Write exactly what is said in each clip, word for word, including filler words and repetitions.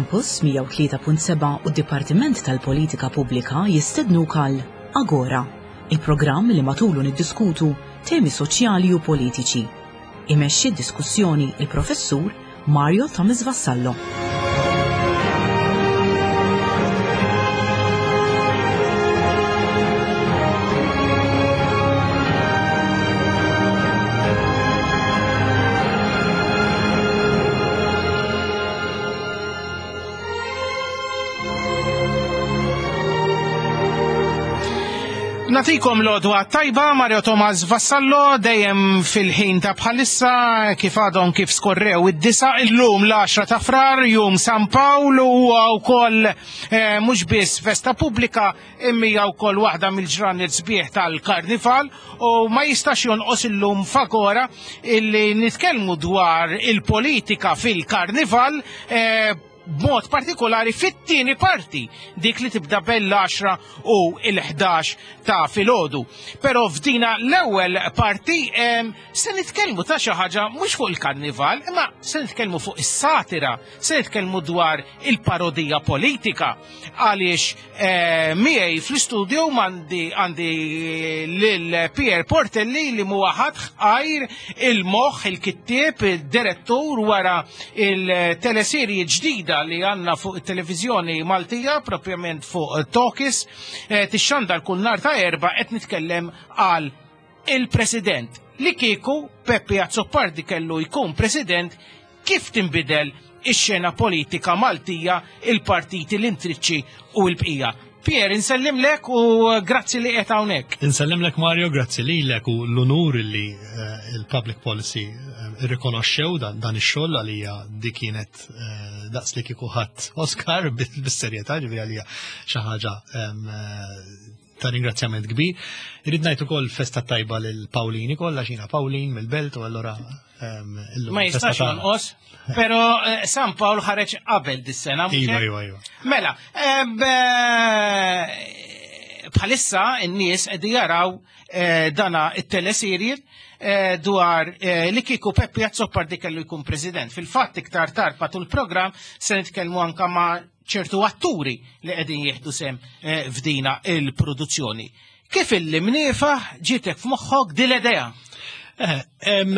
Campus mija u tlieta punt seba' u d-Dipartiment tal-Politika Pubblika jistednuk għal Agora, il-programm li matulu niddiskutu temi soċjali u politiċi. Imexxi d-diskussjoni il-Professur Mario Thomas Vassallo. Natikom l-odwa tajba, Mario Thomas Vassallo, dejjem fil-ħin ta' bħalissa, kif għadhom kif skorrew id-disa, illum l-għaxra ta' frar, jum San Pawl, u wkoll, eh, mhux biss festa pubblika, imma hija wkoll waħda mill-ġranet sbieħ tal-Karnival, u ma jistax jonqos illum f'Agora illi nitkellmu dwar il-politika fil-Karnival, eh, b'mod partikolari fit-tieni parti, dik li tibda bell-għaxra u l-ħdax ta' filgħodu. Però f'dina l-ewwel parti, em, se nitkellmu ta' xi ħaġa mhux fuq il-karnival, imma se nitkellmu fuq is-satira, se nitkellmu dwar il-parodija politika. Għaliex, eh, miegħi fl-istudio m'għandi, għandi lil Pier Portelli li huwa ħadd għajr il-moħħ, il-kittieb, il-direttur wara il-teleserji ġdida li għandna fuq it-televiżjoni Maltija, propjament fuq Tokis, eh, tixxandar kull nhar ta' Erbgħa, qed nitkellem għal il-President. Li kieku Peppi Azzopardi kellu jkun President, kif tinbidel ix-xena politika Maltija, il-partiti, l-intriċċi u l-bqija? Pier, insellimlek u grazzi li qed hawnhekk. Insellimlek Mario, grazzi lilek u l-unur li, eh, il-public policy, eh, irrikonoxxew dan, dan ix-xogħol għalija di kienet, eh, daqs li kieku ħadd Oscar bis-serjetà, ġifieri għalija xi ħaġa, em, eh, ta' ringrazzjament kbir. Irrid ngħid ukoll festa tajba lil Pawlini kollha, xina Pawlin mill-Belt u allura, em, illum Ma festa jistax tagħna. jonqos, però, eh, San Pawl ħareġ qabel dis-sena, mhux Iva, hekk? iva, iva. Mela, em, eh, bħalissa n-nies qegħdin jaraw, eh, dana it-teleserje, eh, dwar, eh, li kieku Peppi Azzopardi kellu jkun president. Fil-fatt iktar tard matul il-programm se nitkellmu anka ma' ċertu atturi li qegħdin jieħdu sem, eh, f'dina il-produzzjoni. Kif illi mniefa ġietek f'moħħok din l-idea? Eh, em,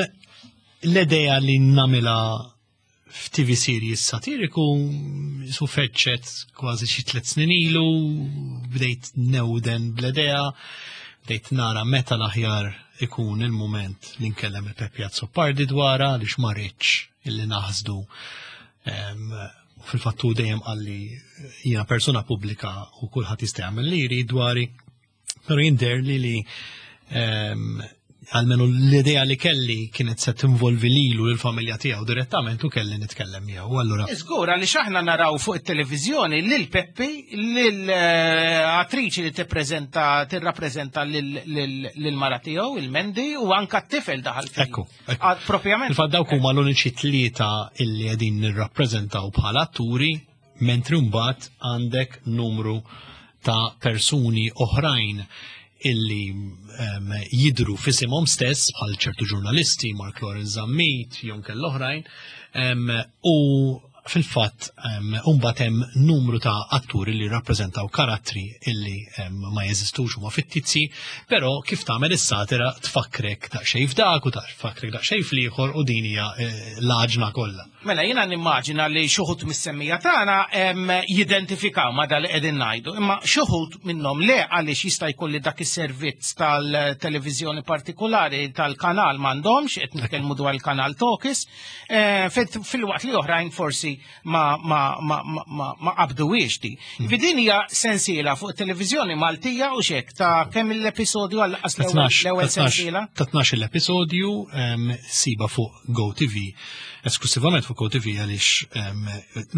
l-idea li namila f'T V series satiriku su feċċet kważi xi tliet snin ilu, bdejt newden bl-idea, bdejt nara meta l-aħjar ikun il-moment li nkellem il-Peppi Azzopardi dwarha, għaliex ma rridx illi naħsdu. Em, fil-fatt hu dejjem qalli jiena persuna pubblika u kulħadd jista' jagħmel li jrid dwari, però jien deherli li, em, almenu l-idea li kelli kienet se tinvolvi lilu l-familja tiegħu direttament u kelli nitkellem miegħu. Allura Żgur, għaliex aħna naraw fuq it-televiżjoni lil Peppi, lil, eh, attriċi li tippreżenta, tirrappreżenta lil, lil, lil mara tiegħu, il-Mendi, u anka t-tifel daħal fil- Ekku, ekku. Ah, propjament. Fil-fatt dawk huma l-uniċi tlieta illi qegħdin nirrappreżentaw bħala atturi, mentri mbagħad għandek numru ta' persuni oħrajn illi, em, jidru f'isimhom stess bħal ċertu ġurnalisti, Mark Lawrence Zammit, jew kell oħrajn, em, u fil-fatt, em, mbagħad hemm numru ta' atturi li rappreżentaw karattri illi, em, ma jeżistux huma fittizji, però kif tagħmel is-satira tfakkrek daqsxejn f'dak u tfakkrek daqsxejn fl-ieħor u din hija, eh, l-għaġna kollha. Mela jiena nimmaġina li xi wħud mis-semmija tagħna, em, jidentifikaw ma dal qegħdin ngħidu, imma xi wħud minnhom le, għaliex jista' jkun li dak is-servizz tal-televiżjoni partikolari tal-kanal m'għandhomx, qed nitkellmu dwar il-kanal Tokis, eh, fil-, fil-waqt li oħrajn forsi ma, ma, ma, ma, ma, ma qabduhiex di. Hmm. Din hija sensiela fuq it-televiżjoni Maltija u xek ta' kemm l-episodju għal qas l-ewwel Ta' tnax, l-ewwel ta' tnax, sensiela? Ta' tnax l-episodju, em, siba fuq GoTV, esklusivament fuq GoTV għaliex, em,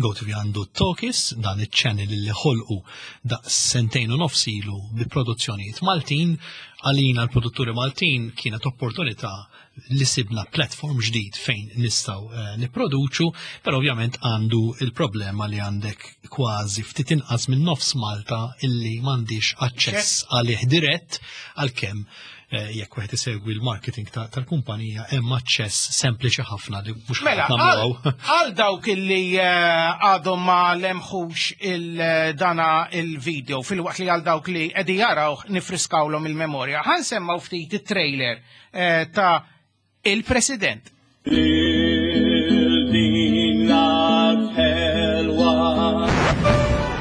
GoTV għandu Tokis, dan iċ-channel li ħolqu da' sentejn u nofs ilu bi produzzjonijiet Maltin. Għalina l-produtturi Maltin kienet opportunità li sibna platform ġdid fejn nistgħu, eh, nipproduċu, però ovvjament għandu il-problema li għandek kważi ftit inqas minn nofs Malta illi m'għandix aċċess għalih dirett, għalkemm eh, jekk wieħed isegwi l-marketing tal-kumpanija hemm aċċess sempliċi ħafna li mhux Mela, għal dawk illi eh, għadhom ma lemħux il-dana il-video fil-waqt li għal dawk li qegħdin jaraw nifriskawlhom il-memorja. Ħa nsemmaw ftit it-trailer eh, ta' Il-President. Din l-ħelwa.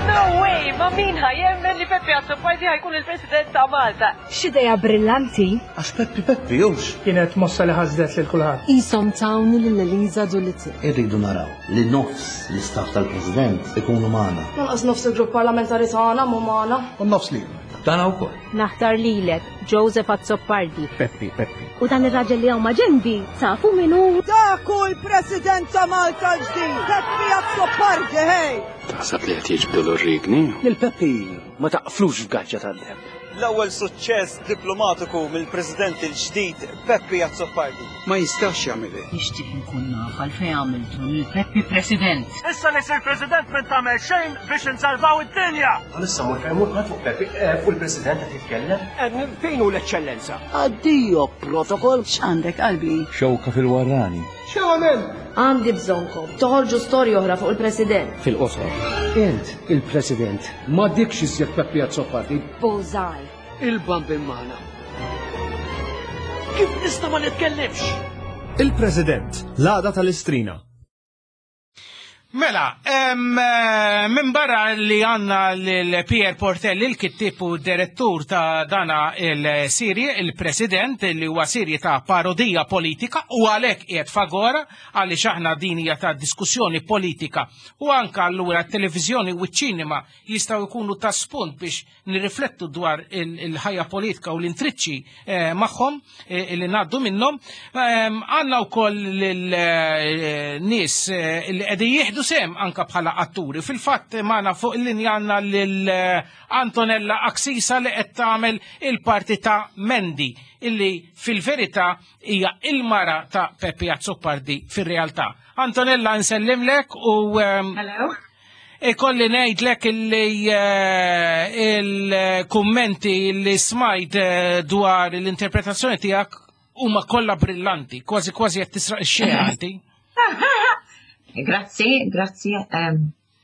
No way, ma min ħa jemmen li Peppi Azzopardi ħa jkun il-President ta' Malta. X'idea brillanti. Għax Peppi Peppi, jux. Kienet mossa li ħasdet lil kulħadd. Isom tawni lil Eliza Doolittle. Irridu naraw li nofs l-istaff tal-President ikunu magħna. Lanqas nofs il-grupp parlamentari tagħna mhu magħna. U nofs li. Tagħna wkoll. Naħtar lilek, Joseph Azzopardi. Peppi, Peppi. U dan ir-raġel li hawn ma' ġenbi, tafu min hu? Dak hu l-President ta' Malta ġdid, Peppi Azzopardi, hej! Taħseb li qed jiġbdu l-rigni? Lil Peppi ma taqflux f'gaġġa tad-deheb. L-ewwel suċċess diplomatiku mill-President il-ġdid Peppi Azzopardi. Ma jistax jagħmel Nixtieq inkun naf għalfejn għamiltu lil Peppi President. Issa li sir President minn tagħmel xejn biex insalvaw id-dinja. Għalissa mhux fejn fuq Peppi, eh, fuq il-President qed jitkellem. Fejn hu l-eċċellenza? Addio protocol. X'għandek qalbi? Xewka fil-warrani. X'għamel? Għandi bżonnkom toħorġu storja oħra fuq il-President. Fil-qosor. Int il-President ma dikx iżjed Peppi Azzopardi. Bullseye. Il-bambin magħna. Kif nista' ma nitkellimx? Il-President, l-għada tal-Istrina. Mela, em, eh, minn barra li għandna l-Pierre Portelli, il-kittib u direttur ta' dana il-serje, il-President, li huwa serje ta' parodija politika u għalhekk qiegħed f'Agora għaliex aħna din hija ta' diskussjoni politika u anka allura t-televiżjoni u ċ-ċinema jistgħu jkunu ta' spunt biex nirriflettu dwar il-ħajja politika u l-intriċċi eh, magħhom eh, li ngħaddu minnhom. Em, Għandna wkoll l-nies li qegħdin jieħdu sehem anka bħala atturi. Fil-fatt magħna fuq il-linja għandna lil Antonella Axisa li qed tagħmel il-parti ta' Mendy illi fil-verità hija il-mara ta' Peppi Azzopardi fir-realtà. Antonella, nsellimlek u um, Hello. Ikolli ngħidlek illi eh, il-kummenti li smajt eh, dwar l-interpretazzjoni tiegħek huma kollha brillanti, kważi kważi qed tisraq ix-xena inti. Grazzi, grazzi.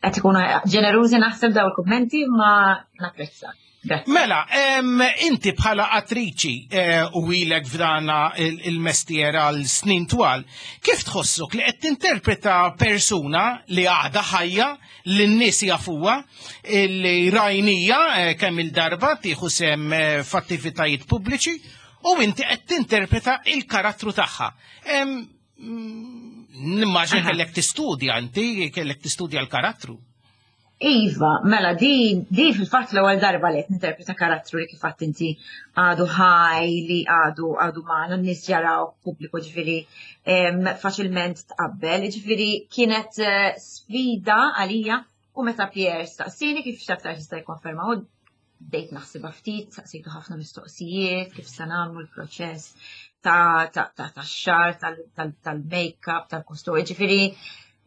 Qed ikunu ġenerużi naħseb daw il-kummenti, ma napprezza. Grazzi. Mela, em, inti bħala attriċi eh, u ilek f'dana il- il-mestier għal snin twal, kif tħossok li qed tinterpreta persuna li għadha ħajja, li n-nies jafuha, li rajnija eh, kemm il-darba tieħu sehem eh, f'attivitajiet pubbliċi, u inti qed tinterpreta il-karattru tagħha? Em, mm, Nimmaġina kellek tistudja inti, kellek tistudja l-karattru. Iva, mela, di, di fil-fatt l-ewwel darba li qed ninterpreta karattru li kif għedt inti għadu ħaj, li għadu għadu magħna, n-nies jaraw pubbliku, ġifieri em, faċilment tqabbel, ġifieri kienet eh, sfida għalija u meta Pierre staqsini, kif x'aktar jista' jikkonferma, u bdejt naħsibha ftit, saqsejtu ħafna mistoqsijiet, kif se nagħmlu l-proċess ta' ta' ta' tax-xagħar, tal-make-up, tal-kostum, ġifieri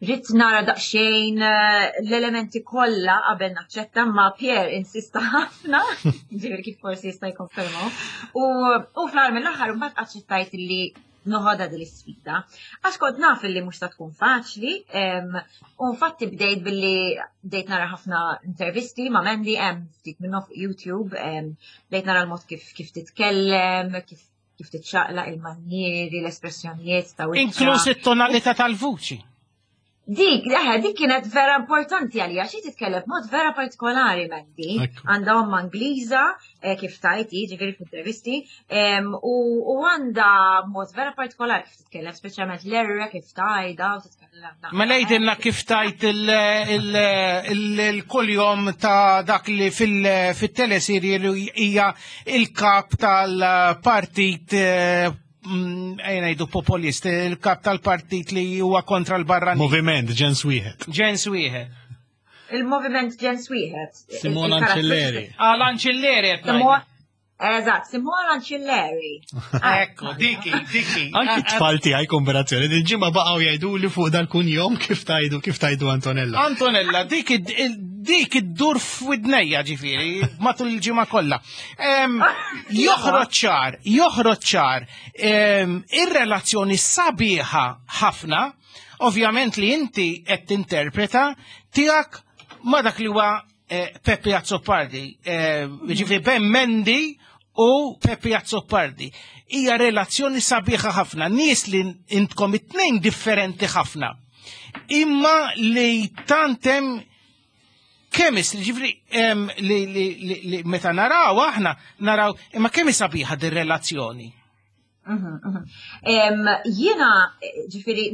ridt nara daqsxejn eh, l-elementi kollha qabel naċċetta, ma Pierre insista ħafna, ġifieri kif forsi jista' jikkonfermaw. U u fl-aħħar mill-aħħar mbagħad aċċettajt li noħodha din l-isfida. Għax kont naf li mhux ta' tkun faċli, em, u infatti bdejt billi bdejt nara ħafna intervisti ma' Mandy, hemm ftit minnhom fuq YouTube, em, bdejt nara l-mod kif kif titkellem, kif kif titxaqlaq, il-manjieri, l-espressjonijiet ta' wiċċha. Inkluż it-tonalità tal-vuċi. Dik, eħe, dik kienet vera importanti għalija, xi titkellem b'mod vera partikolari Mandy. Għandha omma Ingliża, eh, kif tajti, ġifieri f'intervisti, em, u u għandha mod vera partikolari kif titkellem, speċjalment l-erre kif tajda u titkellem. Mela jgħidilna kif tajt il-kuljom ta' dak li fil-teleserje li hija il-kap tal-partit eh, mm, ejja ngħidu populist, il-kap tal-partit li huwa kontra l-barranin. Moviment, ġens wieħed. Ġens wieħed. Il-moviment ġens wieħed. Simona Il-karattru- Ancilleri. Għal Ancilleri qed ngħidu. Simona- Eżatt, Simona Ancilleri. Ekku, diki, diki. Anki t-tfal tiegħi, kombinazzjoni, din ġimgħa baqgħu jgħidu li fuq dal-kunjom kif tajdu, kif tajdu Antonella. Antonella, dik id- Dik iddur f'widnejja ġifieri matul il-ġimgħa kollha. Joħroġ ċar, joħroġ ċar ir-relazzjoni sabiħa ħafna, ovvjament li inti qed tinterpreta tiegħek ma dak li huwa eh, Peppi Azzopardi, eh, ġifieri Ben Mendy u Peppi Azzopardi. Hija relazzjoni sabiħa ħafna, nies li intkom it-tnejn differenti ħafna. Imma li tant hemm chemistry, ġifieri li, li, li, li meta naraw aħna naraw imma kemm sabiħa din relazzjoni. Mhm, mhm. Jiena, ġifieri,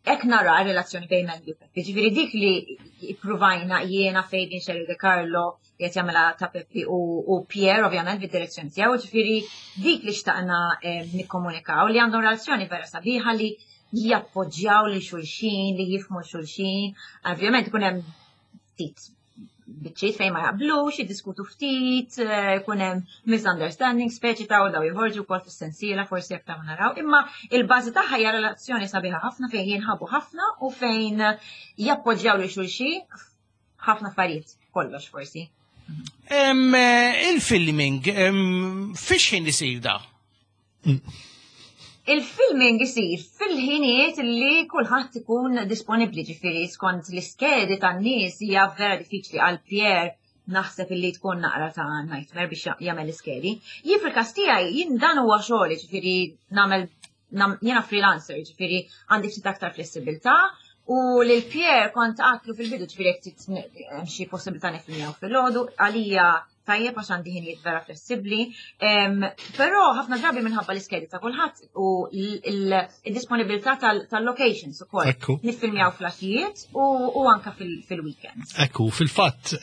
hekk nara relazzjoni bejn Mendy u Peppi, ġifieri dik li provajna jiena Fabian Scerri De Carlo, li qed jagħmilha ta' Peppi u, u Pierre, ovvjament, bid-direzzjoni tiegħu, ġifieri dik li xtaqna nikkomunikaw li għandhom relazzjoni vera sabiħa li jappoġġjaw lil xulxin, li jifhmu xulxin. Ovvjament ikun hemm ftit biċċiet fejn ma jaqblux, jiddiskutu ftit, ikun hemm misunderstanding, speċi ta' u daw joħorġu wkoll fis-sensiela forsi aktar ma naraw, imma il-bażi tagħha hija relazzjoni sabiħa ħafna fejn jinħabu ħafna u fejn jappoġġjaw lil xulxin ħafna affarijiet, kollox forsi. Il-filming, fiex ħin isir da? Il-filming isir fil-ħinijiet li kulħadd ikun disponibbli, ġifieri skont l-iskedi tan-nies hija vera diffiċli għal Pierre naħseb illi tkun naqra ta' nightmare biex jagħmel l-iskedi. Jien fil-każ tiegħi jien dan huwa xogħol, ġifieri nagħmel jiena freelancer, ġifieri għandi ftit aktar flessibilità u lil Pierre kont għedtlu fil-bidu ġifieri jekk hemm xi possibilità nifilmjaw fil-għodu għalija tajjeb għax għandi ħinijiet vera flessibbli. Però ħafna drabi minħabba l-iskedi ta' kulħadd u l-disponibilità tal-locations ukoll. Ekku. Niffilmjaw fl-għaxijiet u anka fil-weekends. Ekku, fil-fatt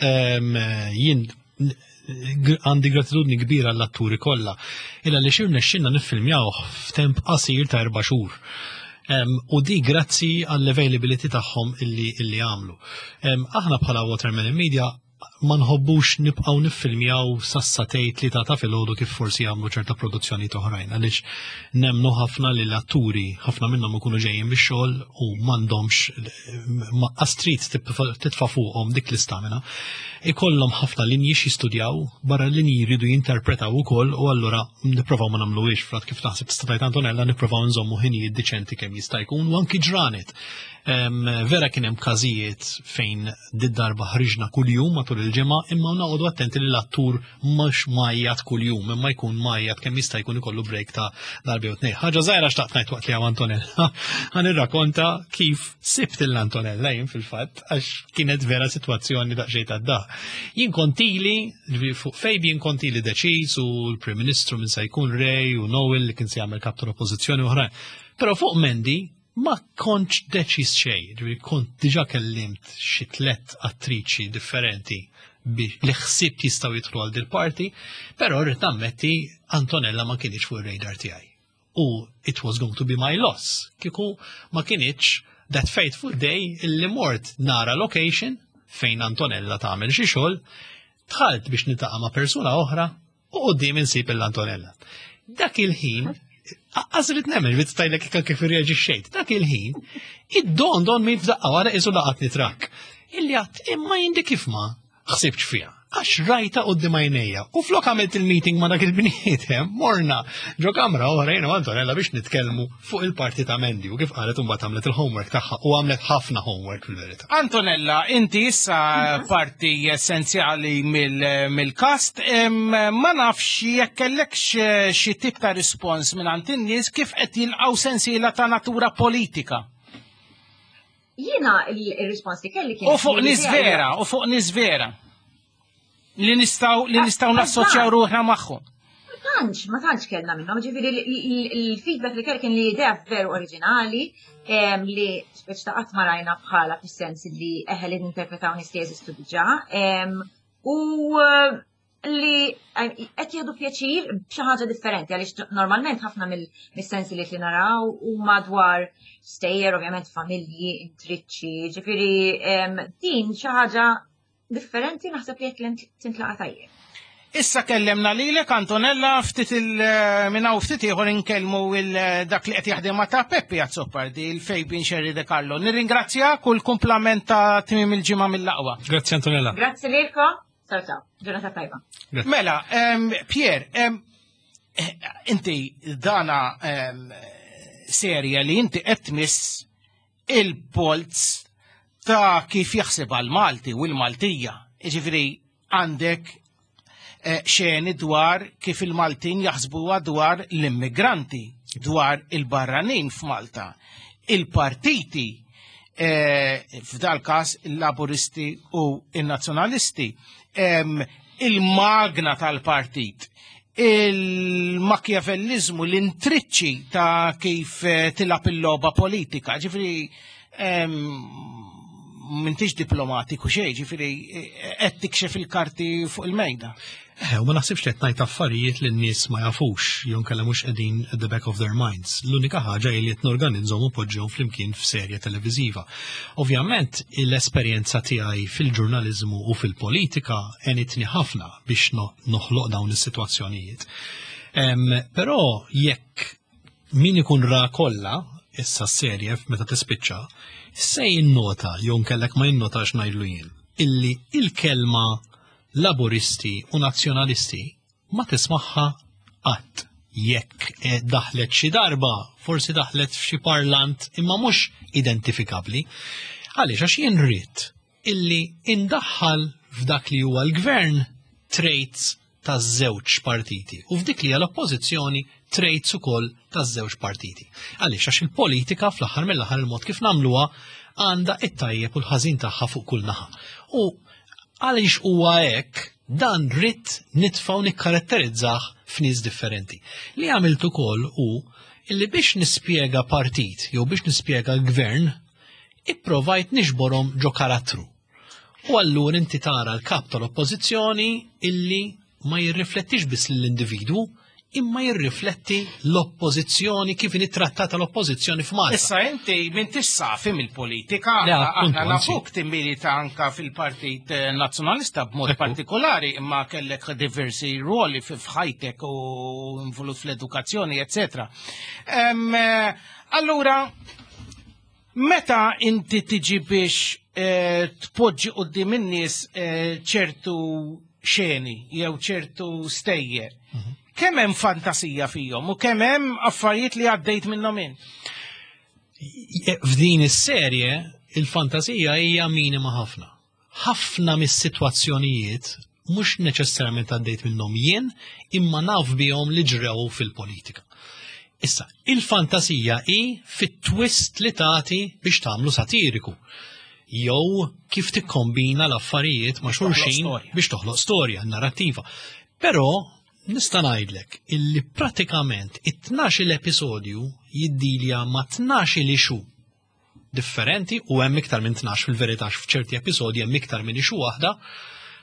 jien għandi gratitudni kbira l-atturi kollha. Illa li xirna xinna niffilmjaw f'temp qasir ta' erba' xhur. U di grazzi għall-availability tagħhom illi illi għamlu. Aħna bħala Watermelon Media ma nħobbux nibqgħu niffilmjaw sas-sagħtejn tlieta ta' filgħodu kif forsi jagħmlu ċerta produzzjoni oħrajn għaliex nemnu ħafna li l-atturi ħafna minnhom ikunu ġejjin bix-xogħol u m'għandhomx ma astrid titfa' fuqhom dik l-istamina. Ikollhom ħafna linji x'jistudjaw, barra linji jridu jinterpretaw ukoll u allura nipprovaw ma nagħmluhiex frat kif taħseb tista' tgħid Antonella nipprovaw nżommu ħinijiet diċenti kemm jista' jkun u anki ġranet. Vera kien hemm każijiet fejn did-darba ħriġna kuljum matul il-ġimgħa imma noqogħdu attenti li l-attur mhux mgħajjat kuljum imma jkun mgħajjat kemm jista' jkun ikollu break ta' darba jew tnejn. Ħaġa żgħira xtaqt ngħid waqt li hawn Antonella. Ħa nirrakkonta kif sibt lil Antonella jien fil-fatt għax kienet vera sitwazzjoni daqsxejn ta' da. Jien kontili, fuq Fabian kontili deċiż u l-Prim Ministru minn se jkun Ray u Noel li kien se jagħmel kap tal-Oppożizzjoni oħrajn. Però fuq Mendy ma kontx deċiż xejn, ġifieri kont diġà kellimt xi tliet attriċi differenti li ħsibt jistgħu jidħlu għal dil parti, però rrid nammetti Antonella ma kienx fuq ir-radar tiegħi. U it was going to be my loss. Kieku ma kienx that fateful day illi mort nara location fejn Antonella tagħmel xi xogħol, dħalt biex niltaqa' ma' persuna oħra u quddiem insib l-Antonella. Dak il-ħin Għazrit nemmen, bit stajlek kif irreaġixxejt. Dak il-ħin, id-don don mi f'daqqa wara isu laqatni trak. Illi għedt imma jindi kif ma ħsibx fiha. Għax rajta quddiem għajnejja. U flok għamilt il-meeting ma dak il-bniedem, morna ġo kamra oħra jiena u Antonella biex nitkellmu fuq il-parti ta' Mendy u kif qalet imbagħad għamlet il-homework tagħha u għamlet ħafna homework fil-verità. Antonella, inti issa parti essenzjali mill-cast, ma nafx jekk kellekx xi tip ta' rispons minn għand in-nies kif qed jilqgħu sensiela ta' natura politika. Jiena il-rispons li kelli kien. U fuq nies vera, u fuq nies vera. Li nistgħu li nistgħu nassoċjaw ruħna magħhom. Ma tantx, ma tantx kellna minnhom, ġifieri il-feedback li kelli kien li idea veru oriġinali li speċi ta' qatt ma rajna bħala fis-sens li eħe li ninterpretaw nies li jeżistu diġà. U li qed jieħdu pjaċir b'xi ħaġa differenti għaliex normalment ħafna mill-sensi li naraw huma dwar stejjer, ovvjament familji, intriċċi, ġifieri din xi ħaġa differenti naħseb li qed tintlaqa' tajjeb. Issa kellemna lilek Antonella ftit il minn hawn ftit ieħor inkellmu dak li qed jaħdem ma' ta' Peppi Azzopardi, il-Fabian Scerri De Carlo. Nirringrazzjak u l-kumplament ta' tmiem il-ġimgħa mill-aqwa. Grazzi Antonella. Grazzi lilkom. Ciao ciao. Ġurnata tajba. Mela, Pier, inti dana serja li inti qed tmiss il-polz ta' kif jaħseb għal-Malti u l-Maltija. Jiġifieri għandek xeni dwar kif il-Maltin jaħsbuha dwar l-immigranti, dwar il-barranin f'Malta. Il-partiti, f'dal każ il-Laburisti u il-Nazzjonalisti, il-magna tal-partit, il-makjavelliżmu, l-intriċċi ta' kif tilab il-logħba politika. Ġifieri m'intix diplomatiku xejn, ġifieri qed tikxef il-karti fuq il-mejda. Eh, u ma naħsibx li qed ngħid affarijiet li n-nies ma jafux, jew inkella mhux qegħdin at the back of their minds. L-unika ħaġa hi li qed norganizzhom u poġġihom flimkien f'serje televiżiva. Ovvjament, l-esperjenza tiegħi fil-ġurnaliżmu u fil-politika għenitni ħafna biex noħloq dawn is-sitwazzjonijiet. Però jekk min ikun ra kollha issa s-serje meta tispiċċa, se jinnota jew nkellek ma jinnotax ngħidlu jien illi il-kelma Laburisti u Nazzjonalisti ma tismaħħa qatt. Jekk daħlet xi darba, forsi daħlet f'xi parlant imma mhux identifikabbli. Għaliex għax jien rrid illi indaħħal f'dak li huwa l-gvern traits taż-żewġ partiti u f'dik li hija l-oppożizzjoni traits ukoll taż-żewġ partiti. Għaliex għax il-politika fl-aħħar mill-aħħar il-mod kif nagħmluha għandha it-tajjeb u l-ħażin tagħha fuq kull naħa. U għaliex huwa hekk dan rrid nitfgħu nikkaratterizzah f'nies differenti. Li għamilt ukoll hu illi biex nispjega partit jew biex nispjega l-gvern, ipprovajt nixborhom ġo karattru. U allura inti tara l-kap tal-oppożizzjoni illi ma jirriflettix biss lill-individwu, imma jirrifletti l-oppożizzjoni kif inhi trattata l-oppożizzjoni f'Malta. Issa inti m'intix safi mill-politika, aħna nafuk timmilita anka fil-Partit Nazzjonalista b'mod partikolari, imma kellek diversi ruoli f'ħajtek u involut fl-edukazzjoni, eccetera. Allura, meta inti tiġi biex tpoġġi quddiem in-nies ċertu xeni jew ċertu stejjer, kemm hemm fantasija fihom u kemm hemm affarijiet li għaddejt minnhom int? F'din is-serje il-fantasija hija minima ħafna. Ħafna mis-sitwazzjonijiet mhux neċessarjament għaddejt minnhom jien, imma naf bihom li ġrew fil-politika. Issa, il-fantasija hi fit-twist li tagħti biex tagħmlu satiriku. Jew kif tikkombina l-affarijiet ma' xulxin biex toħloq storja, narrattiva. Però nista' ngħidlek illi pratikament it-tnax-il episodju jiddilja ma' tnax-il issue differenti u hemm iktar minn tnax fil-verità f'ċerti episodji hemm iktar minn issue waħda.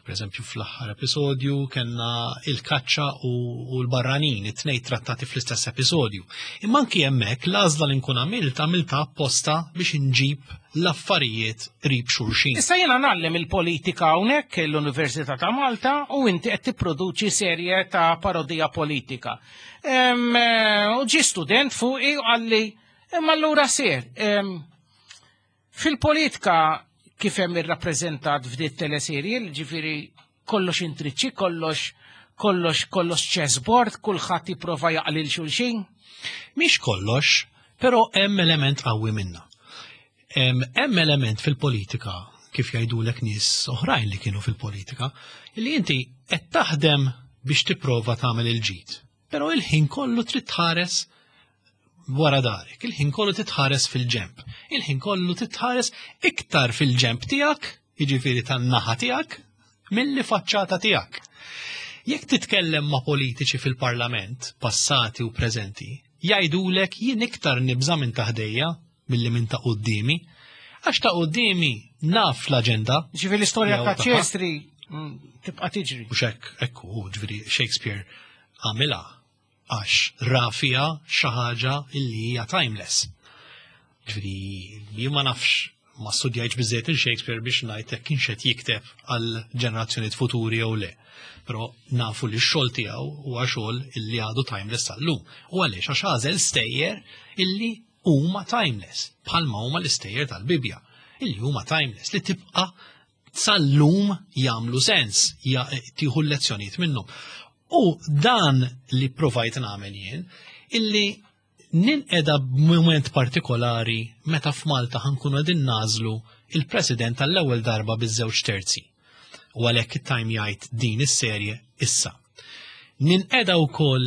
Per eżempju fl-aħħar episodju kellna il-kaċċa u l-barranin, it-tnejn trattati fl-istess episodju. Imma anki hemmhekk l-għażla li nkun għamilt għamilta apposta biex inġib l-affarijiet qrib xulxin. Issa jiena ngħallem il-politika hawnhekk l-Università ta' Malta u inti qed tipproduċi serje ta' parodija politika. U ġie student fuqi u qalli imma allura ser. Fil-politika kif hemm irrappreżentat f'din teleserje, ġifieri kollox intriċċi, kollox kollox kollox chessboard, kulħadd jipprova jaqlil xulxin. Mhix kollox, però hemm element qawwi minna. Hemm element fil-politika, kif jgħidulek nies oħrajn li kienu fil-politika, li inti qed taħdem biex tipprova tagħmel il-ġid. Però il-ħin kollu trid tħares wara darek, il-ħin kollu titħares fil-ġemp, il-ħin kollu titħares iktar fil-ġemp tiegħek, jiġifieri tan-naħa tiegħek, milli faċċata tiegħek. Jekk titkellem ma' politiċi fil-parlament, passati u preżenti, jgħidulek jien iktar nibża' minn taħdejja milli minn ta' quddiemi, għax ta' quddiemi naf l-aġenda. Ġifieri l-istorja ta' Ċestri tibqa' tiġri. U xek, ekku, ġifieri Shakespeare għamilha għax ra fiha xi ħaġa illi hija timeless. Ġifieri jien ma nafx, ma studjajtx biżejjed il-Shakespeare biex ngħid jekk kienx qed jikteb għal ġenerazzjonijiet futuri jew le. Però nafu li x-xogħol tiegħu huwa xogħol illi għadu timeless sal-lum. U għaliex għax għażel stejjer illi huma timeless, bħalma huma l-istejjer tal-Bibja, illi huma timeless li tibqa' sal-lum jagħmlu sens, tieħu l-lezzjonijiet minnhom. U dan li provajt nagħmel jien, illi ninqeda b'mument partikolari meta f'Malta ħankunu qegħdin nagħżlu il-President tal-ewwel darba biż-żewġ terzi. U għalhekk it-time jgħid din is-serje issa. Ninqeda wkoll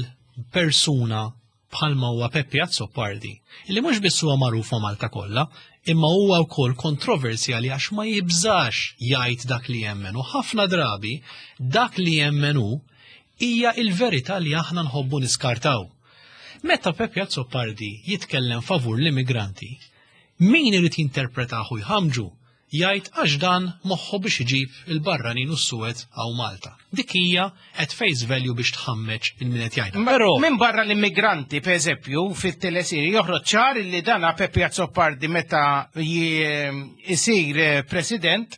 persuna bħalma huwa Peppi Azzopardi, illi mhux biss huwa magħruf ma' Malta kollha, imma huwa wkoll kontroversjali għax ma jibżax jgħid dak li jemmen u ħafna drabi dak li jemmen hu hija il-verità li aħna nħobbu niskartaw. Meta Peppi Azzopardi jitkellem favur l-immigranti, min irid jinterpretahu jħamġu jgħid għax dan moħħu biex iġib il-barranin u s-suwed għaw Malta. Dik hija at face value biex tħammeġ il-min qed jgħidha. Però minn barra l-immigranti, per eżempju, fit-telesiri joħroġ ċar li dana Peppi Azzopardi meta jisir president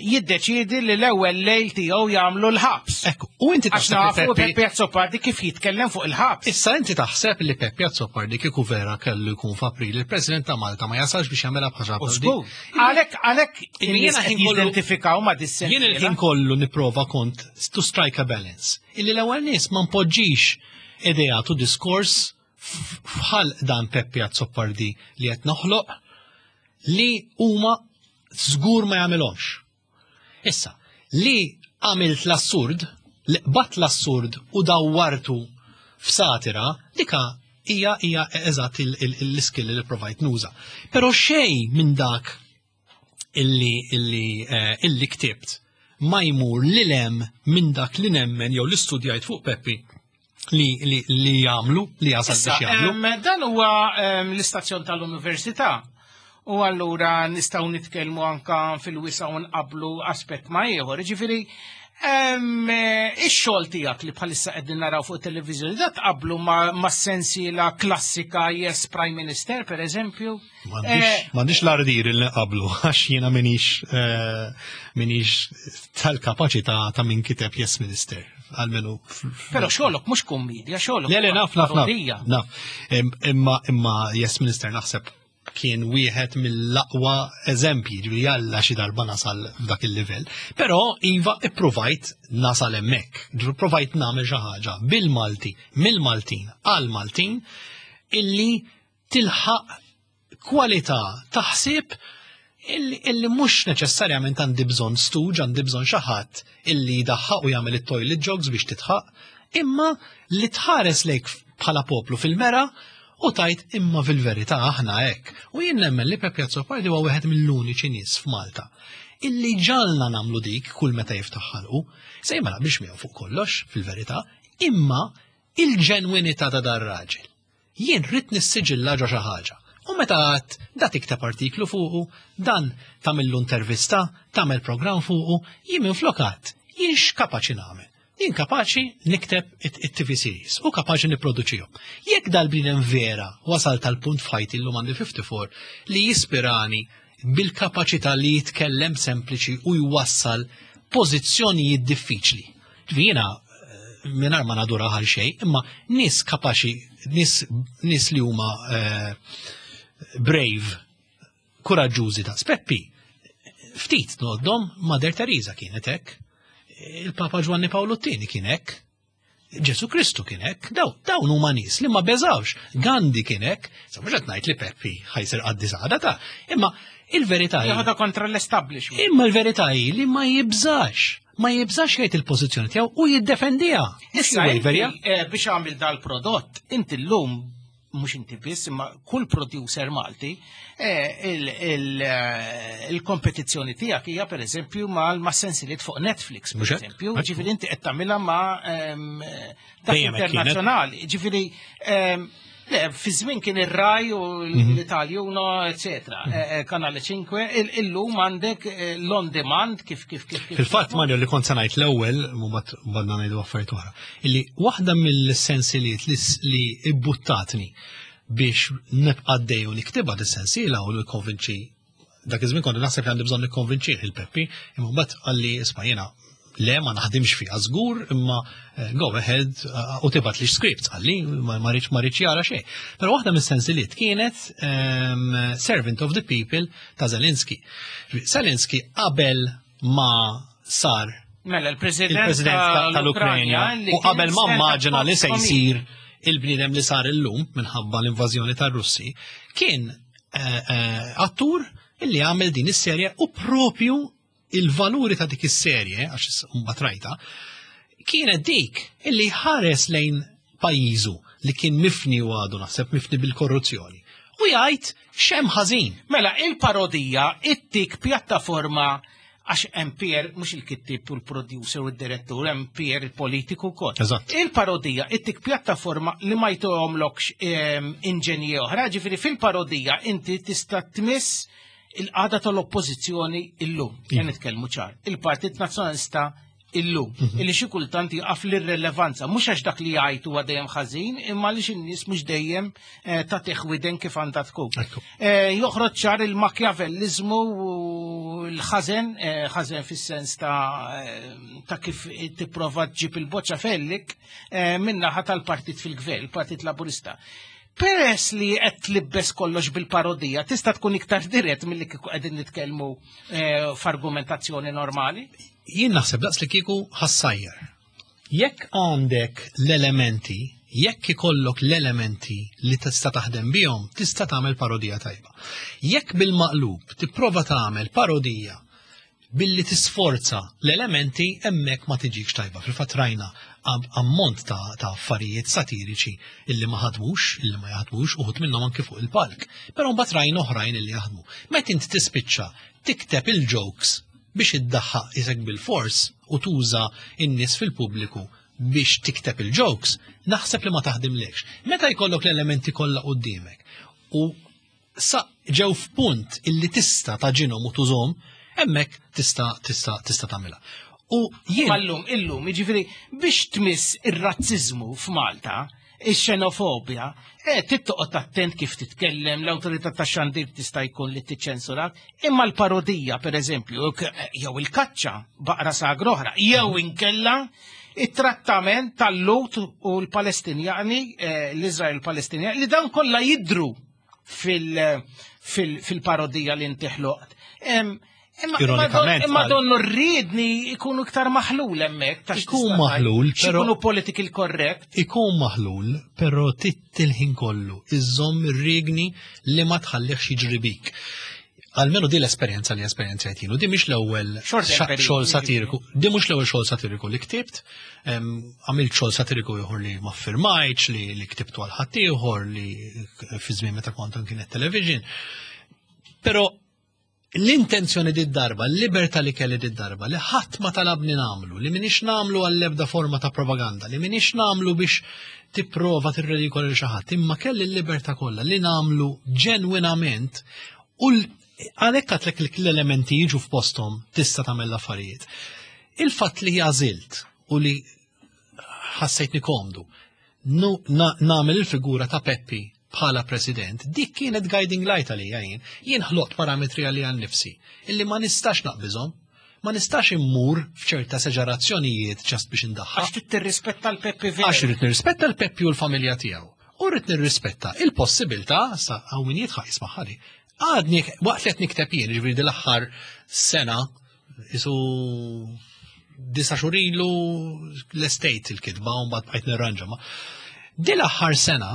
jiddeċidi li l-ewwel lejl tiegħu jagħmlu l-ħabs. Ekku, u inti taħseb li Peppi Azzopardi kif jitkellem fuq il-ħabs. Issa inti taħseb li Peppi Azzopardi kieku vera kellu jkun f'April il-President ta' Malta ma jasalx biex jagħmilha bħaġa bħal. Għalhekk għalhekk in-nies jidentifikaw ma' dis Jien il-ħin kollu nipprova kont to strike a balance. Illi l-ewwel nies ma npoġġix ideat u diskors f'ħal dan Peppi Azzopardi li qed noħloq li huma żgur ma jagħmilhomx. Issa, li għamilt l-assurd, li qbadt l-assurd u dawwartu f'satira, dika hija hija eżatt l-iskill li provajt nuża. Però xejn minn dak illi illi illi ktibt ma jmur li lem minn dak li nemmen jew li studjajt fuq Peppi li li li jagħmlu, li jasal biex jagħmlu. Dan huwa l-istazzjon tal-università. U allura nistgħu nitkellmu anka fil-wisa u nqablu aspett ma' ieħor. Ġifieri, ix-xogħol tiegħek li bħalissa qegħdin naraw fuq it-televiżjoni, da tqablu ma' sensiela klassika Yes Prime Minister, per eżempju? M'għandix l-ardir li nqablu, għax jiena minix minix tal-kapaċità ta' min kiteb Yes Minister. Għalmenu. Però xogħolok mhux kummedja, xogħolok. Le, le, naf, naf, naf. Naf. Imma imma Yes Minister naħseb kien wieħed mill-aqwa eżempji, ġifieri jalla xi darba nasal f'dak il-livell. Però iva ippruvajt nasal hemmhekk, ġifieri provajt nagħmel xi ħaġa bil-Malti, mill-Maltin għal-Maltin illi tilħaq kwalità taħsib illi mhux neċessarjament għandi bżonn stuġ, għandi bżonn xi ħadd illi jdaħħaq u jagħmel it-toilet jogs biex titħaq, imma li tħares lejk bħala poplu fil-mera u tajt imma fil-verità aħna hekk. U jien nemmen li Peppi Azzopardi huwa wieħed mill-uniċi nies f'Malta illi ġalna nagħmlu dik kull meta jiftaħ ħalqu. Se ma naqbilx miegħu fuq kollox fil-verità, imma il-ġenwinità ta' dar raġel. Jien rrid nissiġilla ġo xi ħaġa. U meta għad da tikteb artiklu fuqu, dan tagħmillu intervista, tagħmel programm fuqu, jien minflok għad, jien x'kapaċi nagħmel. Jien kapaċi nikteb it-T V series u kapaċi nipproduċihom. Jekk dal-bniedem vera wasal tal-punt f'ħajti llum għandi fifty-four li jispirani bil-kapaċità li jitkellem sempliċi u jwassal pożizzjonijiet diffiċli. Jiena mingħajr ma nadura għal xejn, imma nies kapaċi, nies, nies li huma eh, brave, kuraġġużi ta' Peppi, ftit noddhom Mother Teresa kienet hekk. Il-Papa Ġwanni Pawlu t-tieni kien hekk, Ġesu Kristu kien hekk, daw dawn huma nies li ma beżawx, Gandhi kien hekk, sa mhux qed ngħid li Peppi ħajsir qaddis għada ta' imma il-verità hi Jaħodha kontra l-establishment. Imma l-verità hi li ma jibżax, ma jibżax jgħid il-pożizzjoni tiegħu u jiddefendiha. Issa inti, biex għamil dal-prodott, inti llum mhux inti biss, imma kull producer Malti, il-kompetizzjoni tiegħek hija pereżempju mal-sensiliet fuq Netflix, pereżempju, ġifieri inti qed tagħmilha ma' dak internazzjonali. Ġifieri le, fi żmien kien ir-Rai u l-Italjuno, eċetera, Kanale cinque, illum għandek l-on demand kif kif kif. Fil-fatt Mario li kont se ngħid l-ewwel, mbagħad badna ngħidu affarijiet oħra, illi waħda mill-sensiliet li ibbuttatni biex nibqa' għaddej u niktibha dis-sensiela u nikkonvinċi dak iż-żmien kont naħseb li għandi bżonn nikkonvinċih il-Peppi, imma mbagħad qalli isma' jiena le ma naħdimx fiha żgur, imma eh, go ahead eh, u tibgħat li scripts qalli ma ma rridx ma rridx jara xejn. Però waħda mis-sensiliet kienet ehm, Servant of the People ta' Zelensky. Zelensky qabel ma sar Mela, il-President il-President ta- tal-Ukranja li u kien qabel ma stand-up immaġina li se comedian. jsir il-bniedem li sar illum minħabba l-invażjoni tar-Russi, kien eh, eh, attur illi għamel din is-serje u propju il-valuri ta' dik is-serje, għax mbagħad rajta, kienet dik illi ħares lejn pajjiżu li kien mifni u għadu naħseb mifni bil-korruzzjoni. U jgħid x'hemm ħażin. Mela, il-parodija ittik pjattaforma għax M P R, mhux il-kittib u l-producer u d-direttur, M P R il-politiku kol. Eżatt. Il-parodija ittik pjattaforma li ma jtuhomlokx ehm, inġenji oħra, ġifieri fil-parodija inti tista' tmiss il-qagħda tal-oppożizzjoni illum. Jen nitkellmu ċar. Il-Partit Nazzjonalista illum. Illi xi kultant jaqaf l-irrelevanza, mhux għax dak li jgħid huwa dejjem ħażin, imma għaliex in-nies mhux dejjem eh, tagħtih widen kif għandha tkun. Ekku. Eh, Joħroġ ċar il-makjavelliżmu u l-ħażen, eh, ħażen fis-sens ta' eh, ta' kif tipprova ġġib il-boċċa fellik eh, min-naħa tal-partit fil-gvern, il-Partit Laburista. Peress li qed tlibbes kollox bil-parodija, tista' tkun iktar dirett milli kieku qegħdin nitkellmu eh, f'argumentazzjoni normali? Jien naħseb daqs li kieku ħa ssajjar. Jekk għandek l-elementi, jekk ikollok l-elementi li tista' taħdem bihom, tista' tagħmel parodija tajba. Jekk bil-maqlub tipprova tagħmel parodija billi tisforza l-elementi, hemmhekk ma tiġikx tajba. Fil-fatt rajna am- ammont ta', ta' affarijiet satiriċi illi ma ħadmux, illi ma jaħdmux, uħud minnhom anke fuq il-palk. Però mbagħad rajna oħrajn illi jaħdmu. Meta int tispiċċa tikteb il-jokes biex iddaħħaq isek bil-fors u tuża in-nies fil-pubbliku biex tikteb il-jokes, naħseb li ma taħdimlekx. Meta jkollok l-elementi kollha quddiemek u sa ġew f'punt illi tista' tagħġinhom u tużhom, hemmhekk tista' tista' tista' tagħmilha. U jien Illum, illum, jiġifieri biex tmiss ir-razziżmu f'Malta, ix-xenofobja, eh, trid toqgħod attent kif titkellem, l-awtorità tax-xandir tista' jkun li tiċċensurak, imma l-parodija, per eżempju, jew il-kaċċa baqra sagra oħra, jew inkella it-trattament tal-Lhud u l-Palestinjani, eh, l-Izrael u l-Palestinjani, li dan kollha jidru fil- fil- fil-parodija li inti ħloqt. Em, Imma Ironikament, imma għal- donnu rridni ikunu iktar maħlul hemmhekk ta' Ikun maħlul, però- Ikunu political correct. Ikun maħlul, però trid il-ħin kollu iżomm ir-rigni li ma tħallihx jiġri bik. Almenu di l-esperjenza li esperjenzajt jien, u di mhix l-ewwel Short xa- temper, xogħol satiriku, di mhux l-ewwel xogħol satiriku li ktibt, em, għamilt xogħol satiriku ieħor li ma firmajtx, li, li ktibtu għal ħaddieħor li fi żmien meta kont anki Net Television. Però l-intenzjoni di darba, l-libertà li kelli di darba, li ħadd ma talabni nagħmlu, li minix nagħmlu għall-ebda forma ta' propaganda, li minix nagħmlu biex tipprova tirredikola lil xi ħadd, imma kelli l-libertà kollha li nagħmlu ġenwinament u l- għalhekk għedtlek li l-elementi jiġu f'posthom tista' tagħmel l-affarijiet. Il-fatt li għażilt u li ħassejtni komdu nu- na- nagħmel il-figura ta' Peppi bħala president, dik kienet guiding light għalija jien. Jien ħloqt parametri għalija nnifsi, illi ma nistax naqbiżhom, ma nistax immur f'ċerta esaġerazzjonijiet just biex indaħħaq. Għax trid tirrispetta l-Peppi veru. Għax irrid nirrispetta l-Peppi u l-familja tiegħu. U rrid nirrispetta il-possibilità, sa hawn min jidħaq jismaħħali. Għadni waqt li qed nikteb jien, ġifieri din l-aħħar sena, isu disa' xhur ilu l-estate il-kitba u mbagħad bqajt nirranġa ma. Din l-aħħar sena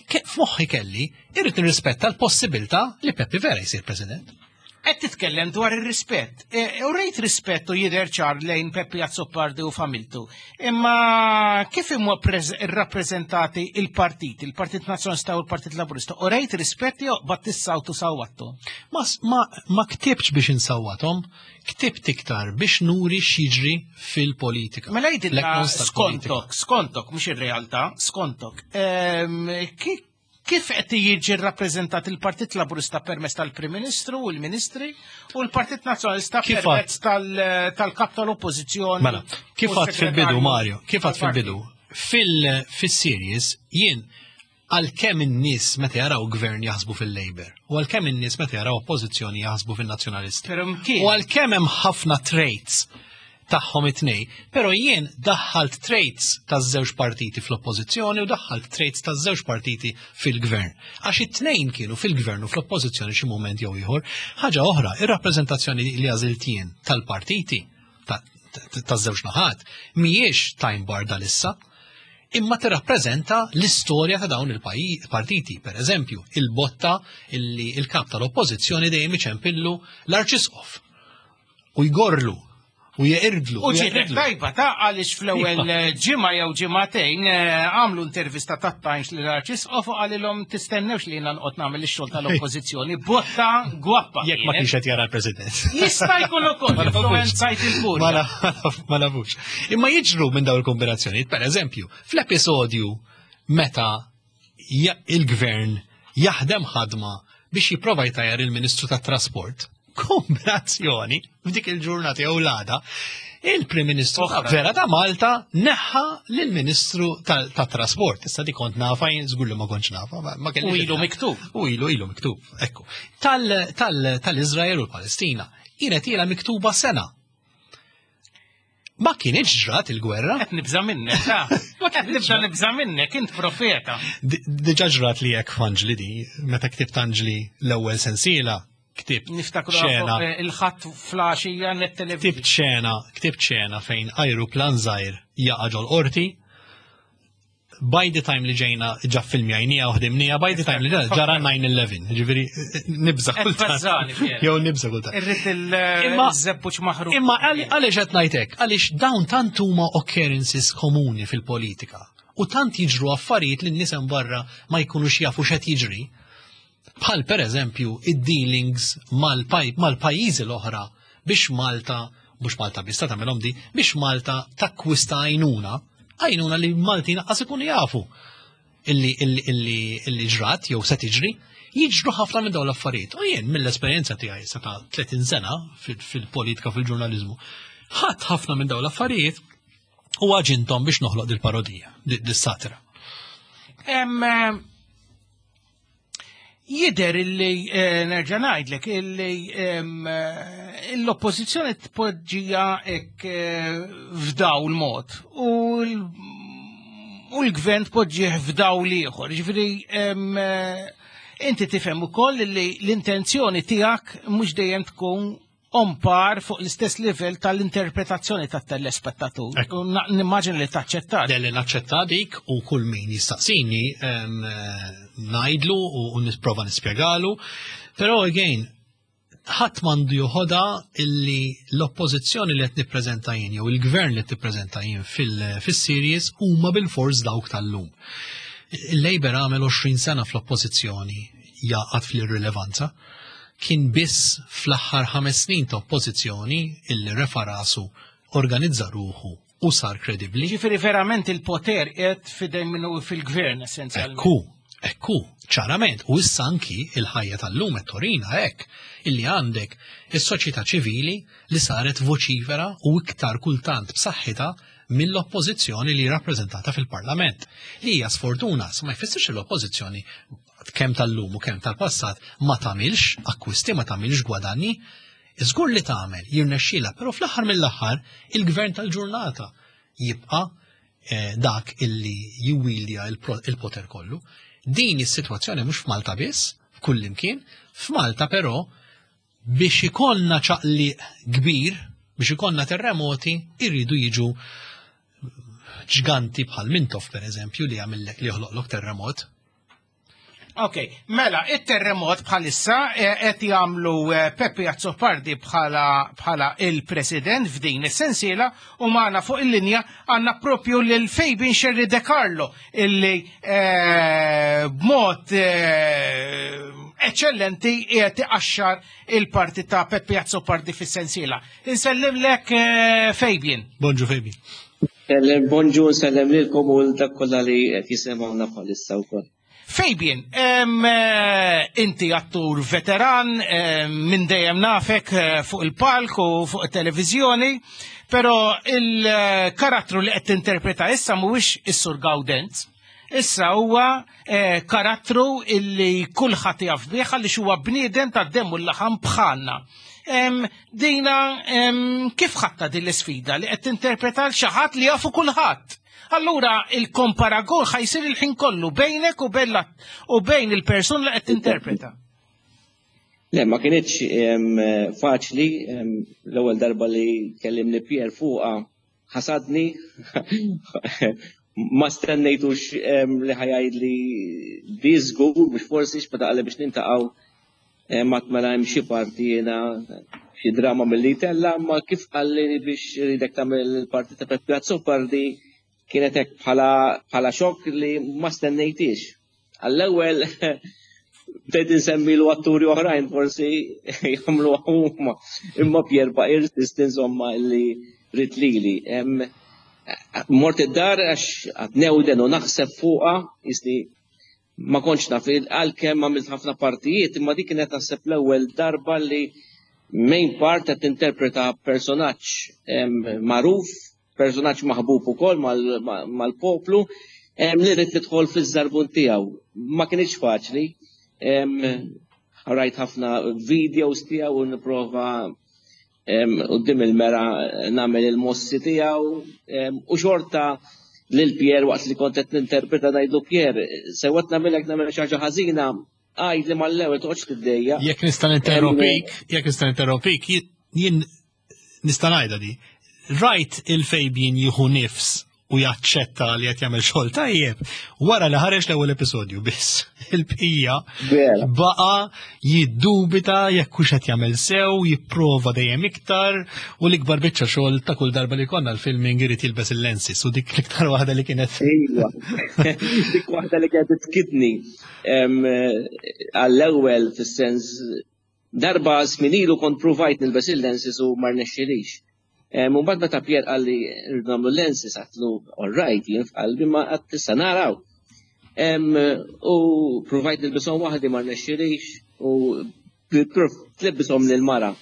ke- f'moħħi kelli irrid nirrispetta l-possibilità li Peppi vera jsir president. Qed titkellem dwar ir-rispett. E, U rejt rispett u jidher ċar lejn Peppi Azzopardi u familtu. Imma kif imma irrappreżentati il-partit, il-Partit Nazzjonalista u l-Partit Laburista, u rejt rispett jew bat tissawtu sawwattu? Ma, ma, ma ktibx biex insawwathom, ktibt iktar biex nuri x'jiġri fil-politika. Mela jgħidilna L-eknons tal-politika. skontok, skontok, mhux ir-realtà, skontok. Ehm, ki- Kif qed jiġi rrappreżentat il-Partit Laburista permezz tal-Prim Ministru u l-Ministri u l-Partit Nazzjonalista Kif permezz tal- tal-kap tal-Oppożizzjoni? Mela, kif u għad fil-bidu, s-segretarju Mario, kif għad tal-partit? fil-bidu, fil-series jien Għalkemm in-nies meta jaraw gvern jaħsbu fil-Labour, u għalkemm in-nies meta jaraw oppożizzjoni jaħsbu fin-Nazzjonalisti. Però mkien. U għalkemm hemm ħafna traits tagħhom it-tnejn, però jien daħħalt traits taż-żewġ partiti fl-oppożizzjoni u daħħalt traits taż-żewġ partiti fil-gvern. Għax it-tnejn kienu fil-gvern u fl-oppożizzjoni xi mument jew ieħor. Ħaġa oħra, ir-rappreżentazzjoni li għażilt jien tal-partiti taż-żewġ naħat mhijiex time bar dal-issa, imma tirrappreżenta l-istorja ta' dawn il-partiti. Per eżempju, il-botta illi il-kap tal-oppożizzjoni dejjem iċempillu l-arċisqof u jgorlu u jeqirdlu. U ġietek tajba ta' għaliex fl-ewwel ġimgħa jew ġimagħtejn għamlu intervista ta' Times lil arċisqof u qalilhom tistennewx li jiena nqgħod nagħmel ix-xogħol tal-oppożizzjoni. Botta gwappa. Jekk ma kienx qed jara l-President. Jista' jkun ukoll influwenzajt il-kurja. Ma nafux. Imma jiġru minn dawn il-kombinazzjonijiet, per eżempju, fl-episodju meta il-gvern jaħdem ħadma biex jipprova jtajjar il-Ministru tat-Trasport, kombinazzjoni f'dik il-ġurnata jew l-għada, il-Prim Ministru vera ta' Malta neħħa lill-Ministru tat-Trasport. Issa di kont nafa, jien żgur li ma kontx nafa. U ilu miktub. U ilu ilu miktub, ekku. Tal-Iżrael u l-Palestina kienet ilha miktuba sena. Ma kienx ġrat il-gwerra. Qed nibża' minnek, ta' qed nibża' nibża' minnek, int profeta. Diġà ġrat li hekk f'Anġli di, meta ktibt Anġli l-ewwel sensiela, ktibt Niftakru il-ħadd flaxija net television. Ktibt xena, ktibt xena fejn ajruplan żgħir jaqa' ġol qorti. By the time li ġejna ġa filmjajnija u ħdimnija, by the time li ġara nine eleven, ġifieri nibża' kultant. Jew nibża' kultant. Irrid il-żebbuġ maħruq. Imma għaliex qed ngħid hekk? Għaliex dawn tant huma occurrences komuni fil-politika u tant jiġru affarijiet li n-nies hemm barra ma jkunux jafu x'qed jiġri. Bħal per eżempju id-dealings mal-pajjiżi l-oħra biex Malta, mhux Malta biss ta' tagħmelhom di, biex Malta takkwista għajnuna, għajnuna li Maltin qas ikunu jafu illi illi illi ġrat jew se tiġri, jiġru ħafna minn dawn l-affarijiet. U jien mill-esperjenza tiegħi sa ta' tletin sena fil-politika fil-ġurnaliżmu, ħadd ħafna minn dawn l-affarijiet u għaġinthom biex noħloq dil-parodija, dis-satira. Jider illi, nerġa' ngħidlek, illi l-oppożizzjoni tpoġġija hekk f'dawl mod u l-gvern tpoġġih f'dawl ieħor. Ġifieri inti tifhem ukoll li l-intenzjoni tiegħek mhux dejjem tkun on par fuq l-istess livell tal-interpretazzjoni tat-telespettatur. Nimmaġin li taċċetta. Delli naċċetta dik u kull min jistaqsini ngħidlu u nisprova nispjegalu. Però again, ħadd m'għandu joħodha illi l-oppożizzjoni li qed nippreżenta jien jew il-gvern li qed nippreżenta jien fis-series huma bil-fors dawk tal-lum. Il-Labour għamel għoxrin sena fl-oppożizzjoni jaqgħad fl-irrilevanza. Kien biss fl-aħħar ħames snin ta' oppożizzjoni illi refa rasu, organizza ruħu u sar kredibbli. Ġifieri verament il-poter qed f'idejn minnu fil-gvern essenzjalment. Ekku, ekku, ċarament. U issa anki il-ħajja tal-lum qed torina hekk illi għandek is-soċjetà ċivili li saret voċifera u iktar kultant b'saħħitha mill-oppożizzjoni li rappreżentata fil-Parlament. Li hija sfortuna, ma jfissirx l-oppożizzjoni kemm tal-lum u kemm tal-passat ma tagħmilx akkwisti, ma tagħmilx gwadanni, iżgur li tagħmel jirnexxielha, però fl-aħħar mill-aħħar il-gvern tal-ġurnata jibqa' dak illi jiwilja il-poter kollu. Din is-sitwazzjoni mhux f'Malta biss, f'kull imkien, f'Malta però biex ikollna ċaqliq kbir, biex ikollna terremoti, irridu jiġu ġganti bħal Mintoff per eżempju li jagħmellek li joħloqlok terremot. Ok, mela, il-terremot bħalissa qed jagħmlu Peppi Azzopardi bħala il-president f'din is-sensiela u magħna fuq il-linja għandna propju lil Fabian Scerri De Carlo illi b'mod eċċellenti qiegħed iqaxxar il-parti ta' Peppi Azzopardi fis-sensiela. Insellimlek Fabian. Bonġu Fabian. Sellem, bonġu, sellem lilkom u dak kollha li qed jisimgħuna bħalissa wkoll. Fabian, inti attur veteran, minn dejjem nafek fuq il-palk u fuq it-televiżjoni, però il-karattru li qed tinterpreta issa mhuwiex is-Sur Gaudenz, Issa huwa eh, karattru illi kulħadd jaf bih għaliex huwa bniedem tad-demm u l-laħam bħalna. Em, Dina em, kif ħadtha din l-isfida li qed tinterpreta l xi ħadd li jafu kulħadd? Allura il-komparagun ħa jsir il-ħin kollu bejnek u bejn l- u bejn il-persuna li qed tinterpreta. Le, ma kinitx em, faċli, em, l-ewwel darba li kellimni Pierre fuqha ħasadni, ma stennejtux em, li ħa jgħidli di żgur biex forsi x'meta qalli biex niltaqgħu em, ma mela hemm xi parti jiena xi drama milli tella, ma kif qalli biex ridek tagħmel il-parti ta' Peppi Azzopardi kienet hekk bħala bħala xokk li ma stennejtix. Għall-ewwel bdejt insemmilu atturi oħrajn forsi jagħmlu huma. Imma Pier baqa' jirsisti insomma li ried lili. Em, Mort id-dar għax qgħadt newden u naħseb fuqha, jisni ma kontx naf għalkemm għamilt ħafna partijiet, imma dik kienet naħseb l-ewwel darba li main part qed tinterpreta personaġġ em, magħruf, personaġġ maħbub ukoll mal- ma- mal-poplu, em, li rrid nidħol fiż-żarbun tiegħu. Ma kinitx faċli. Em, Rajt ħafna videos tiegħu u nipprova em, quddiem il-mera nagħmel il-mossi tiegħu em, u xorta lil Pier waqt li kont qed ninterpreta ngħidlu Pier, sewwa nagħmilek nagħmel xi ħaġa ħażina, għidli mal-ewwel toqgħodx tiddejja. Jekk nista' ninterrompik, jekk nista' ninterrompik, jien- jien nista' ngħidha di. Rajt il-Fabian jieħu nifs u jaċċetta li qed jagħmel xogħol tajjeb wara li ħareġ l-ewwel episodju biss. Il-bqija Vera. baqa jiddubita jekk hux qed jagħmel sew, jipprova dejjem iktar u l-ikbar biċċa xogħol ta' kull darba li konna l-filming irid jilbes il-lenses u dik l-iktar waħda li kienet. Iva. Dik waħda li kienet tkidni em, għall-ewwel fis-sens darba snin ilu kont provajt nilbes il-lenses u ma rnexxilix. U mbagħad meta Pier qalli rridu nagħmlu lenses għedtlu all right jien f'qalbi ma qatt issa naraw. Em, U provajt nilbishom waħdi ma rnexxilix u tlibbishom lil-mara.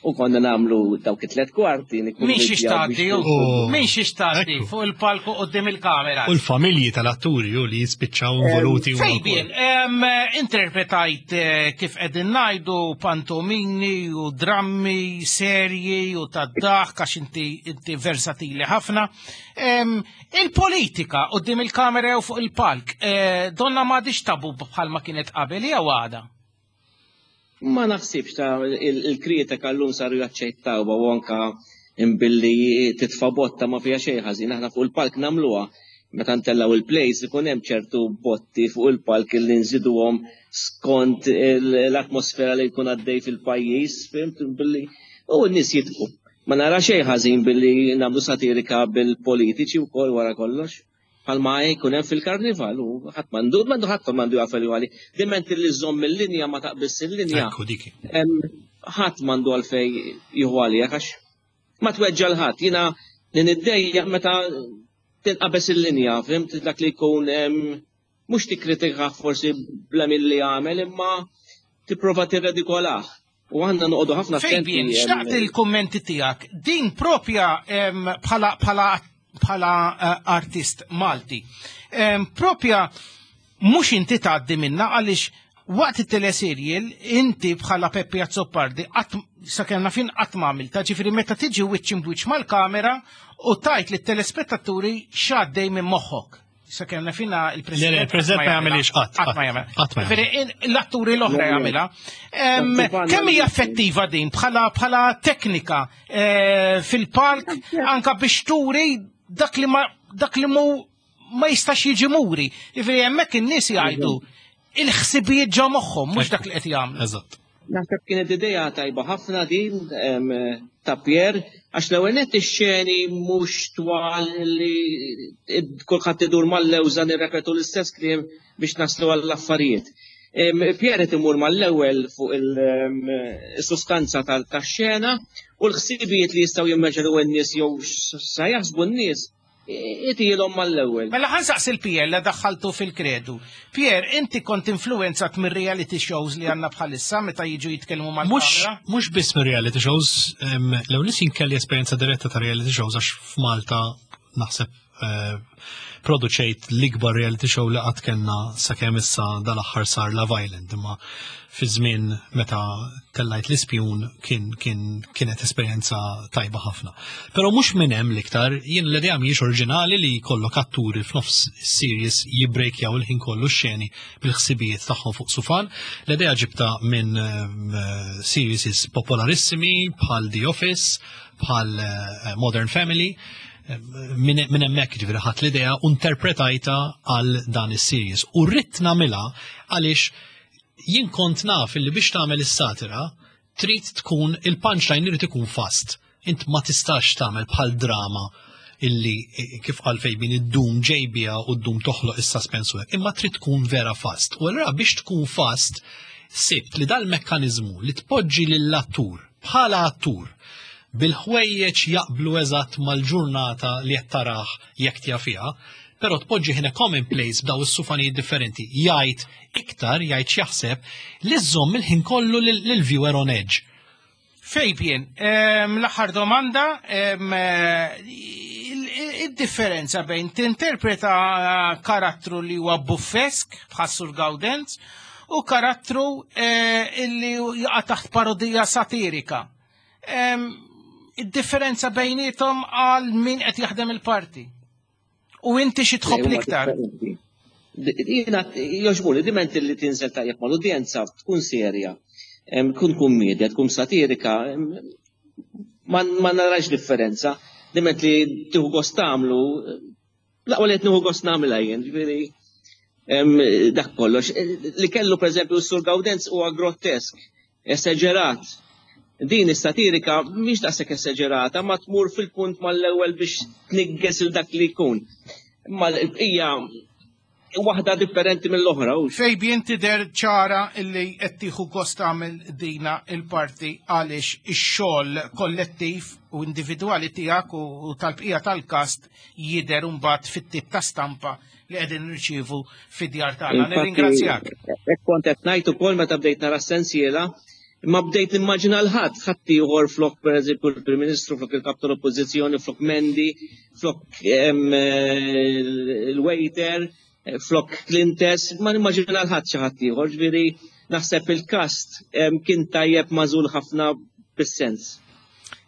U konna nagħmlu dawk it-tlet kwarti. Min xiex tgħaddi, Oh. min xiex tgħaddi fuq il-palku quddiem il-kamera. U l-familji tal-atturi u li jispiċċaw involuti. huma Fabian, em, interpretajt eh, kif qegħdin ngħidu pantomini u drammi, serji u tad-daħk għax inti inti versatili ħafna. Em, Il-politika quddiem il-kamera u fuq il-palk, eh, donna m'għadix tabu bħalma kienet qabel jew għada? Ma naħsibx ta' il- il-kritika llum saru jaċċettaw u anka imbilli titfa' botta ma fiha xejn ħażin, aħna fuq il-palk nagħmluha. Meta ntellgħu il-plays ikun hemm ċertu botti fuq il-palk li nżiduhom skont il- l-atmosfera li jkun għaddej fil-pajjiż, fhimt billi u n-nies jidħku. Ma nara xejn ħażin billi nagħmlu satirika bil-politiċi wkoll wara kollox. Bħalma jkun hemm fil-karnival u ħadd m'għandu m'għandu ħadd m'għandu jafel għali. Diment li żomm il-linja ma taqbiss il-linja. Ekku dik. Em, ħadd m'għandu għalfej jieħu għalija għax ma tweġġa l-ħadd. Jiena li niddejjaq meta tinqabeż il-linja, fhimt dak li jkun em, mhux tikkritika forsi bla milli għamel imma tipprova tirredikolah. U għandna noqogħdu ħafna attenti. Fabian, em, xtaqt il-kommenti tiegħek. Din propja em, bħala bħala bħala eh, artist Malti. Em, Propja mhux inti tgħaddi minna għaliex waqt it-teleserial inti bħala Peppi Azzopardi qatt sakemm naf jien qatt ma għamilta, ġifieri meta tiġi wiċċ imbwiċċ mal-kamera u tgħid lit-telespettaturi x'għaddej minn moħħok. Sakemm naf jiena il-President. Le, le, il-President ma jagħmilix qatt, Qatt ma jagħmel. qatt ma jagħmel. Ġifieri, in- L-atturi l-oħra jagħmilha. Em, Kemm hija effettiva din bħala bħala teknika eh, fil-palk anka biex turi dak li ma dak li mu ma jistax jiġi muri. Ġifieri hemmhekk in-nies jgħidu il-ħsibijiet ġo moħħhom mhux dak li qed jagħmlu. Eżatt. Naħseb kienet idea tajba ħafna din em, ta' Pier, għax l-ewwel nett ix-xeni mhux twal li id- kulħadd idur mal-lewża nirrepetu l-istess kliem biex naslu għall-affarijiet. Em, Pier qed imur mal-ewwel fuq il-sustanza tax-xena u l-ħsibijiet li jistgħu jimmaġinaw n-nies jew sa jaħsbu n-nies itilhom mal-ewwel. Mela ħa nsaqsi l-Pier li daħħaltu fil-kredu. Pier, inti kont influenzat mir reality shows li għandna bħalissa meta jiġu jitkellmu Mux, mal-kamera? mux biss minn reality shows, em, l-ewwel jien kelli esperjenza diretta ta' reality shows għax f'Malta Naħseb eh, produċejt l-ikbar reality show li qatt kellna sakemm issa dal-aħħar sar Love Island, imma fi żmien meta tellajt l-Ispjun kien kien kienet esperjenza tajba ħafna. Però mhux minn hemm l-iktar, jien l-idea mhijiex oriġinali li jkollok atturi f'nofs series jibbrejkjaw il-ħin kollu xeni bil-ħsibijiet tagħhom fuq sufan. L-idea ġibta minn eh, series popolarissimi bħal The Office, bħal eh, Modern Family, minn min hemmhekk ġifieri ħadt l-idea u interpretajta għal dan is-series. U rrid nagħmilha għaliex jien kont naf illi biex tagħmel is-satira trid tkun il-punchline irid ikun fast. Int ma tistax tagħmel bħal drama illi eh, kif qal Fabian iddum ġejbija u ddum toħloq is-suspense u hekk, imma trid tkun vera fast. U allura biex tkun fast sibt li dal-mekkaniżmu li tpoġġi lill-attur bħala attur bil-ħwejjeġ jaqblu eżatt mal-ġurnata li qed tarah jekk tja fiha, però tpoġġi ħina commonplace b'daw is-sufanijiet differenti, jgħid iktar, jgħid x'jaħseb, li żżomm il-ħin kollu lill-viewer on edge. Fabian, em, l-aħħar domanda, em, eh, il- il-differenza bejn tinterpreta karattru li huwa buffesk bħas Sur Gawdenz u karattru eh, illi jaqa' taħt parodija satirika. Em, Id-differenza bejnietom għal min qed jaħdem il-parti. U inti xi tħobb Le, huma l-iktar? differenti. Jiena jogħġbuni, diment li tinżel tajjeb mal-udjenza, tkun serja, em, tkun kummedja, tkun satirika, em, ma ma narax differenza. Diment li tieħu gost tagħmlu, l-aqwa li qed nieħu gost nagħmilha jien, ġifieri em, dak kollox. Li kellu pereżempju s-Sur Gawdenz huwa grottesk, esaġerat. Din is-satirika mhix daqshekk esaġerata, ma tmur fil-punt mal-ewwel biex tnigges il dak li jkun. Imma l-bqija waħda differenti mill-oħra. hux. Fabian, tidher ċara illi qed tieħu gost tagħmel dina il-parti għaliex ix-xogħol kollettiv u individwali tiegħek u u tal-bqija tal-kast jidher mbagħad fit-tip ta' stampa li qegħdin nirċievu fid-djar tagħna. Infatti, Nirringrazzjak. Hekk kont qed ngħid ukoll meta bdejt nara s-sensiela, imma bdejt nimmaġina l-ħadd, ħadd ieħor flok pereżempju il-Prim Ministru, flok il-Kap tal-Oppożizzjoni, flok Mendi, flok em, eh, il-waiter, eh, flok Clintes, ma nimmaġina l-ħadd xi ħadd ieħor, ġifieri naħseb il-kast em, kien tajjeb magħżul ħafna bis-sens.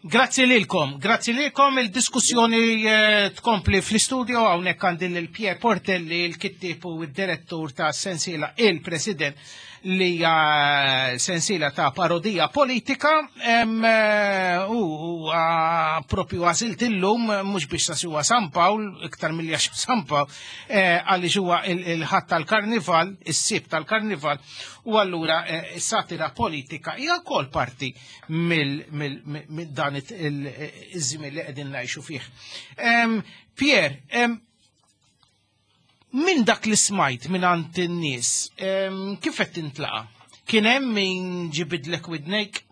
Grazzi lilkom, grazzi lilkom, il-diskussjoni eh, tkompli fl-istudio hawnhekk għandi lil Pier Portelli, il-kittib u id-direttur ta' sensiela Il-President li hija sensiela ta' parodija politika em, eh, u u, ah, propju għażilt illum mhux biex sa huwa San Pawl, iktar milli għax San Pawl, eh, għaliex huwa il- il-ħadd tal-karnival, is-Sibt tal-karnival, u allura eh, satira politika hija wkoll parti mill mill- mill dan it- il- iż-żmien li qegħdin ngħixu fih. Em, Pier, em, minn dak li smajt minn għand in-nies, em, kif qed tintlaqa? Kien hemm min ġibidlek widnejk?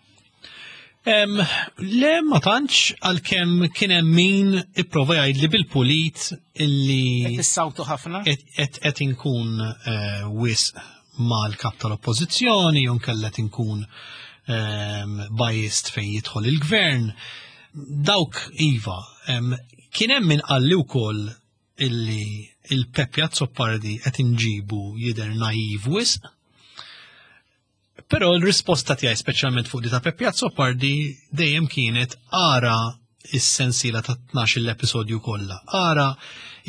Em, le, ma tantx, għalkemm kien hemm min ipprova jgħidli bil-pulit illi Qed issawtu ħafna? qed qed inkun eh, wisq mal-kap tal-oppożizzjoni, jew nkella qed inkun ehm, biased fejn jidħol il-gvern. Dawk iva, em, kien hemm min qalli wkoll illi il-Peppi Azzopardi qed inġibu jidher naiv wisq. Però l-risposta tiegħi speċjalment fuq di ta' Peppi Azzopardi dejjem kienet ara is-sensiela ta' tnax l-episodju kollha. Ara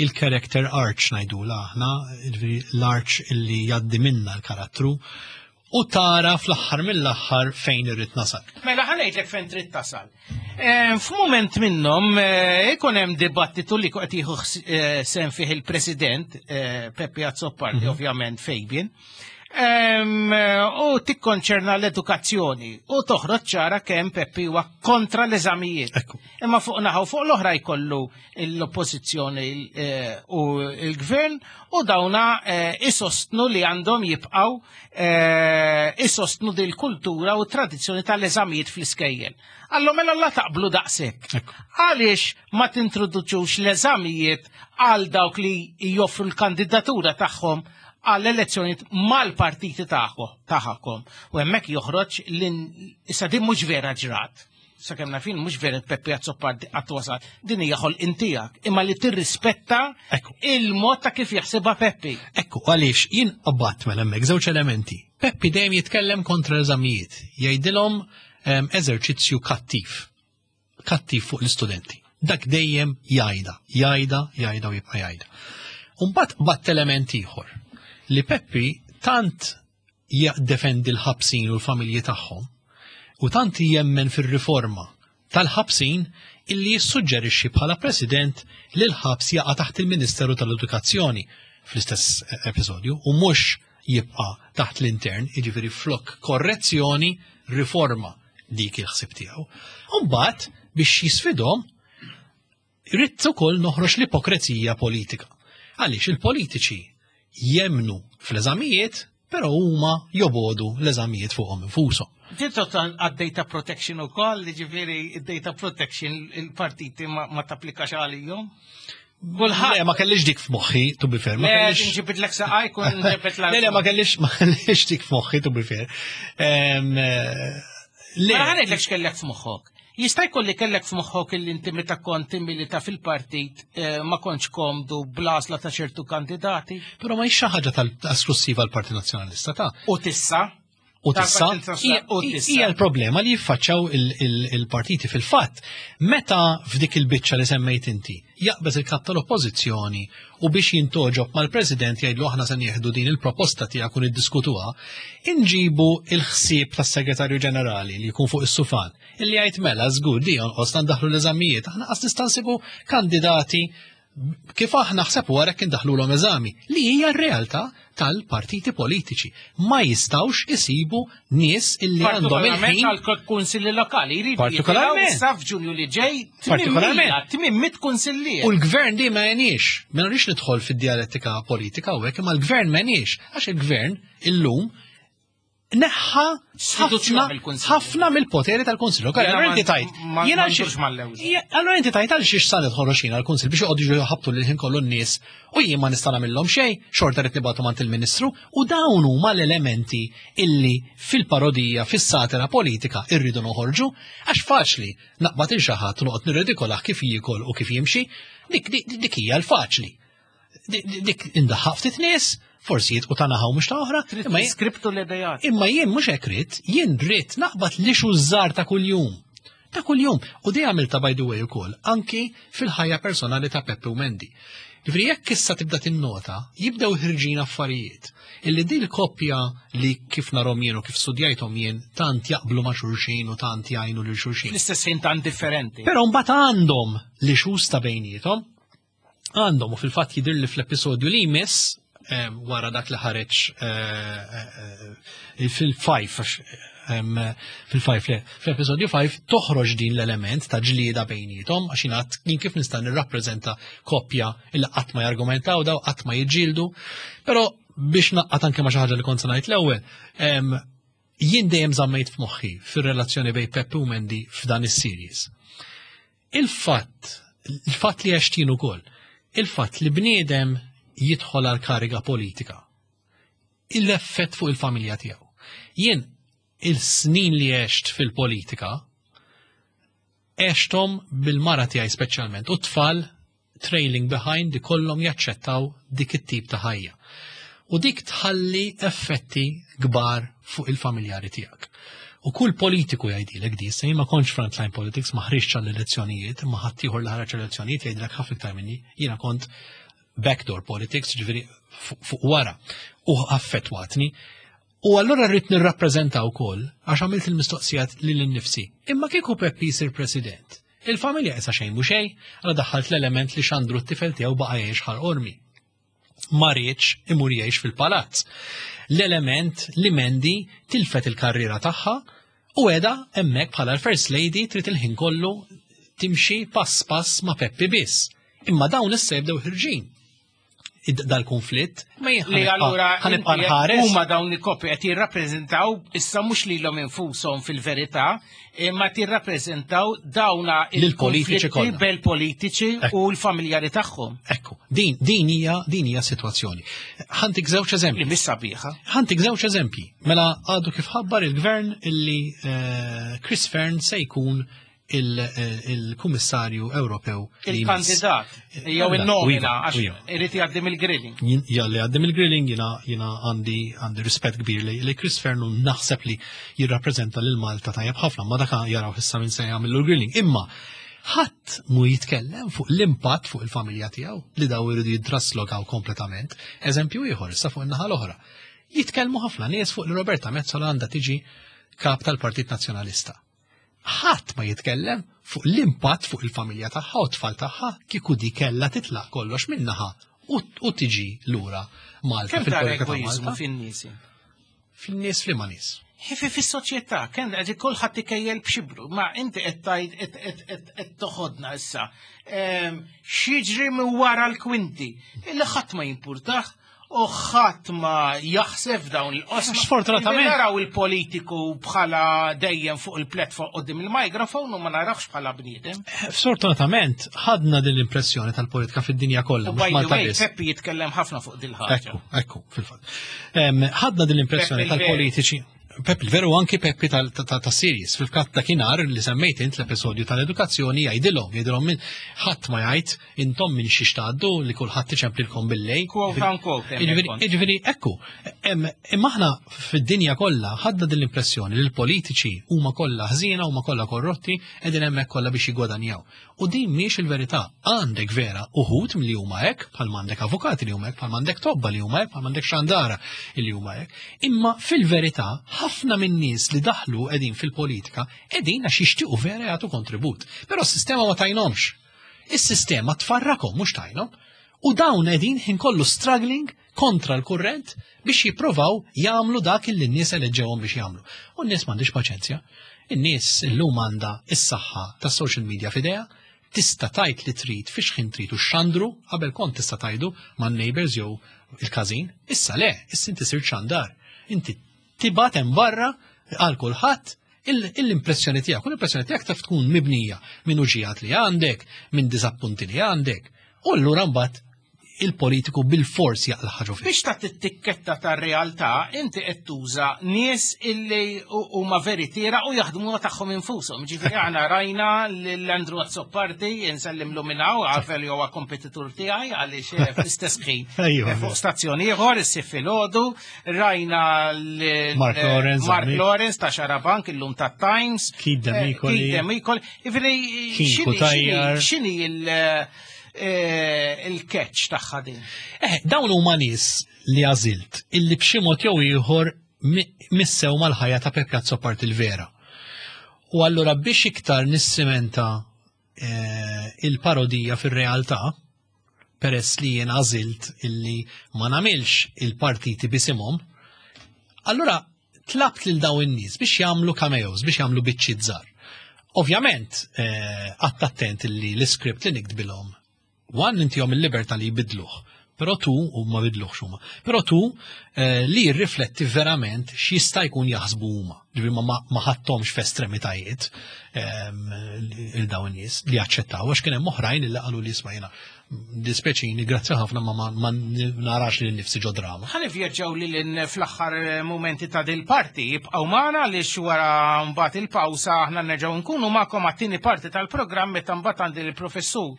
il-character arc ngħidula aħna, jiġifieri l-arc illi jgħaddi minna l-karattru, u tara fl-aħħar mill-aħħar fejn irrid nasal. Mela ħa ngħidlek fejn trid tasal. Eh, F'mument minnhom eh, ikun hemm dibattitu li qed jieħu ħs- eh, sem fih il-President eh, Peppi Azzopardi, ovvjament Fabian. Em, eh, U tikkonċerna l-edukazzjoni u toħroġ ċara kemm Peppi huwa kontra l-eżamijiet. Ekku. Imma fuq naħa u fuq l-oħra jkollu l-oppożizzjoni eh, u l-gvern u dawna eh, isostnu li għandhom jibqaw eh, isostnu dil kultura u tradizzjoni tal-eżamijiet fl-iskejjel. Allo mela la taqblu daqshekk. Ekku. Għaliex ma tintroduċux l-eżamijiet għal dawk li joffru l-kandidatura tagħhom għall elezzjonijiet mal-partiti tagħhom. U hemmhekk joħroġ l issa din mhux vera ġrat. sakemm naf jien mhux vera Peppi Azzopardi qatt wasal, din hija ħolqien tiegħek, imma li tirrispetta il-mod ta' kif jaħsibha Peppi. Ekku, għaliex jien qabbadt mela hemmhekk żewġ elementi. Peppi dejjem jitkellem kontra l-eżamijiet, jgħidilhom ehm, eżerċizzju kattiv. Kattiv fuq l-istudenti. Dak dejjem jgħidha, jgħidha, jgħidha u jibqa' jgħidha. Umbagħad batt element ieħor li Peppi tant jaddefendi l-ħabsin u l-familji tagħhom u tant jemmen fir-riforma tal-ħabsin illi jissuġġerixxi bħala president li l-ħabs jaqa' taħt il-Ministeru tal-Edukazzjoni fl-istess episodju u mhux jibqa' taħt l-intern, jiġifieri flok korrezzjoni, riforma dik il-ħsieb tiegħu. U mbagħad biex jisfidhom ridt ukoll noħroġ l-ipokrezija politika. Għaliex il-politiċi jemnu fl-eżamijiet, però huma jobodu l-eżamijiet fuqhom infushom. Din total għad-data protection ukoll, ġifieri data protection il-partiti ma, ma tapplikax għalihom. Le, ma kellix dik f'moħħi, to be fair. Ma Le, kellix. nġibidlek saqaj, kun nġibidlek. Le, le, ma kellix, ma kellix dik f'moħħi, to be fair. Em, eh, Le, Ma ħareġlek x'kellek f'moħħok. Jista' jkun li kellek f'moħħok li inti meta kont timmilita fil-partit eh, ma kontx komdu bl-għażla ta' ċertu kandidati. Però ma hix xi ħaġa tal-esklusiva l-Partit Nazzjonalista ta' U tissa. U tissa, Tal-Partit Nazzjonalista, u tissa. hija l-problema li jiffaċċaw il- il- il-partiti fil-fatt. Meta f'dik il-biċċa li semmejt inti, jaqbeż il-kap tal-oppożizzjoni u biex jintoġob mal-president jgħidlu aħna se nieħdu din il-proposta tiegħek u niddiskutuha, inġibu il-ħsieb tas-segretarju ġenerali li jkun fuq is-sufan, illi jgħid mela żgur di jonqos ndaħlu l-eżamijiet, aħna qas nista' nsibu kandidati kif aħna ħseb wara kien daħlu eżami li hija r-realtà tal-partiti politiċi. Ma jistawx isibu nies illi għandhom Partikolarment il-ħin għal kunsilli lokali. Jridu Partikolarment. jitilgħu issa f'Ġunju li ġej Partikolarment. tmien mitt kunsillier. U l-gvern di ma jenix. Ma nrix nidħol fid-dialettika politika u hekk, imma l-gvern ma jenix. Għax il-gvern illum neħħa Sfiduċja ħafna mill-Kunsill. ħafna mill-poteri tal-Kunsill. Lokali. Jiena Allora ma- inti tajt. ma- jiena ma xi- ndurx mal-lewża. Ija, Allora inti tajt għal xiex sa nidħol għal kunsill biex joqogħdu jħabtu lil ħin kollu n-nies u jien ma nista' nagħmilhom xejn, xorta rid nibgħatu mant il-Ministru u dawn huma l-elementi illi fil-parodija, fis-satira politika irridu noħorġu għax faċli naqbad il xi ħadd u noqgħod nirridikolah kif jiekol u kif jimxi, dik dik dik hija l-faċli. Dik dik indaħħaq ftit nies, forsi jitqu ta' naħa u mhux ta' oħra, imma jien- Skriptu l-idejat. Imma jien mhux hekk ridt, jien rrid naqbad li żgħar ta' kuljum. Ta' kuljum. U di għamilta by the way ukoll, anki fil-ħajja personali ta' Peppe u Mendy. Ġifieri jekk issa tibda tinnota, jibdew ħirġin affarijiet. Illi di l-koppja li kif narhom jien u kif studjajthom jien tant jaqblu ma' xulxin u tant jgħinu lil xulxin. Fl-istess ħin tant differenti. Però mbagħad għandhom li xus ta' bejniethom, għandhom u fil-fatt jidher li fl-episodju li jmiss eh, wara dak li ħareġ eh, eh, fil-five għax, em, fil-five le, fl-episodju five toħroġ din l-element ta' ġlieda bejniethom għax jingħad jien kif nista' nirrappreżenta koppja illi qatt ma jargumentaw daw qatt ma jiġġieldu, però biex naqqat anke ma xi ħaġa li kont se ngħid l-ewwel, em, jien dejjem żammejt f'moħħi fir-relazzjoni bejn Peppe u Mendy f'dan is-series. Il-fatt, il-fatt li għextin ukoll, il-fatt li bniedem jidħol għal kariga politika, il-effett fuq il-familja tiegħu. Jien il-snin li għext fil-politika, għextom bil-mara tiegħi speċjalment u t-tfal trailing behind li kollhom jaċċettaw dik it-tip ta' ħajja. U dik tħalli effetti kbar fuq il-familjari tiegħek. U kull politiku jgħidilek di, se jien ma kontx frontline politics, ma ħriġtx għall-elezzjonijiet, ma ħaddieħor li ħareġ elezzjonijiet jgħidilek ħafna iktar minni, jiena kont backdoor politics, ġifieri fuq fuq wara, u affettwatni. U allura rrid nirrappreżenta wkoll għax għamilt il-mistoqsijat lil innifsi. Imma kieku Peppi jsir president, il-familja issa xejn mhu xejn, għala daħħalt l-element li xandru t-tifel tiegħu baqa' jgħix Ħal Qormi. Ma riedx imur jgħix fil-palazz. L-element li Mendy tilfet il-karriera tagħha u qiegħda hemmhekk bħala l-First Lady trid il-ħin kollu timxi pass pass ma' Peppi biss. Imma dawn issa jibdew ħirġin. Id- Dal-konflitt ma jien Li allura ħa nibqa' inti nħares. huma dawn il-koppji qed jirrappreżentaw issa mhux lilhom infushom fil-verità, imma tirrappreżentaw dawna Lill-politiċi il-konflitti kollha. bel-politiċi u l-familjari tagħhom. Ekku, din, din hija din hija situazzjoni. Ħa ntik żewġ eżempji. Li mhix sabiħa. Ħa ntik żewġ eżempji. Mela għadu kif ħabbar il-gvern illi eh, Chris Fearne se jkun il-Kummissarju Ewropew. Il-kandidat, jew il-nomina, għax irid jgħaddi mill-grilling. Jalli għaddi mill-grilling, jiena għandi għandi rispett kbir li Chris Fearne naħseb li jirrappreżenta lil Malta tajjeb ħafna, ma dak jaraw issa minn se jagħmlu l-grilling. Imma ħadd mu jitkellem fuq l-impatt fuq il-familja tiegħu li daw iridu jittraslokaw kompletament. Eżempju ieħor issa fuq in-naħa l-oħra. Jitkellmu ħafna nies fuq li Roberta Metsola għandha tiġi kap tal-Partit Nazzjonalista. Ħadd ma jitkellem fuq l-impatt fuq il-familja tagħha u t-tfal tagħha kieku di kellha titlaq kollox minnaħa u tiġi lura Malta. Kemm tara egoiżmu fin-nies? Fin-nies f'liema nies? Fis-soċjetà, kemm qed kulħadd ikejjel b'xibru, ma inti qed tgħid qed toħodna issa. X'jiġri minn wara l-kwinti illi ħadd ma jimpurtah u ħadd ma jaħseb dawn il-qosma. Sfortunatament. Naraw il-politiku bħala dejjem fuq il-platform qudiem il-mikrofon u ma narawx bħala bniedem. Sfortunatament ħadna din l-impressjoni tal-politika fid-dinja kollha. U by the way, Peppi jitkellem ħafna fuq din il-ħaġa. Ekku, ekku, fil-fatt. Ħadna din l-impressjoni tal-politiċi. Peppi veru anki Peppi ta' series. Fil-fatt dakinhar li semmejt int l-episodju tal-edukazzjoni jgħidilhom, jgħidilhom minn ħadd ma jgħid intom minn xiex tgħaddu li kulħadd iċemplilkom billej. Quote unquote. Jiġifieri ekku, imma aħna fid-dinja kollha ħadna din l-impressjoni li l-politiċi huma kollha ħżiena, huma kollha korrotti, qegħdin hemmhekk kollha biex jiggwadanjaw. U din mhix il-verità. Għandek vera uħud li huma hekk, bħal m'għandek avukati li huma hekk, bħal m'għandek tobba li huma hekk, bħal m'għandek xandara li huma hekk. Imma fil-verità ħafna minn nies li daħlu qegħdin fil-politika qegħdin għax jixtiequ vera jagħtu kontribut. Però s-sistema ma tajnomx. Is-sistema tfarrakhom mhux tajnhom. U dawn qegħdin ħin kollu struggling kontra l-kurrent biex jipprovaw jagħmlu dak li n-nies eleġġewhom biex jagħmlu. U n-nies m'għandix paċenzja. In-nies illum għandha is-saħħa tas-social media f'idejha, tista' tajt li trid fiex ħin trid u xandru, qabel kont tista' tajdu man-neighbors jew il-każin, issa le, issa inti sirt xandar. Inti tibgħat hemm barra għal kulħadd l-impressjoni tiegħek, u l-impressjoni tiegħek taf tkun mibnija minn uġijat li għandek, minn diżappunti li għandek. U allura mbagħad il-politiku bil-fors jaqla' ħaġa fih. Biex ta' tikketta tar-realtà, inti qed tuża nies illi huma veritiera u jaħdmu tagħhom infushom. Ġifieri aħna rajna lil Andrew Azzopardi insellimlu minn hawn għarfel li huwa kompetitur tiegħi għaliex fl-istess ħin fuq stazzjoni ieħor issir filgħodu, rajna Mark Lawrence, Mark Lawrence ta' Xarabank illum ta' Times, Keith Demicoli. Keith Demicoli. Ġifieri x'inhi il- il-catch tagħha din? Eh, dawn huma nies li għażilt illi b'xi mod jew ieħor missew mal-ħajja ta' Peppi Azzopardi il-vera. U allura biex iktar nissimenta il-parodija fir-realtà, peress li jien għażilt illi ma nagħmilx il-partiti bisimhom, allura tlabt lil dawn in-nies biex jagħmlu cameos, biex jagħmlu biċċiet żgħar. Ovvjament, qatt attent illi l-iskript li niktbilhom One intihom il-libertà li jbidluh, però tu, u ma bidluhx huma, però tu li jirrifletti verament x'jista' jkun jaħsbu huma. Ġifieri ma ħadthomx f'estremitajiet il dawn nies li jaċċettaw, għax kien hemm oħrajn li qalu li isma' jiena dispeċini, grazzi ħafna ma ma narax li nnifsi ġo drama. Ħa nivvjaġġaw lil fl-aħħar mumenti ta' dil parti, jibqgħu magħna għaliex wara mbagħad il-pawsa aħna nerġgħu nkunu magħkom għat-tieni parti tal-programm meta mbagħad għandi l-professur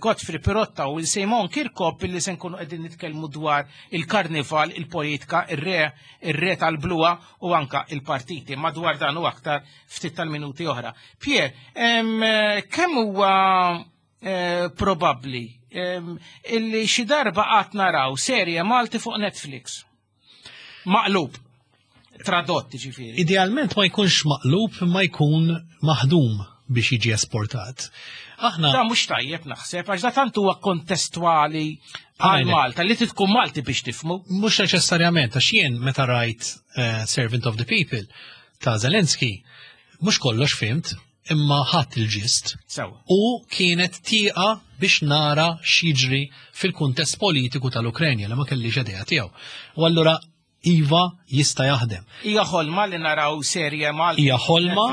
Godfrey Pirotta u Simon Kirkop illi se nkunu qegħdin nitkellmu dwar il-karnival, il-politika, ir-re, ir-re tal-bluwa u anka il-partiti. Madwar dan u aktar ftit tal-minuti oħra. Pier, kemm huwa probabbli illi xi darba qatt naraw serje Malti fuq Netflix? Maqlub, tradott ġifieri. Idealment ma jkunx maqlub, ma jkun maħdum biex jiġi esportat. Aħna Da mhux tajjeb naħseb, għax da tant huwa kontestwali għal Malta li tkun Malti biex tifhmu. Mhux neċessarjament, għax jien meta rajt Servant of the People ta' Zelensky, mhux kollox fimt, imma ħadd il-ġist. U kienet tieqa biex nara x'jiġri fil-kuntest politiku tal-Ukrenja li ma kellix idea tiegħu. U allura Iva jista' jaħdem. Hija ħolma li naraw serje Malta. Hija ħolma,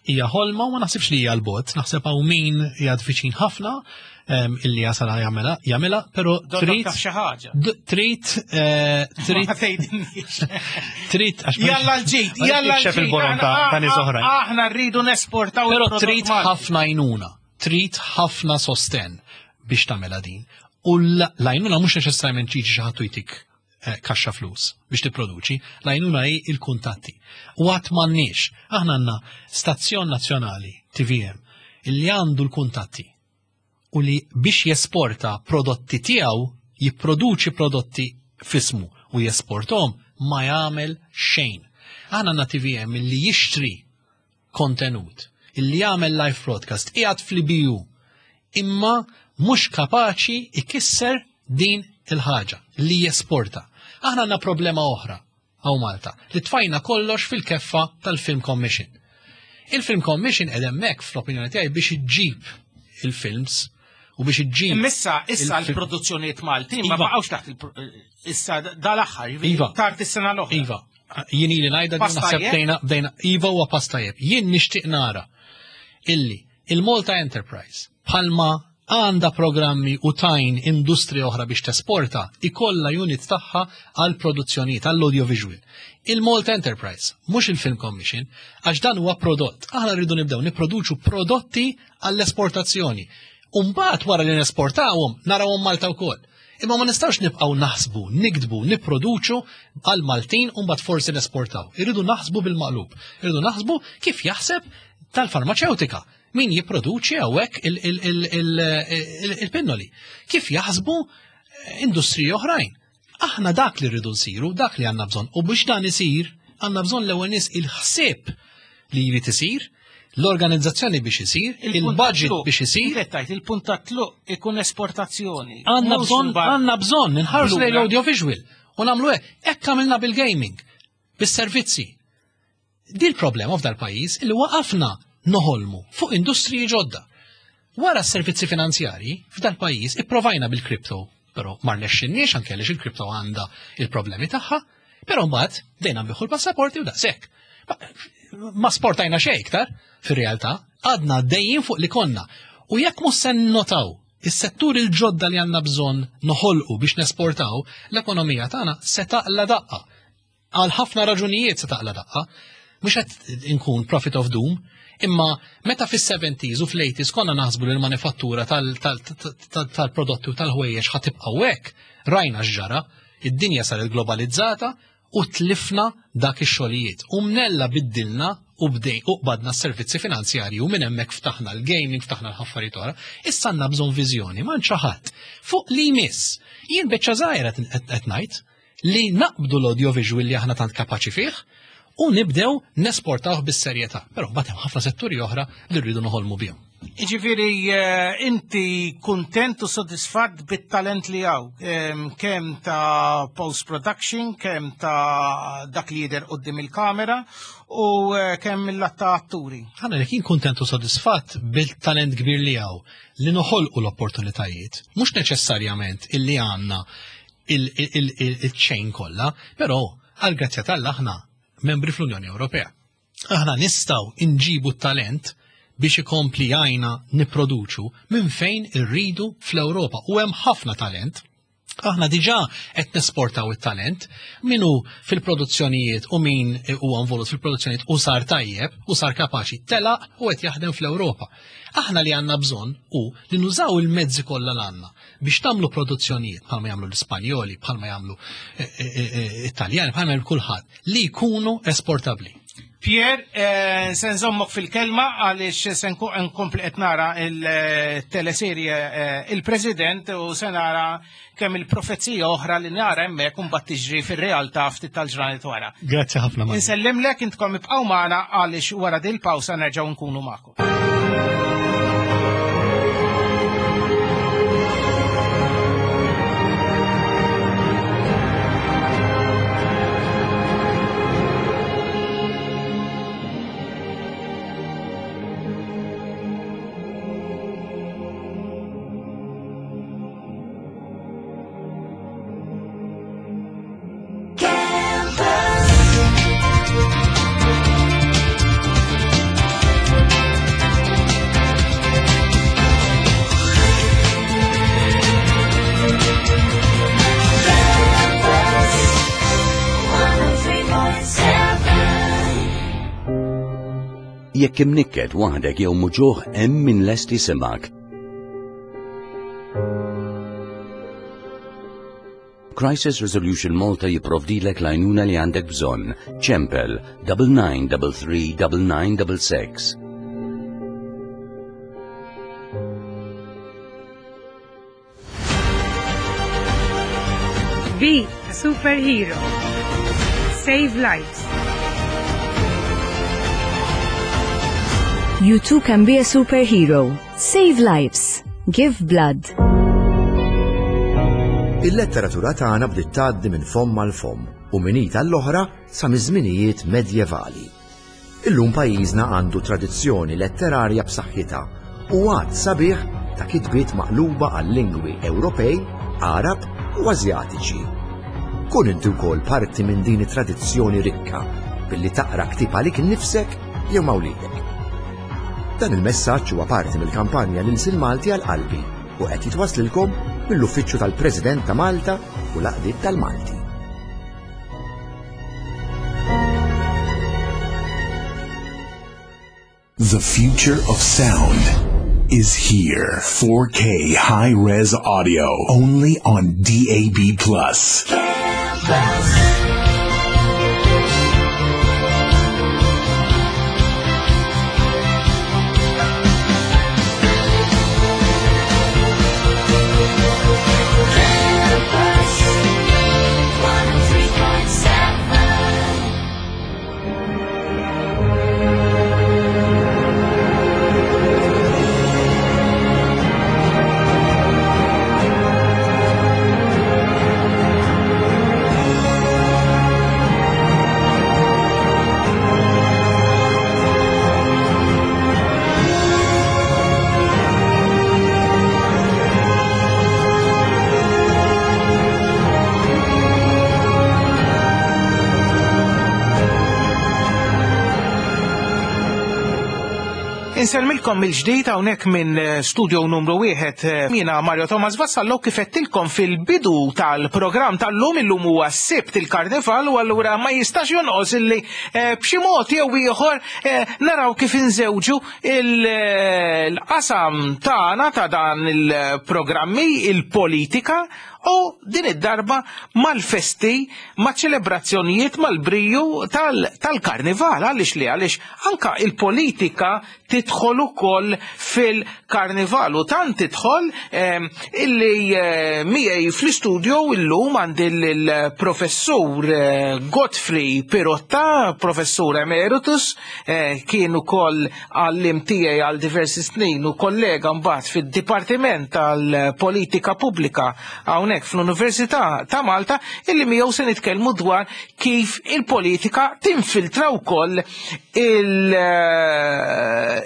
hija ħolma u ma naħsibx li hija l-bot, naħseb hawn min hija viċin ħafna illi jasal jagħmilha, jagħmilha, però trid taf xi ħaġa. Trid trid trid għax Jalla l-ġid, jalla l-ġid. Il-borom ta' nies oħrajn. Aħna rridu nesportaw. Però trid ħafna għajnuna, trid ħafna sosten biex tagħmilha din. U l-għajnuna mhux neċessarjament ġiġi xi ħadd jtik kaxxa flus biex tipproduċi, l-għajnuna hi il-kuntatti. U għad m'għandniex, aħna għandna stazzjon nazzjonali T V M illi għandu l-kuntatti u li biex jesporta prodotti tiegħu, jipproduċi prodotti fismu u jesportom ma jagħmel xejn. Aħna għandna T V M illi jixtri kontenut, illi jagħmel live broadcast, qiegħed fl-I B U, imma mhux kapaċi ikisser din il-ħaġa li jesporta. Aħna għandna problema oħra hawn Malta, li tfajna kollox fil-keffa tal-Film Commission. Il-Film Commission qed hemmhekk fl-opinjoni tiegħi biex iġġib il-films u biex iġġib. Issa issa l-produzzjonijiet Maltin ma baqgħux taħt issa dal-aħħar, tard is-sena l-oħra. Iva, jien ili ngħidha din naħseb bdejna bdejna iva huwa pass tajjeb. Jien nixtieq nara illi il-Malta Enterprise bħalma għanda programmi u tajn industrija oħra biex tesporta, ikolla unit tagħha għal produzzjonijiet, għall audiovisual. Il-Malta Enterprise, mhux il-Film Commission, għax dan huwa prodott. Aħna rridu nibdew nipproduċu prodotti għall-esportazzjoni. U mbagħad wara li nesportawhom narawhom Malta wkoll. Imma ma nistgħux nibqgħu naħsbu, nikdbu, nipproduċu għal Maltin u mbagħad forsi nesportaw. Irridu naħsbu bil-maqlub. Irridu naħsbu kif jaħseb tal-farmaceutika. Min jipproduċi hawnhekk il-pinnoli. Kif jaħsbu industriji oħrajn. Aħna dak li rridu nsiru, dak li għandna bżonn. U biex dan isir, għandna bżonn l-ewwel nies il-ħsieb li jrid isir, l-organizzazzjoni biex isir, il-budget biex isir. Il-punt ta' tluq ikun esportazzjoni. Għandna bżonn, għandna bżonn inħarsu lejn l-audiovisual u nagħmlu hekk. Hekk għamilna bil-gaming, bis-servizzi. Di l-problema f'dal pajjiż li waqafna noħolmu fuq industriji ġodda. Wara s-servizzi finanzjarji f'dal pajjiż ipprovajna bil-kripto, però ma rnexxinniex anke għaliex il-kripto għandha il-problemi tagħha, però mbagħad dejna nbiħu l-passaporti u daqshekk. Ma sportajna xejn iktar fir-realtà, għadna dejjin fuq li konna. U jekk mhux se nnotaw is-settur il-ġodda li għandna bżonn noħolqu biex nesportaw, l-ekonomija tagħna se taqla daqqa. Għal ħafna raġunijiet se taqla daqqa. Mhux qed inkun prophet of doom, imma meta fis-seventies u fl-eighties konna naħsbu li l-manifattura tal-prodotti u tal-ħwejjeġ ħa tibqa' hekk, rajna x'ġara, id-dinja saret globalizzata u tlifna dak ix-xogħlijiet. U mnella biddilna u bdej u qbadna s-servizzi finanzjarji u minn hemmhekk ftaħna l-gaming, ftaħna l-ħaffarijiet oħra. Issa għandna bżonn viżjoni, ma xi ħadd fuq li jmiss. Jien biċċa żgħira qed ngħid li naqbdu l-audiovisual li aħna tant kapaċi fih u nibdew nesportawh bis-serjetà. Però mbagħad hemm ħafna setturi oħra li rridu noħolmu bihom. Jiġifieri inti kuntent u sodisfatt bit-talent li hawn, kemm ta' post-production, kemm ta' dak li jidher quddiem il-kamera u kemm mill-lat ta' atturi. Ħana li kien kuntent u sodisfatt bil-talent kbir li hawn li noħolqu l-opportunitajiet, mhux neċessarjament illi għandna il-chain kollha, però għal grazzja tal aħna membri fl-Unjoni Ewropea. Aħna nistgħu inġibu t-talent biex ikompli għajna nipproduċu minn fejn irridu fl-Ewropa. U hemm ħafna talent. Aħna diġà qed nesportaw it-talent min hu fil-produzzjonijiet u min huwa involut fil-produzzjonijiet u sar tajjeb u sar kapaċi telaq u qed jaħdem fl-Ewropa. Aħna li għandna bżonn hu li nużaw il-mezzi kollha l għandna biex tagħmlu produzzjonijiet bħalma jagħmlu l-Ispanjoli, bħalma jagħmlu Italjani, bħalma jagħmlu kulħadd li jkunu esportabbli. Pier, se nżommok fil-kelma għaliex se nkompli qed nara il-teleserje Il-President u se nara kemm il-profezija oħra li nara hemmhekk u mbagħad tiġri fir-realtà ftit tal-ġranet wara. Grazzi ħafna. Insellimlek intkom ibqgħu magħna għaliex wara din il-pawsa nerġgħu nkunu magħkom. Camper. Jekk imnikket waħdek jew muġugħ hemm min lest jisimgħek. Crisis Resolution Malta jipprovdilek l-għajnuna li għandek bżonn. Ċempel double nine double three double nine double six. Be a superhero. Save lives. You too can be a superhero. Save lives. Give blood. Il-letteratura tagħna bdiet tgħaddi minn fomm għal fomm u minn id għall-oħra sa miż-żminijiet medjevali. Illum pajjiżna għandu tradizzjoni letterarja b'saħħitha u għadd sabiħ ta' kitbiet maqluba għal lingwi Ewropej, Għarab u Asjatiċi. Kun inti wkoll parti minn din it-tradizzjoni rikka billi taqra ktieb għalik innifsek jew ma' wliedek. Dan il-messaġġ huwa parti mill-kampanja l-Ilsien Malti għal qalbi u qed jitwaslilkom mill-Uffiċċju tal-President ta' Malta u l-Għaqdiet tal-Malti. The future of sound is here. four K high-res audio only on D A B plus. Insellmilkom mill-ġdid hawnhekk minn studio numru wieħed jiena Mario Thomas Vassallo kif qedtilkom fil-bidu tal-programm tal-lum. Illum huwa s-Sibt il-Karnival u allura ma jistax jonqos illi b'xi mod jew ieħor naraw kif inżewġu il-qasam tagħna ta' dan il-programmi, il-politika, u din id-darba mal-festi, ma' ċelebrazzjonijiet, mal-briju tal-karnival. Għaliex li għaliex anka il-politika tidħol ukoll fil-karnival u tant tidħol illi miegħi fl-istudio illum għandi il-professur Godfrey Pirotta, professur emeritus, kien ukoll għallim tiegħi għal diversi snin u kollega mbagħad fid-Dipartiment tal-Politika Pubblika hawnhekk fl-Università ta' Malta, illi miegħu se nitkellmu dwar kif il-politika tinfiltra wkoll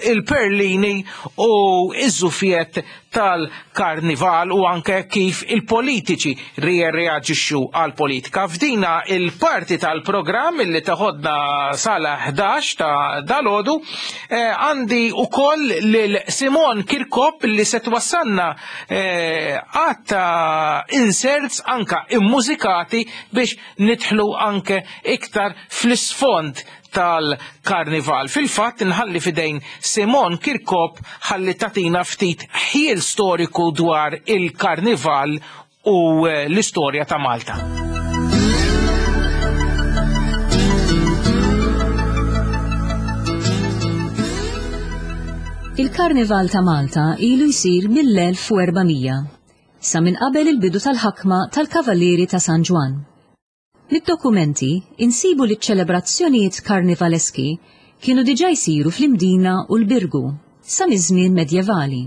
il-perlini u iż-żufiet tal-karnival u anke kif il-politiċi reaġixxu għal-politika. F'dina il-parti tal-programm illi taħodna sala ħdax ta' dalodu għandi ukoll lil Simon Kirkop li se twassalna għatta inserts anka immużikati biex nidħlu anke iktar fl-isfond tal-karnival. Fil-fatt nħalli fidejn Simon Kirkop ħalli tatina ftit ħiel storiku dwar il-karnival u l-istorja ta' Malta. Il-Karnival ta' Malta ilu jsir mill-elf u erbamija, sa minn qabel il-bidu tal-ħakma tal-Kavallieri ta' San Ġwann. Mid-dokumenti insibu li ċ-ċelebrazzjonijiet karnivaleski kienu diġà jsiru fl-Imdina u l-Birgu sa miż-żmien medjevali.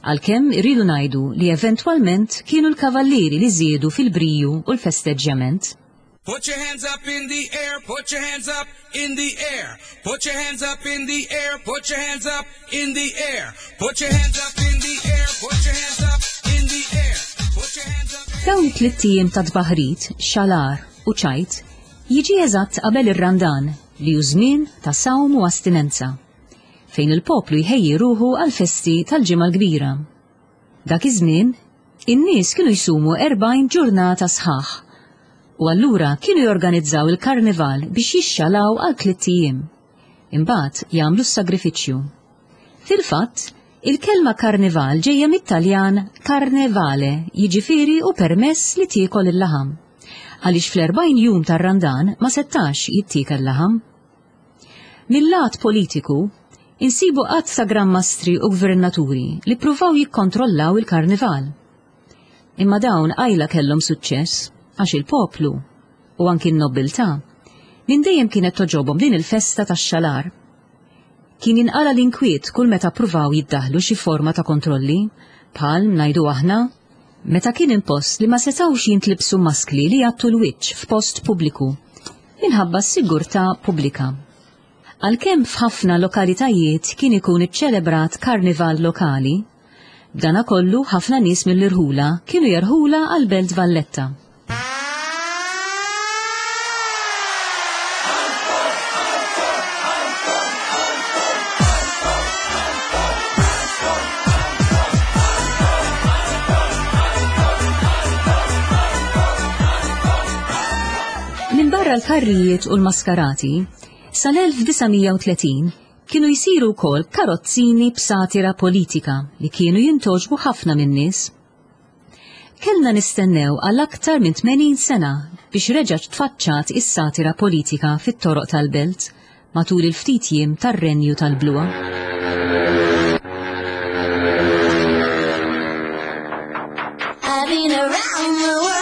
Għalkemm irridu ngħidu li eventwalment kienu l-kavallieri li żiedu fil-briju u l-festeġġjament. Put your hands up in the air, put your hands up in the air. Put your hands up in the air, put your hands up in the air. Put your hands up in the air, put your hands up in the air. Put your hands up. Dawn it-tliet ijiem ta' tbaħrit, xalar u ċajt jiġi eżatt qabel ir-Randan li hu żmien ta' sawm u astinenza, fejn il-poplu jħejji ruħu għal festi tal-Ġimgħa l-Kbira. Dak iż-żmien, in-nies kienu jsumu erbgħin ġurnata sħaħ u allura kienu jorganizzaw il-karnival biex jixxalaw għal tliet ijiem. Imbagħad jagħmlu s-sagrifiċċju. Fil-fatt, il-kelma karnival ġejja mit-Taljan carnevale, jiġifieri u permess li tiekol il-laħam. Għaliex fl-erbgħin jum tar-Randan ma settax jittiekel laħam. Mil-lat politiku, insibu qatt ta' Gran Mastri u gvernaturi li ppruvaw jikkontrollaw il-karnival. Imma dawn qajla kellhom suċċess għax il-poplu u anki n-nobiltà minn dejjem kienet toġobhom din il-festa tax-xalar. Kien jinqala l-inkwiet kull meta ppruvaw jiddaħlu xi forma ta' kontrolli, bħal ngħidu aħna, meta kien impost li ma setgħux jintlibsu maskli li jgħattu l-wiċċ f'post pubbliku minħabba s-sigurtà pubblika. Għalkemm f'ħafna lokalitajiet kien ikun iċċelebrat karnival lokali, b'dana kollu ħafna nies mill-irħula kienu jerħula għal Belt Valletta. Minn barra l-karrijiet u l-maskarati, sal-elf disa' mija u tletin kienu jsiru wkoll karozzini b'satira politika li kienu jintoġbu ħafna min-nies. Kellna nistennew għal aktar minn tmenin sena biex reġgħet tfaċċat is-satira politika fit-toroq tal-belt matul il-ftit jiem tar-renju tal-Blua. I've been around the world.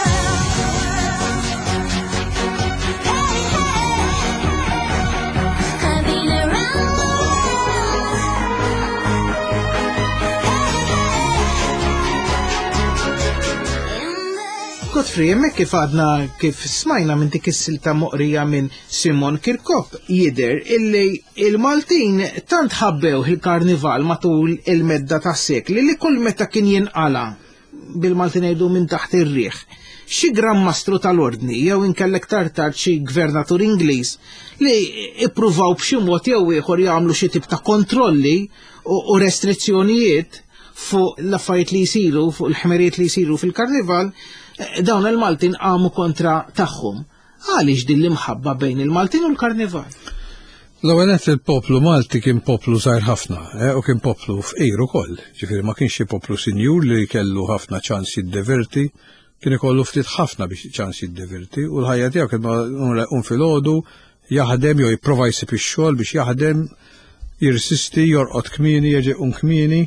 Godfrey, hemmhekk kif għadna kif smajna minn dik is-silta moqrija minn Simon Kirkop jidher illi il-Maltin tant ħabbew il-karnival matul il-medda tas-sekli li kull meta kien jinqala bil-Maltin ngħidu minn taħt ir-riħ. Xi Gran Mastru tal-Ordni jew inkellek tard tard xi gvernatur Ingliż li ippruvaw b'xi mod jew ieħor jagħmlu xi tip ta' kontrolli u restrizzjonijiet fuq l-affarijiet li jsiru, fuq il-ħmerijiet li jsiru fil-karnival, dawn il-Maltin qamu kontra tagħhom. Għaliex din l-imħabba bejn il-Maltin u l-karnival? L-ewwel nett il-poplu Malti kien poplu żgħir ħafna, eh, u kien poplu fqir ukoll. Ġifieri ma kienx xi poplu sinjur li kellu ħafna ċans jiddeverti, kien ikollu ftit ħafna biex ċans jiddeverti, u l-ħajja tiegħu kien jqum filgħodu, jaħdem jew jipprova jsib ix-xogħol biex jaħdem, jirsisti, jorqod kmieni, jerġa' jqum kmieni.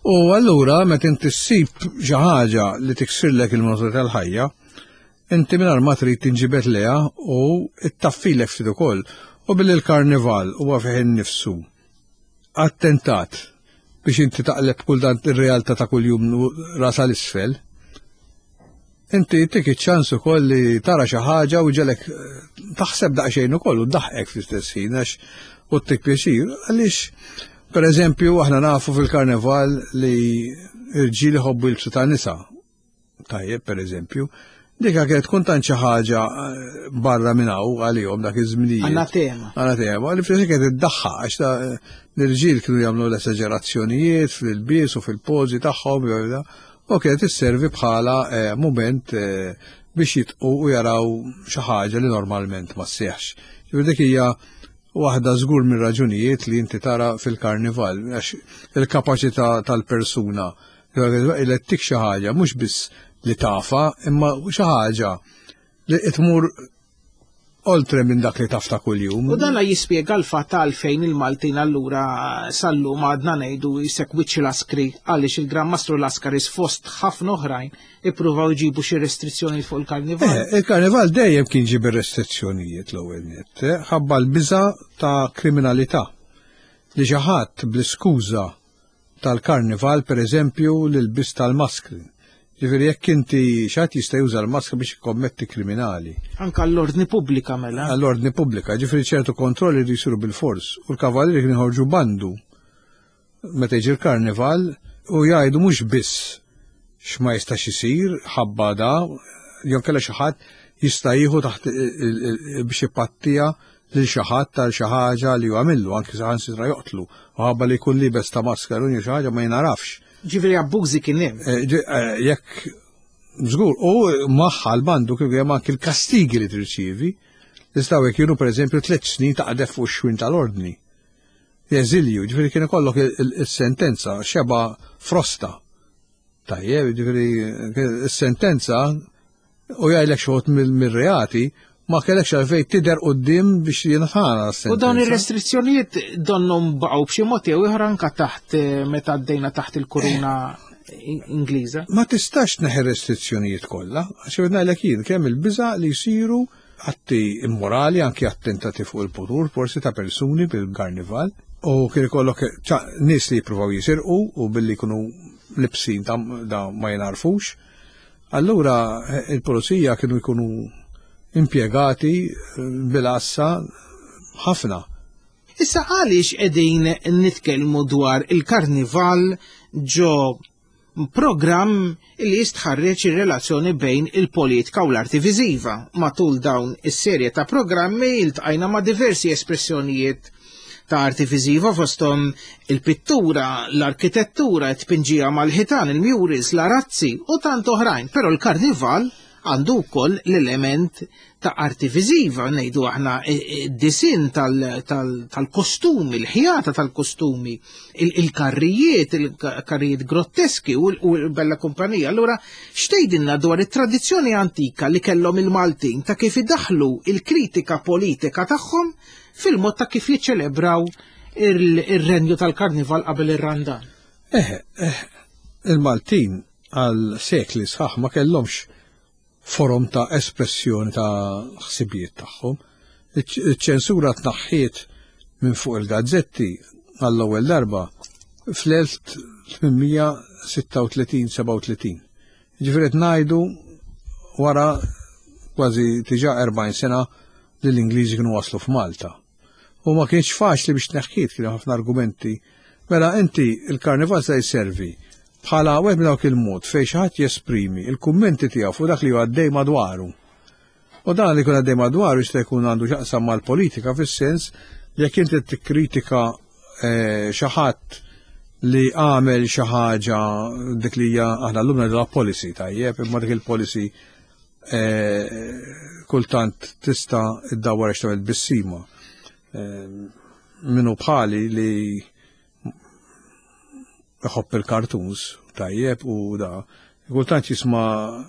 U allura meta inti ssib xi ħaġa li tiksirlek il-monotonija tal-ħajja, inti mingħajr ma trid tinġibed lejha u ittaffilek ftit ukoll. U billi l-karnival huwa fih innifsu attentat biex inti taqleb kull dan ir-realtà ta' kuljum ras għal isfel, inti tik iċ-ċans ukoll li tara xi ħaġa u ġelek taħseb daqsxejn ukoll u ddaħqek fl-istess ħin għax u ttik pjaċir. Għaliex per eżempju aħna nafu fil-karnival li irġiel iħobbu jilbsu ta' nisa. Tajjeb, per eżempju, dika kienet tkun tant xi ħaġa barra minn hawn għalihom dak iż-żminijiet. Anatema. Anatema, li fl-istess kienet iddaħħaq għax ta' l-irġiel kienu jagħmlu l-esaġerazzjonijiet fil-ilbies u fil-pożi tagħhom, u kienet isservi bħala mument biex jitqu u jaraw xi ħaġa li normalment ma sseħħx. Ġifieri dik hija waħda żgur mir-raġunijiet li inti tara fil-karnival, għax il-kapaċità tal-persuna li ttik xi ħaġa mhux biss li tafa, imma xi ħaġa li tmur oltre minn dak li taf ta' kuljum. U dan jispjega l-fatt għalfejn il-Maltin allura sal-lum għadna ngħidu jisek wiċċ Laskri, għaliex il-Gran Mastru Laskaris fost ħafna oħrajn ippruvaw jġibu xi restrizzjonijiet fuq il-karnival. Eh, il-karnival dejjem kien ġib ir-restrizzjonijiet l-ewwel nett, eh, ħabba l-biża' ta' kriminalità. Li xi ħadd bl-iskuża tal-karnival, per eżempju, l-ilbies tal-maskri. Ġifieri jekk inti xi ħadd jista' juża l-maskra biex jikkommetti kriminali. Anke għall-ordni pubblika mela. Għall-ordni pubblika, ġifieri ċertu kontrolli jridu jsiru bil-fors. U l-kavallieri kienu jħorġu bandu meta jiġi l-karnival u jgħidu mhux biss x'ma jistax isir ħabba da, jew kellha xi ħadd jista' jieħu taħt biex ipattija lil xi ħadd tal xi ħaġa li huwa għamillu, anke saħansitra joqtlu, u ħabba li jkun libes ta' maskra jew xi ħaġa ma jinarafx. Ġifieri abbużi kien hemm. Jekk żgur, u magħha l-bandu kif hemm anke l-kastigi li tirċievi, jistgħu kienu pereżempju tliet snin taqdef fuq ix-xwin tal-ordni. Eżilju, ġifieri kien ikollok il-sentenza xeba frosta. Tajjeb, ġifieri is-sentenza u jgħidlek xogħod mir-reati ma kellekx għalfejn tidher quddiem biex jinħana s-sentenza. U dawn ir-restrizzjonijiet donnhom baqgħu b'xi mod jew ieħor anke taħt meta għaddejna taħt il-kuruna Ingliża. Ma tistax tneħħi restrizzjonijiet kollha, għax ngħidlek jien kemm il-biża' li jsiru atti immorali, anki attentati fuq il-potur, forsi ta' persuni bil-karnival, u kien ikollok nies li jippruvaw jisirqu u billi jkunu libsin ta' ma jinarfux. Allura il-pulizija kienu jkunu impjegati bil-assa ħafna. Issa għaliex qegħdin nitkellmu dwar il-karnival ġo programm li jistħarreġ ir-relazzjoni bejn il-politika u l-arti viżiva. Matul dawn is-serje ta' programmi iltqajna ma' diversi espressjonijiet ta' arti viżiva fosthom il-pittura, l-arkitettura, it-tpinġija mal-ħitan, il-murals, l-arazzi u tant oħrajn, però l-karnival għandu wkoll l-element ta' arti viżiva, ngħidu aħna id-disin tal-kostumi, il-ħjata tal-kostumi, il-karrijiet, il-karrijiet grotteski u l-bella kumpanija. Allura, x'tgħidilna dwar it-tradizzjoni antika li kellhom il-Maltin ta' kif idaħlu il-kritika politika tagħhom fil-mod ta' kif jiċċelebraw ir-renju tal-karnival qabel ir-Randan? Eh, il-Maltin għal sekli sħaħ ma kellhomx forum ta' espressjoni ta' ħsibijiet tagħhom. Iċ-ċensura tnaħħiet minn fuq il-gazzetti għall-ewwel darba fl-elf tmien sitta u tletin seba' u tletin. Ġifieri qed ngħidu wara kważi diġà erbgħin sena li l-Ingliżi kienu waslu f'Malta. U ma kienx faċli biex tneħħiet, kienu ħafna argumenti. Mela inti il-karnival se jservi bħala wieħed minn dawk il-mod fejn xi ħadd jesprimi il-kummenti tiegħu fuq dak li huwa għaddej madwaru. U dan li jkun għaddej madwaru jista' jkun għandu x'jaqsam mal-politika fis-sens li jekk inti tikkritika xi ħadd li għamel xi ħaġa dik li hija aħna llum ngħidulha policy tajjeb, imma dik il-policy kultant tista' iddawwar għax tagħmel bissima. Minnu bħali li iħobb il-cartoons tajjeb u da kultant jisma'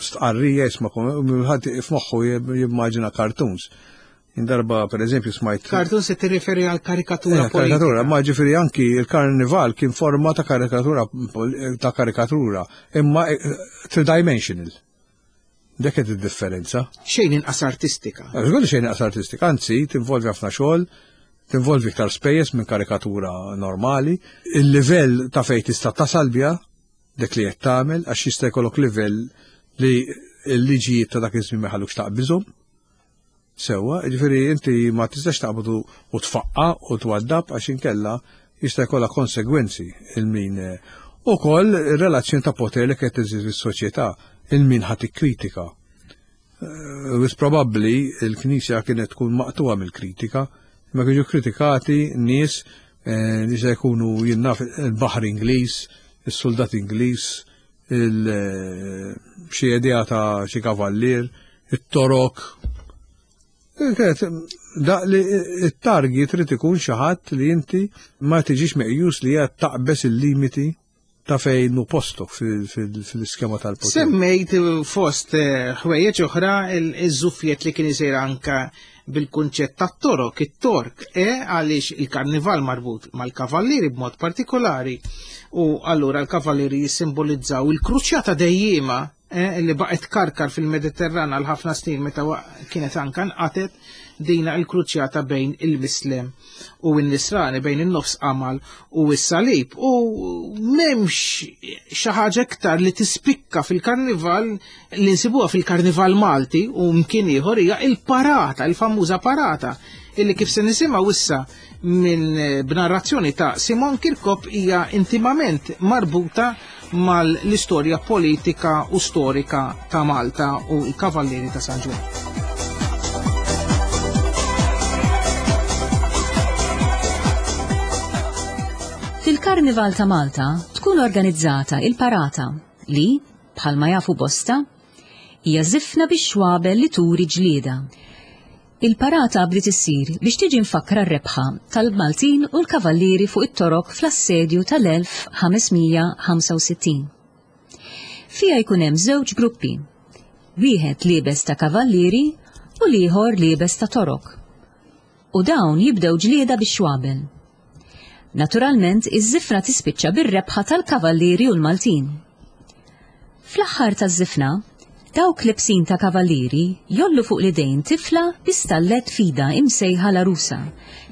stqarrija, jisma' ħadd f'moħħu jimmaġina cartoons. Indarba per eżempju smajt Cartoons se tirreferi għal karikatura politika. Karikatura, ma ġifieri anki il-karnival kien forma ta' karikatura ta' karikatura, imma tridimensional. Dik qed id-differenza. Xejn inqas artistika. Żgur xejn inqas artistika, anzi tinvolvi ħafna xogħol, tinvolvi iktar spejjeż minn karikatura normali. Il-livell ta' fejn tista' tasal biha dik li qed tagħmel, għax jista' jkollok livell li l-liġijiet ta' dak iż-żmien ma jħallukx taqbiżhom. Sewwa, jiġifieri inti ma tistax taqbad u tfaqqa u twaddab għax inkella jista' jkollha konsegwenzi il-min. Ukoll ir-relazzjoni ta' poter li qed teżisti fis-soċjetà, il-min ħadd ikkritika. Wis probabbli l-Knisja kienet tkun maqtuha mill-kritika, ma kienu kritikati nies li se jkunu jinnaf il-baħar Ingliż, is-soldat Ingliż, xi idea ta' xi kavallier, it-torok. Da li it-targi trid ikun xi ħadd li inti ma tiġix meqjus li qed taqbeż il-limiti ta' fejn hu postok fil-iskema tal-poter. Semmejt fost ħwejjeġ oħra iż-żuffiet li kien isir anka bil-kunċett tat-torok, it-tork, e għaliex il-karnival marbut mal-kavallieri b'mod partikolari, u allura l-kavallieri jissimbolizzaw il-kruċjata dejjima li baqgħet karkar fil-Mediterran għal ħafna snin meta kienet anka nqatet dina il-kruċjata bejn il-Mislem u n-Nisrani, bejn in-nofs qamal u s-salib. U m'hemmx xi ħaġa iktar li tispikka fil-karnival li nsibuha fil-karnival Malti u mkien ieħor hija il-parata, il-famuża parata, illi kif se nisimgħu issa minn b'narrazzjoni ta' Simon Kirkop hija intimament marbuta mal-istorja politika u storika ta' Malta u l-Kavallieri ta' San Ġwann. Fil-Karnival ta' Malta tkun organizzata il-parata li, bħalma jafu bosta, hija żifna bix-xwabel li turi ġlieda. Il-parata bdiet issir biex tiġi mfakkra r-rebħa tal-Maltin u l-Kavallieri fuq it-Torok fl-assedju tal-elf ħames mija ħamsa u sittin. Fija jkun hemm żewġ gruppi, wieħed liebes ta' kavallieri u l-ieħor liebes ta' Torok. U dawn jibdew ġlieda bix-xwabel. Naturalment, iż-żifna tispiċċa bir-rebħa tal-Kavallieri u l-Maltin. Fl-aħħar taż-żifna, dawk lebsin ta' kavallieri jollu fuq l-idejn tifla bi stallet fida imsejħa l-arusa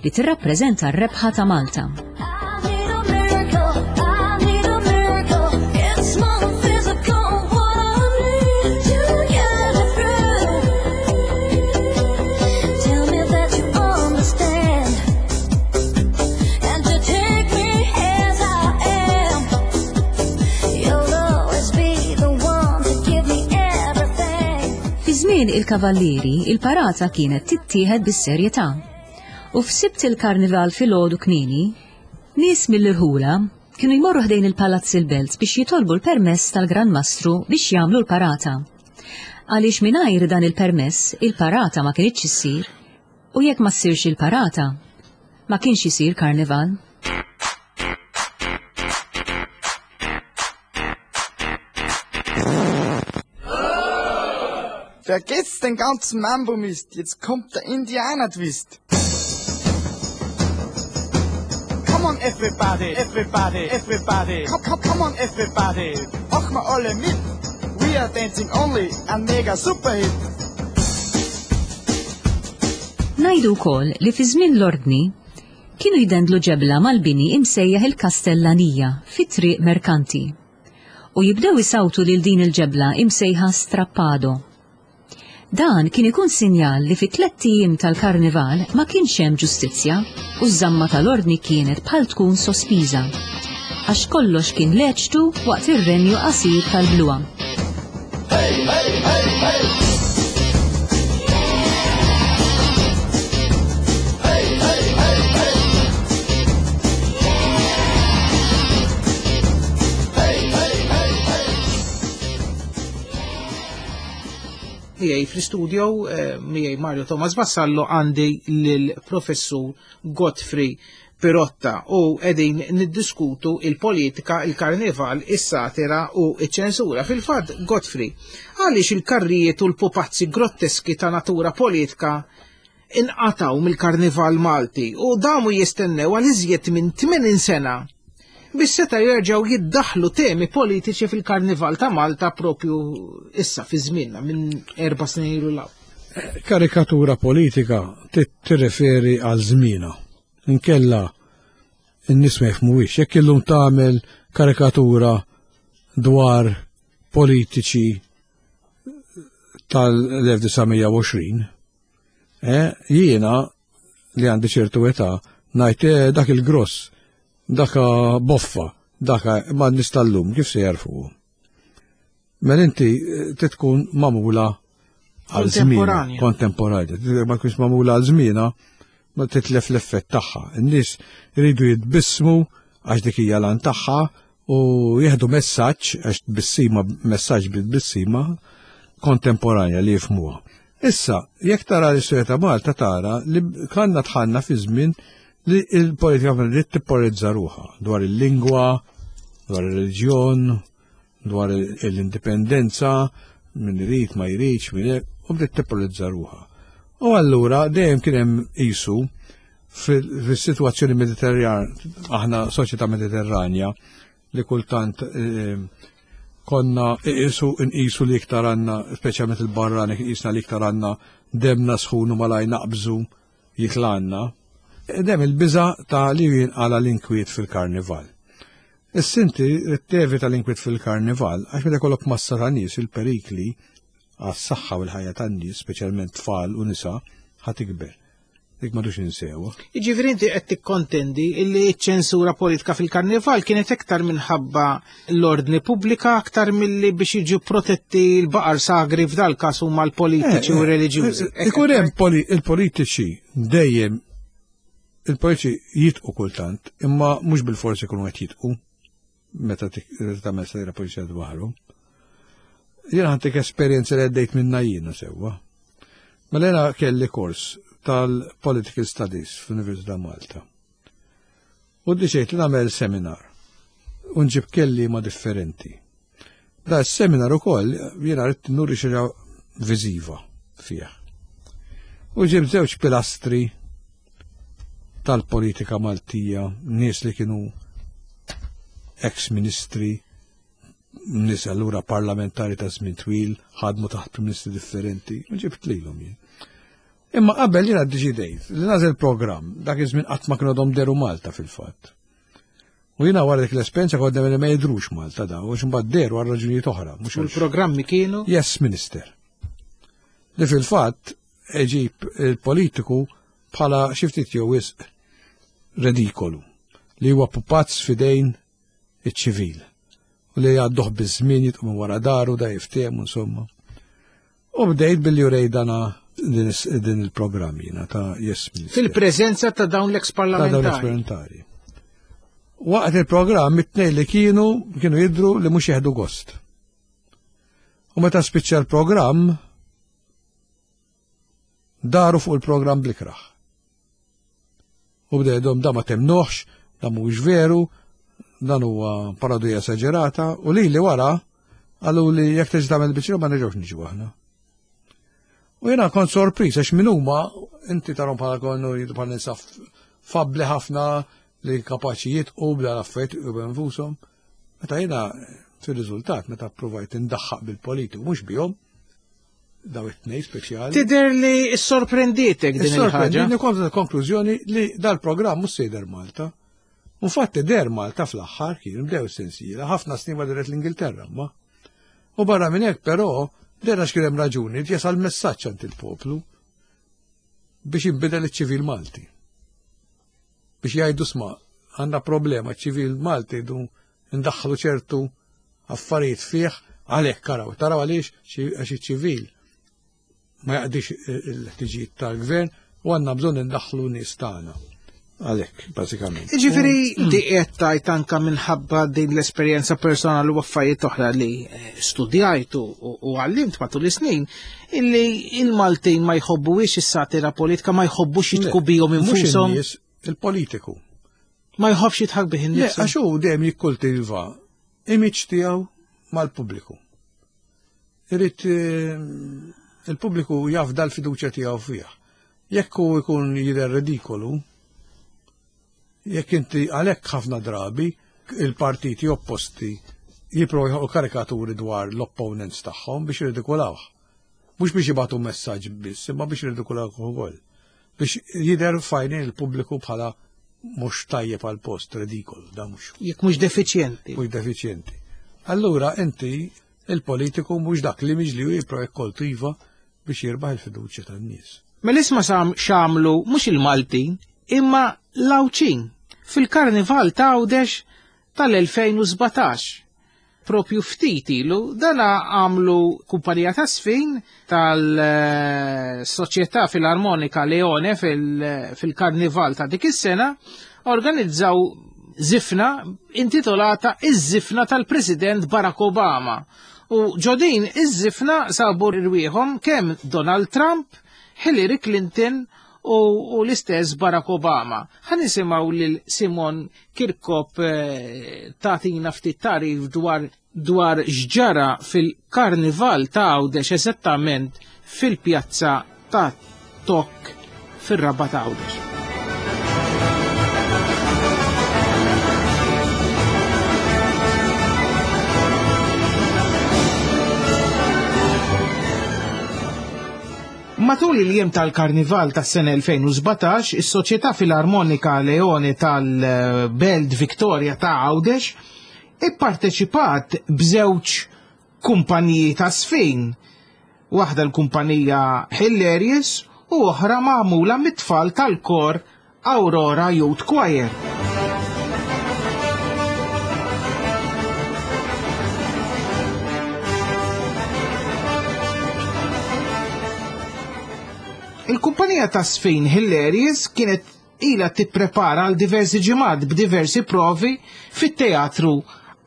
li tirrappreżenta r-rebħa ta' Malta. Fi żmien il-Kavallieri, il-parata kienet tittieħed bis-serjetà. U f'Sibt il-Karnival filgħodu kmieni, nies mill-irħula kienu jmorru ħdejn il-Palazz il-Belt biex jitolbu l-permess tal-Gran Mastru biex jagħmlu l-parata. Għaliex mingħajr dan il-permess, il-parata ma kinitx issir, u jekk ma ssirx il-parata, ma kienx isir karnival. Vergesst den ganzen Mambo-Mist, jetzt kommt der Indianer-Twist. Come on everybody, everybody, everybody, come, come, come on everybody, mach mal alle mit. We are dancing only, a mega super hit. Ngħidu wkoll li fi żmien l-ordni kienu jdendlu ġebla mal-bini imsejjaħ il-Kastellanija fi Triq Merkanti u jibdew isawtu lil din il-ġebla imsejħa Strappado. Dan kien ikun sinjal li fi tlett ijiem tal-karnival ma kienx hemm ġustizzja u ż-żamma tal-ordni kienet bħal tkun sospiża, għax kollox kien leċtu waqt ir-renju qasir tal-bluha. Hey, hey, hey, hey! Hey, hey, hey, hey! Hey, hey, hey, hey! Miegħi fl-istudio, eh, miegħi Mario Thomas Vassallo, għandi lill-professur Godfrey Pirotta u qegħdin niddiskutu il-politika, il-karnival, is-satira u iċ-ċensura. Fil-fatt, Godfrey, għaliex il-karrijiet u l-pupazzi grotteski ta' natura politika inqataw mill-karnival Malti u damu jistennew għal iżjed minn tmenin sena biex seta' jerġgħu jiddaħlu temi politiċi fil-karnival ta' Malta propju issa fi żmienna minn erba' snin ilu law. Karikatura politika tirreferi għal żmienha. Inkella n-nies ma jifhmuhiex. Jekk illum tagħmel karikatura dwar politiċi tal-elf disa' mija u għoxrin, eh, jiena li għandi ċertu età ngħid, eh, dak il-gross, daka boffa, daka ma n-nies tal-lum, kif se jarfu? Mela inti titkun magħmula għal żmien Kontemporanja. kontemporanja. Ma tkunx magħmula għal żmienha, ma titlef l-effett tagħha. In-nies iridu jitbissmu għax dik hija l-għan tagħha u jieħdu messaġġ għax tbissima, messaġġ bit-tbissima kontemporanja li jifhmuha. Issa, jekk tara l-istorja ta' Malta tara li kanna tħanna fi żmien li l-politika bdiet tippolizza ruħha dwar il-lingwa, dwar ir-reliġjon, dwar l-indipendenza, min irid ma jridx, min hekk, u bdiet tippolizza ruħha. U allura dejjem kien hemm qisu fis-sitwazzjoni Mediterran, aħna soċjetà Mediterranja li kultant, eh, konna iqisu nqisu li iktar għandna, speċjalment il-barrani, qisna li iktar għandna demna sħun u malaj naqbżu jitlanna. Dem il-biża ta' li jinqala l-inkwiet fil-karnival. Is-sinti tevita l-inkwiet fil-karnival għax meta jkollok massa ta' nies il-perikli għas-saħħa u l-ħajja tan-nies, speċjalment tfal u nisa, ħa tikber. Dik m'għadux insewa. Jiġifieri inti qed tikkontendi illi ċ-ċensura politika fil-karnival kienet iktar minħabba l-ordni pubblika aktar milli biex jiġu protetti l-baqar sagri f'dal każ huma l-politiċi u Eh, eh, reliġjużi. eh, Ikun hemm poli-, il-politiċi dejjem il-politiċi jitqu kultant, imma mhux bil-forsi jkunu qed jitqu meta tik-, tagħmel satira politika dwarhom. Jien ħantik esperjenza li għaddejt minna jiena sewwa. Mela jiena kelli kors tal-Political Studies fl-Università Malta. U ddeċidejt li nagħmel seminar u nġib kelliema differenti. Da s-seminar ukoll jiena rrid nuri xi viżiva fih. U ġib żewġ pilastri tal-politika Maltija, nies li kienu ex-ministri, nies allura parlamentari ta' żmien twil, ħadmu taħt prim ministri differenti, u ġibt lilhom jien. Imma qabel jiena ddeċidejt li nagħżel programm, dak iż-żmien qatt ma kienu għadhom deru Malta fil-fatt. U jiena wara dik l-esperjenza kont li ma jidhrux Malta da, u mbagħad deru għal raġunijiet oħra. U l-programmi kienu? Yes, Minister. Li fil-fatt iġib il-politiku bħala xi ftit jew wisq redikolu li huwa pupazz fidejn iċ-ċivil u li jgħadduh biż-żmien jitqu minn wara daru da jiftehmu insomma. U bdejt billi urej dana din, din il-programm jiena ta' Yes Minister. Fil-preżenza ta' dawn l-ex Ta' dawn l-ex-parlamentari. Waqt il-programm it-tnejn li kienu kienu jidhru li mhux jieħdu gost. U meta spiċċa l-programm daru fuq il-programm blikraħ. U bdejdhom da ma temnuħx, da mhuwiex veru, dan huwa parodija esaġerata, u li li wara qalu li jekk terġa' tagħmel biċċa ma nerġgħux niġu aħna. U jiena kont sorpriż għax min huma inti tarhom bħala konnu jidhru bħala nisa fabbli ħafna li kapaċi jitqu bla affarijiet u nfushom. Meta jiena fir-riżultat meta ppruvajt indaħħaq bil-politiku mhux bihom, daw it-tnejn speċjali. Tidher li sorprendietek din il-ħaġa. Sorprendini kont konklużjoni li dal-programm mhux se jidher Malta. Infatti der Malta fl-aħħar kien bdew sensiela, ħafna snin ma deret l-Ingilterra ma. U barra minn hekk però der għax kien hemm raġuni jasal messaġġ għand il-poplu biex jinbidel iċ-ċivil Malti. Biex jgħidu sma' għandna problema ċ-ċivil Malti jdu ndaħħlu ċertu affarijiet fih għalhekk karaw. Taraw għaliex għax iċ-ċivil ma jaqdix il-ħtiġijiet tal-gvern u għandna bżonn indaħħlu nies tagħna. Għalhekk, bażikament. Jiġifieri di qed tgħid anke minħabba din l-esperjenza personali u affarijiet oħra li studjajt u għallimt matul is-snin, illi il-Maltin ma jħobbuhiex is-satira politika, ma jħobbux jitku bihom infushom. Mhux il-politiku. Ma jħobbx jitħak bih innifsu. Għax hu dejjem jikkultiva image tiegħu mal-pubbliku. Irid il-pubbliku jafda l-fiduċja tiegħu fih. Jekk hu jkun jidher ridikolu, jekk inti għalhekk ħafna drabi il-partiti opposti jipprovaw joħolqu karikaturi dwar l-opponents tagħhom biex jirridikolawh. Mhux biex jibgħatu messaġġ biss, imma biex jirridikolawh ukoll. Biex jidher fajnin il-pubbliku bħala mhux tajjeb għal post, ridikolu, da mhux. Jekk mhux defiċjenti. Mhux defiċjenti. Allura inti il-politiku mhux dak li miġli hu jipprova jikkoltiva biex jirbaħ il-fiduċja tan-nies. Mela isma' x'għamlu mhux il-Maltin imma l-Għawdxin fil-Karnival ta' Għawdex tal-elfejn u sbatax. Propju ftit ilu dana għamlu kumpanija ta' sfin tal-Soċjetà Filarmonika Leone fil-Karnival ta' dik is-sena organizzaw zifna intitolata Iż-żifna tal-President Barack Obama. U ġodin iż-żifna sabu rwieħhom kemm Donald Trump, Hillary Clinton u, u l-istess Barack Obama. Ħa nisimgħu lil Simon Kirkop eh, tagħtina ftit tarif dwar dwar x'ġara fil-Karnival ta' Għawdex eżattament fil-pjazza ta' Tok fir-Rabat ta' Għawdex. Matul il-jiem tal-Karnival tas-sena elfejn u sbatax, is-Soċjetà Filarmonika Leone tal-Belt Victoria ta' Għawdex ipparteċipat b'żewġ kumpaniji ta' sfin. Waħda l-kumpanija Hilarious u oħra magħmula mit-tfal tal-kor Aurora Youth Choir. Il-kumpanija ta' sfin Hilarious kienet ila tipprepara għal diversi ġimgħat b'diversi provi fit-teatru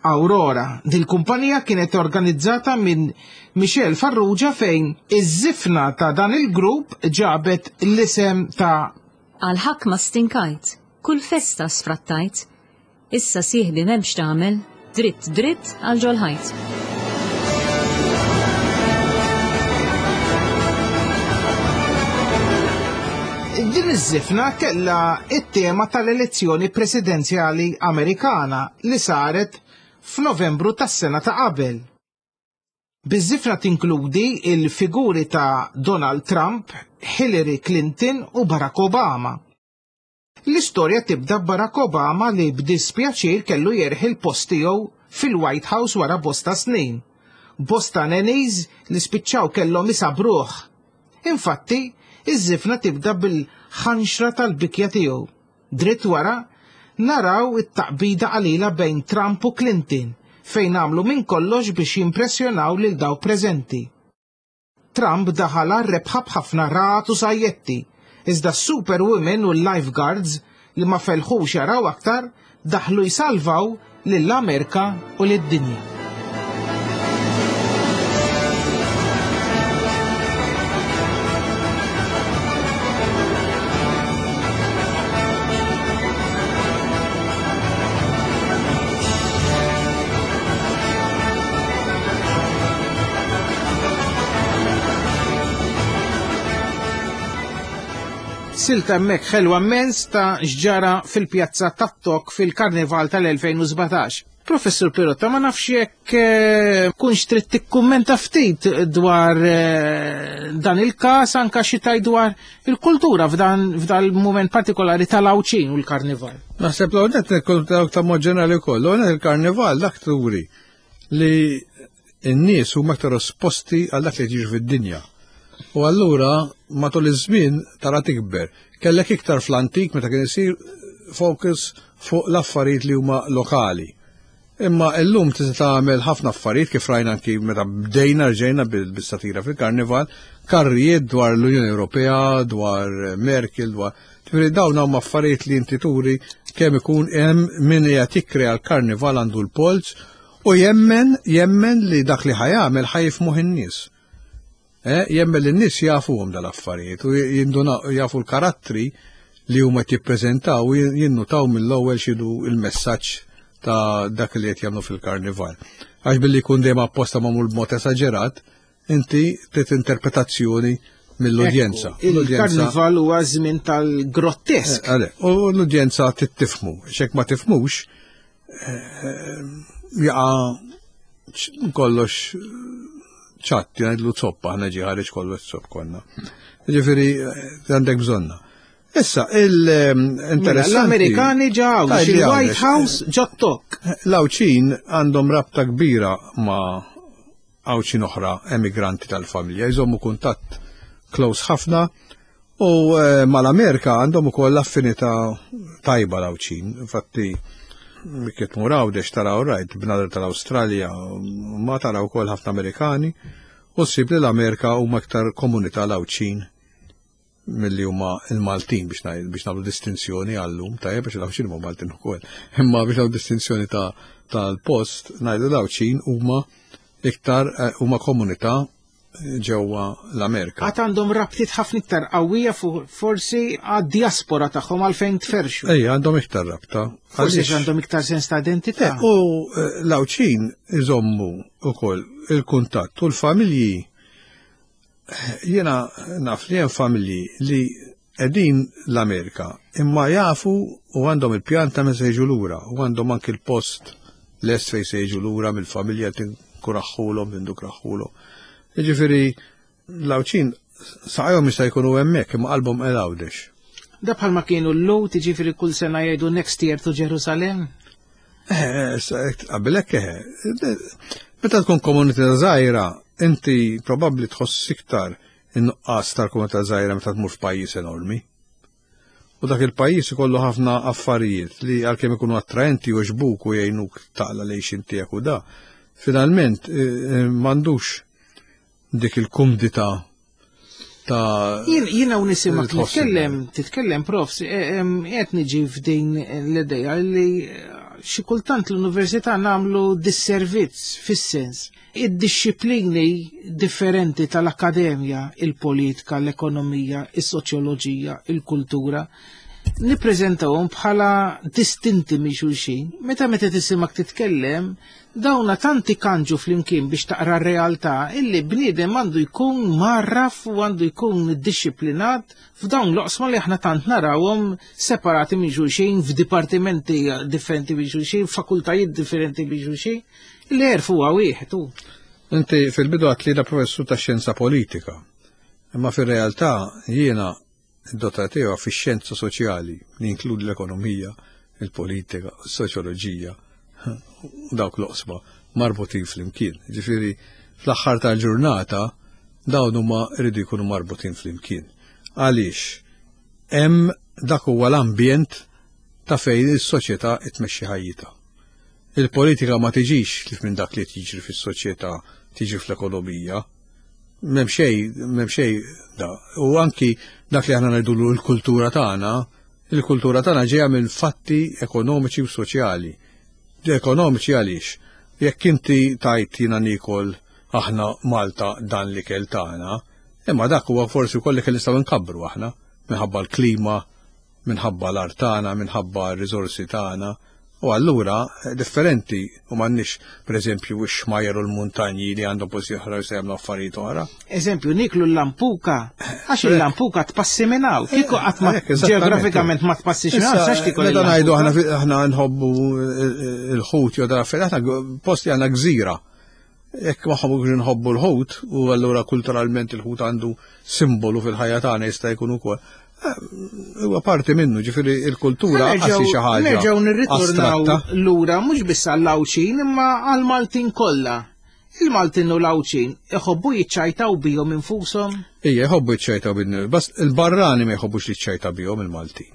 Aurora. Dil-kumpanija kienet organizzata minn Michel Farrugia fejn iż-żifna ta' dan il-grupp ġabet l-isem ta' Għal-ħakma stinkajt, kull festa sfrattajt, issa sieħbi m'hemmx tagħmel, dritt dritt għal ġol-ħajt. Din iż-żifna kellha it-tema tal-elezzjoni presidenzjali Amerikana li saret f'Novembru tas-sena ta' qabel. Biż-żifna tinkludi il-figuri ta' Donald Trump, Hillary Clinton u Barack Obama. L-istorja tibda b'Barack Obama li b'dispjaċir kellu jerħi l-post tiegħu fil-White House wara bosta snin. Bosta nannies li spiċċaw kellhom isabruh. Infatti, iż-żifna tibda bil-ħanxra tal-bikja tiegħu. Dritt wara, naraw it-taqbida qalila bejn Trump u Clinton, fejn għamlu minn kollox biex jimpressjonaw lil dawk preżenti. Trump daħal għar-rebħa b'ħafna rat u sajjetti, iżda s-superwomen u l-lifeguards li ma felħux jaraw aktar daħlu jsalvaw lill-Amerika u lid-dinja. Silta hemmhekk ħelwa immens ta' x'ġara fil-pjazza tat-Tok fil-Karnival tal-elfejn u sbatax. Professur Pirotta, ma nafx jekk kunx trid tikkummenta ftit dwar dan il-każ, anka xi tgħid dwar il-kultura f'dan il-mument partikolari tal-Għawdxin u l-Karnival. Naħseb l-għonet il-kultura ta' mod ġenerali wkoll, l-għonet il-Karnival dak turi li n-nies huma aktar esposti għal dak li jiġri fid-dinja. U allura matul iż-żmien tara tikber. Kellek iktar fl-antik meta kien isir focus fuq l-affarijiet li huma lokali. Imma llum tista' tagħmel ħafna affarijiet kif rajna anki meta bdejna rġejna bis-satira fil-Karnival, karrijiet dwar l-Unjoni Ewropea, dwar Merkel, dwar tifri dawn huma affarijiet li inti turi kemm ikun hemm min qiegħed jikkrea l-Karnival għandu l-polz u jemmen jemmen li dak li ħajamel ħajfmuh in-nies. Jemmen li n-nies jafuhom dal-affarijiet u jafu l-karattri li huma jippreżentaw u jinnutaw mill-ewwel x'inhu il-messaġġ ta' dak li qed jagħmlu fil-karnival. Għax billi jkun dejjem apposta magħmul b'mod esaġerat, inti trid interpretazzjoni mill-udjenza. Il-karnival huwa żmien tal-grottesk. U l-udjenza tittifmu, x'hekk ma tifmux jaqa' kollox ċatt, jgħidlu zoppa, ħna ġi ħareġ kollox zopp konna. Ġifieri għandek bżonna. Issa, il-interessanti. L-Amerikani ġew, il-White House ġottok. L-Għawdxin għandhom rabta kbira ma' Għawdxin oħra emigranti tal-familja, jżommu kuntatt close ħafna u mal-Amerika għandhom ukoll affinità tajba l-Għawdxin. Infatti, kif tmur Għawdex taraw rajt bnadar tal-Awstralja, ma taraw ukoll ħafna Amerikani, u ssib li l-Amerika huma aktar komunità l-Għawdxin milli huma l-Maltin biex biex nagħmlu distinzjoni għallum, tajjeb biex l-Għawdxin huma Maltin ukoll. Imma biex nagħmlu distinzjoni tal-post, ngħidu l-Għawdxin huma iktar huma komunità ġewwa l-Amerika. Għad għandhom rabtiet ħafna iktar qawwija forsi għad-diaspora tagħhom għalfejn tferxu. Ejja, għandhom iktar rabta. Forsi għandhom iktar sens ta' identità. U l-Għawdxin iżommu wkoll il-kuntatt u l-familji. Jiena naf li hemm familji li qegħdin l-Amerika imma jafu u għandhom il-pjan ta' meta se jiġu lura u għandhom anki l-post lest fejn se jiġu lura mill-familja tinkuraħħulhom, tindukraħħulhom. Jiġifieri l-Għawdxin saqajhom jista' jkunu hemmhekk imma qalbhom qed Għawdex. Da bħalma kienu l-Lut, jiġifieri kull sena jgħidu next year to Jerusalem? Eh, qabel hekk eħe. Meta tkun komunità żgħira, inti probabbli tħoss iktar in-nuqqas tal-komunità żgħira meta tmur f'pajjiż enormi. U dak il-pajjiż ikollu ħafna affarijiet li għalkemm ikunu attraenti u jogħġbuk u jgħinuk taqla l-għixien tiegħek u da, finalment m'għandux dik il-kumdità ta' Jiena u nisimgħek titkellem, titkellem prof, qed niġi f'din l-idea li Xi kultant l-università nagħmlu disservizz fis-sens. Id-dixxiplini differenti tal-akkademja, il-politika, l-ekonomija, is-soċjoloġija, il-kultura, nippreżentawhom bħala distinti minn xulxin. Meta meta tisimak titkellem, dawna tanti kanġu flimkien biex taqra r-realtà illi bniedem għandu jkun marraf u għandu jkun dixxiplinat f'dawn l-oqsma li aħna tant narawhom separati minn xulxin f'dipartimenti differenti minn xulxin, f'fakultajiet differenti minn xulxin, li għerf huwa wieħed hu. Inti fil-bidu għedt li da professur ta' xjenza politika, imma fir-realtà jiena id-dottorat tiegħu fix-xjenza soċjali li jinkludi l-ekonomija, il-politika, s-soċjoloġija, u dawk l-oqsma marbutin flimkien. Ġifieri fl-aħħar tal-ġurnata dawn huma jridu jkunu marbutin flimkien. Għaliex hemm dak huwa l-ambjent ta' fejn is-soċjetà tmexxi ħajjitha. Il-politika ma tiġix kif minn dak li tiġri fis-soċjetà tiġi fl-ekonomija. M'hemm xejn, m'hemm xejn da. U anki dak li aħna ngħidulu l-kultura tagħna, il-kultura tagħna ġejja minn fatti ekonomiċi u soċjali. Ekonomiċi għaliex? Jekk inti tajt jiena niekol aħna Malta dan l-ikel tagħna, imma dak huwa forsi wkoll l-ikel nistgħu nkabbru aħna minħabba l-klima, minħabba l-art tagħna, minħabba r-riżorsi tagħna. U allura differenti u m'għandniex pereżempju x-xmajjar u l-muntanji li għandhom posti oħra jistgħu jagħmlu affarijiet oħra. Eżempju, niklu l-lampuka, għax il-lampuka tpassi minn hawn. Kieku qatt ma Hekk, eżattament. ġeografikament ma tpassix minn hawn, Issa, sax tikol meta ngħidu aħna il-lampuka. fi- aħna nħobbu il-ħut jew dan affarijiet, aħna posti għandna gżira. Jekk ma nħobbux nħobbu l-ħut u allura kulturalment il-ħut għandu simbolu fil-ħajja tagħna jista' jkun ukoll. Eh, Huwa parti minnu, ġifieri il-kultura qasi xi ħaġa. Nerġgħu nirritornaw astratta. lura mhux biss għall-Għawdxin imma għall-Maltin kollha. Il-Maltin u l-Għawdxin iħobbu jiċċajtaw bihom infushom. Ija, jħobbu jiċċajtaw bin bas il-barrani ma jħobbux li jiċċajta bihom il-Maltin.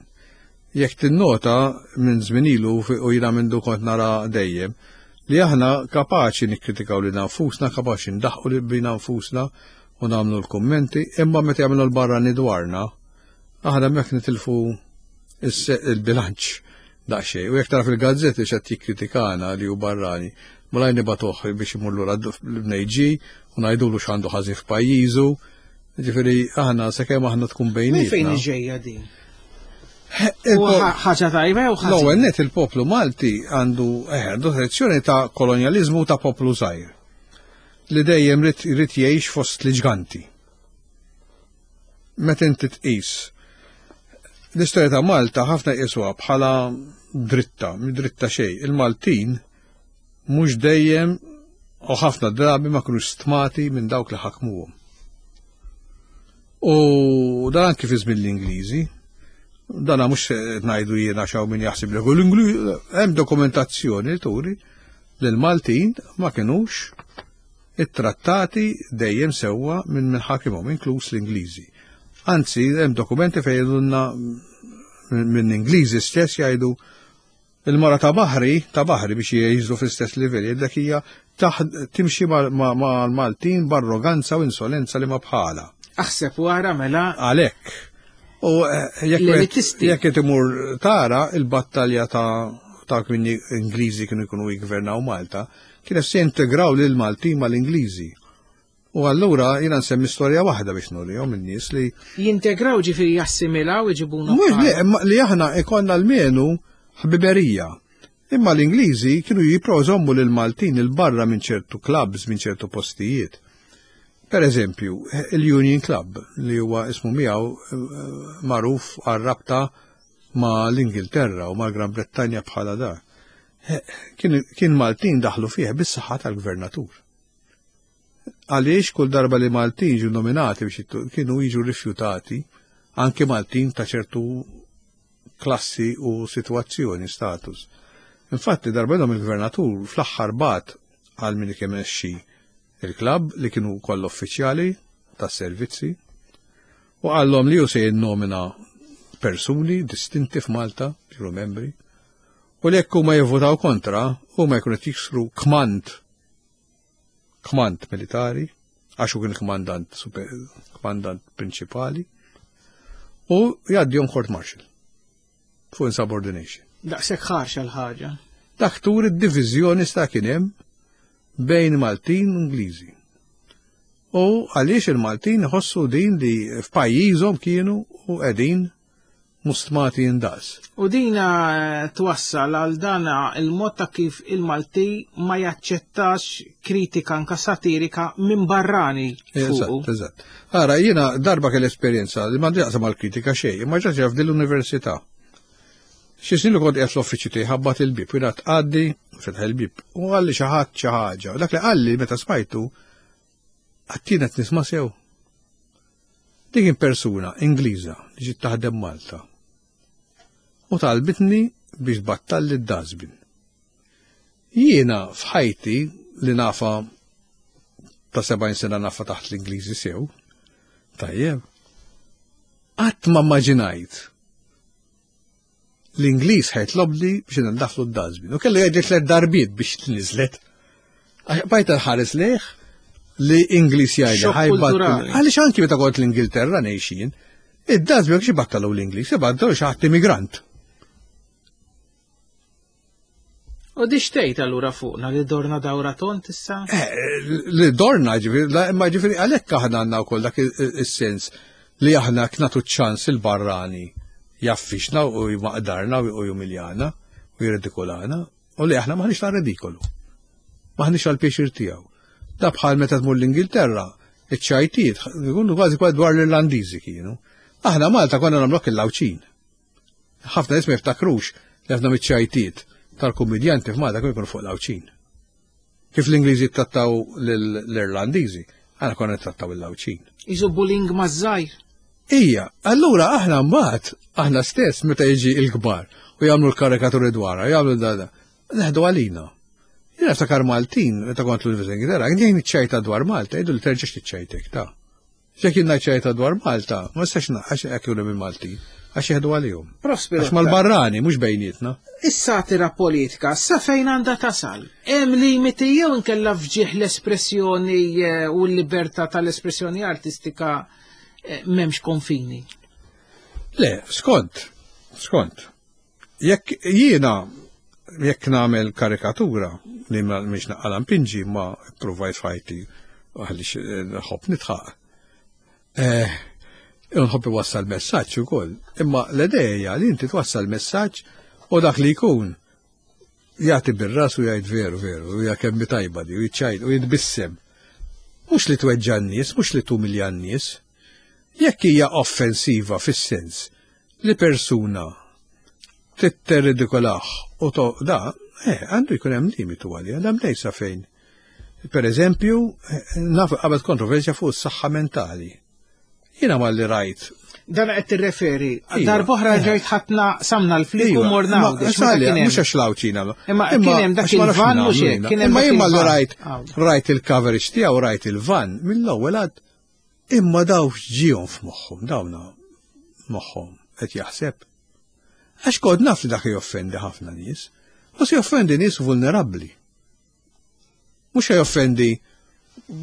Jekk tinnota minn żmien ilu fi- u jiena minn kont nara dejjem li aħna kapaċi nikkritikaw lil nfusna, kapaċi ndaħqu li bina nfusna u nagħmlu l-kummenti, imma meta jagħmlu l-barrani dwarna, aħna hemmhekk nitilfu is- il-bilanċ daqsxejn. U jekk tara fil-gazzetti x'qed jikkritikana li hu barrani, malajr nibagħtuh biex imur lura l-bnejġi u ngħidulu x'għandu ħażin f'pajjiżu. Ġifieri aħna sakemm aħna tkun Minn fejn bejnietna. ġejja din? U Il-po- ħa- ħaġa tajba jew ħażin? L-ewwel net il-poplu Malti għandu eh, għandu tradizzjoni ta' kolonjaliżmu ta' poplu żgħir li dejjem rid irid jgħix fost l-ġganti. Meta inti tqis l-istorja ta' Malta ħafna jqisuha bħala dritta, mhi dritta xejn. Il-Maltin mhux dejjem u ħafna drabi ma kinux stmati minn dawk li ħakmuhom. U dan anki fi żmien l-Ingliżi, dana mhux qed ngħidu jiena xaw min jaħseb li l-Ingliż hemm dokumentazzjoni li turi li l-Maltin ma kinux ittrattati dejjem sewwa minn min ħakimhom, inkluż l-Ingliżi. Anzi, hemm dokumenti fejn jgħidulna minn Ingliżi stess jgħidu il-mara ta' baħri, ta' baħri biex jgħiżlu fl-istess livell, jgħidlek hija taħ- timxi mal-Maltin b'arroganza u insolenza li ma bħala. Aħseb wara mela Għalhekk. U eh, jekk L-elitisti. jekk qed imur tara il-battalja ta' ta' kien Ingliżi kienu jkunu jgvernaw Malta, kienet se jintegraw lil Maltin mal-Ingliżi. U allura jiena nsemmi storja waħda biex nurihom in-nies li jintegraw ġifieri jassimilaw iġibuna. mhux li, imma li aħna ikonna almenu ħbiberija. Imma l-Ingliżi kienu jipprovaw iżommu lil Maltin il-barra minn ċertu clubs, minn ċertu postijiet. Per eżempju, il-Union Club li huwa ismu miegħu eh, magħruf għar-rabta ma' l-Ingilterra u ma' Gran Brettanja bħala da. Eh, Kien, kien Maltin daħlu fih bis-saħħa tal-gvernatur. Għaliex kull darba li Maltin ġu nominati biex jittu- kienu jiġu rifjutati anke Maltin ta' ċertu klassi u situazzjoni, status. Infatti darba minnhom il-gvernatur fl-aħħar bagħat għal min kien imexxi il-klabb li kienu koll uffiċjali tas-servizzi u qallhom li hu se jinnomina persuni distinti f'Malta, kienu membri, u li jekk huma jivvotaw kontra, huma jkunu qed jiksru kmand kmand militari, għax hu kien kmandant super, kmandant prinċipali, u jgħaddihom court martial fuq insubordination. Daqshekk ħarxa l-ħaġa. Dak tur id-diviżjoni sta kien hemm bejn Maltin u Ingliżi. U għaliex il-Maltin ħossu din li f'pajjiżhom kienu u qegħdin mustmati indaqs. U dina twassal għal dana il-mod ta' kif il-Malti ma jaċċettax kritika anka satirika minn barrani fuqu. Eżatt, eżatt. Ara, jiena darba kell esperjenza li m'għandi jaqsam għal-kritika xejn, imma ġrat f'din l-università. Xi snin li kont qiegħed fl-uffiċċju tiegħi ħabbat il-bieb, u jiena tqaddi, fetaħ il-bieb, u qalli xi ħadd xi ħaġa. U dak li qalli meta smajtu, għattina qed nisma' sew. Dik kien persuna Ingliża li ġiet taħdem Malta. U talbitni biex tbattalli d-dustbin. Jiena f'ħajti li nafa ta' sebgħin sena nafa taħt l-Ingliżi sew, tajjeb, qatt ma immaġinajt l-Ingliż ħa jitlobli biex nandaflu d-dustbin. U kellu jgħidli tliet darbiet biex tniżlet. Għax bajt ħares lejh li Ingliż jgħidli Xokk ħa jbattu. kulturali. Għaliex anki meta kont l-Ingilterra ngħixin, id-dustbin xi battalu l-Ingliż, ibattalu xi ħadd immigrant. U di xtejt allura fuqna li dorna dawra tont issa? Eh, li dorna ġifieri, la- imma ġifieri għalhekk aħna għandna wkoll dak is-sens li aħna knatu ċans il-barrani jaffixna u jmaqdarna u jumiljana u jirridikolana u li aħna maħniex ta' ridikolu. Maħniex għal pjaċir tiegħu. Da bħal meta tmur l-Ingilterra, iċ-ċajtiet ikunu kważi kważi dwar l-Irlandiżi kienu. Aħna Malta konna nagħmlok il-Lawċin. Ħafna nies ma jiftakrux li ħafna miċ-ċajtiet tal-kummedjanti f'Malta kienu jkunu fuq l-Għawdxin. Kif l-Ingliżi trattaw l-Irlandiżi, aħna konna trattaw il-Għawdxin. Iżu bullying maż-żgħir. Ija, allura aħna mbagħad, aħna stess meta jiġi l-kbar u jagħmlu l-karikaturi dwarha, jagħmlu dada, neħdu għalina. Jiena niftakar Maltin, meta kont l-Università Ingilterra, jien niċċajta dwar Malta, jgħidu li terġax tiċċajtek ta'. Jekk jien ċajta dwar Malta, ma nistax għax hekk jkunu minn Maltin, għax jieħdu għalihom. Prospero. Għax mal-barrani, mhux bejnietna. Is-satira politika sa fejn għandha tasal? Hemm limiti jew inkella fġieħ l-espressjoni eh, u l-libertà tal-espressjoni artistika eh, m'hemmx konfini. Le, skont, skont. Jekk jiena jekk nagħmel karikatura li ma mhix naqala mpinġi ma provajt fajti għaliex eh, nħobb nitħaq. Eh, nħobb iwassal messaġġ ukoll. Imma l-idea li inti twassal messaġġ u dak li jkun jagħti bir-ras u jgħid veru veru, u hija kemm tajba di, u jiċċajt u jitbissem. Mhux li tweġġa' n-nies, mhux li tumilja n-nies. Jekk hija offensiva fis-sens li persuna titterridikolah u to da, eh, għandu jkun hemm limitu għalija, hemm lejsa fejn. Per eżempju, eh, naf qabel kontroversja fuq is-saħħa mentali. Jiena malli rajt. Dan qed tirreferi. Iva. Darb'oħra Eh. ġejt ħatna samna l-flik u Iva, morna ma- Għawdex, meta Salja, kien hemm. mhux għax l-Għawdxin għamlu. Imma kien hemm dak għax ma nafx il-van mhux nagħmlu hekk, jiena. kien hemm Imma dak jien malli il-van. rajt Għawdex. rajt il-coverage tiegħu rajt il-van mill-ewwel għad imma daw x'ġihom f'moħħhom, dawna moħħhom qed jaħseb. Għax kod naf li dak joffendi ħafna nies, u se joffendi nies vulnerabbli. Mhux se joffendi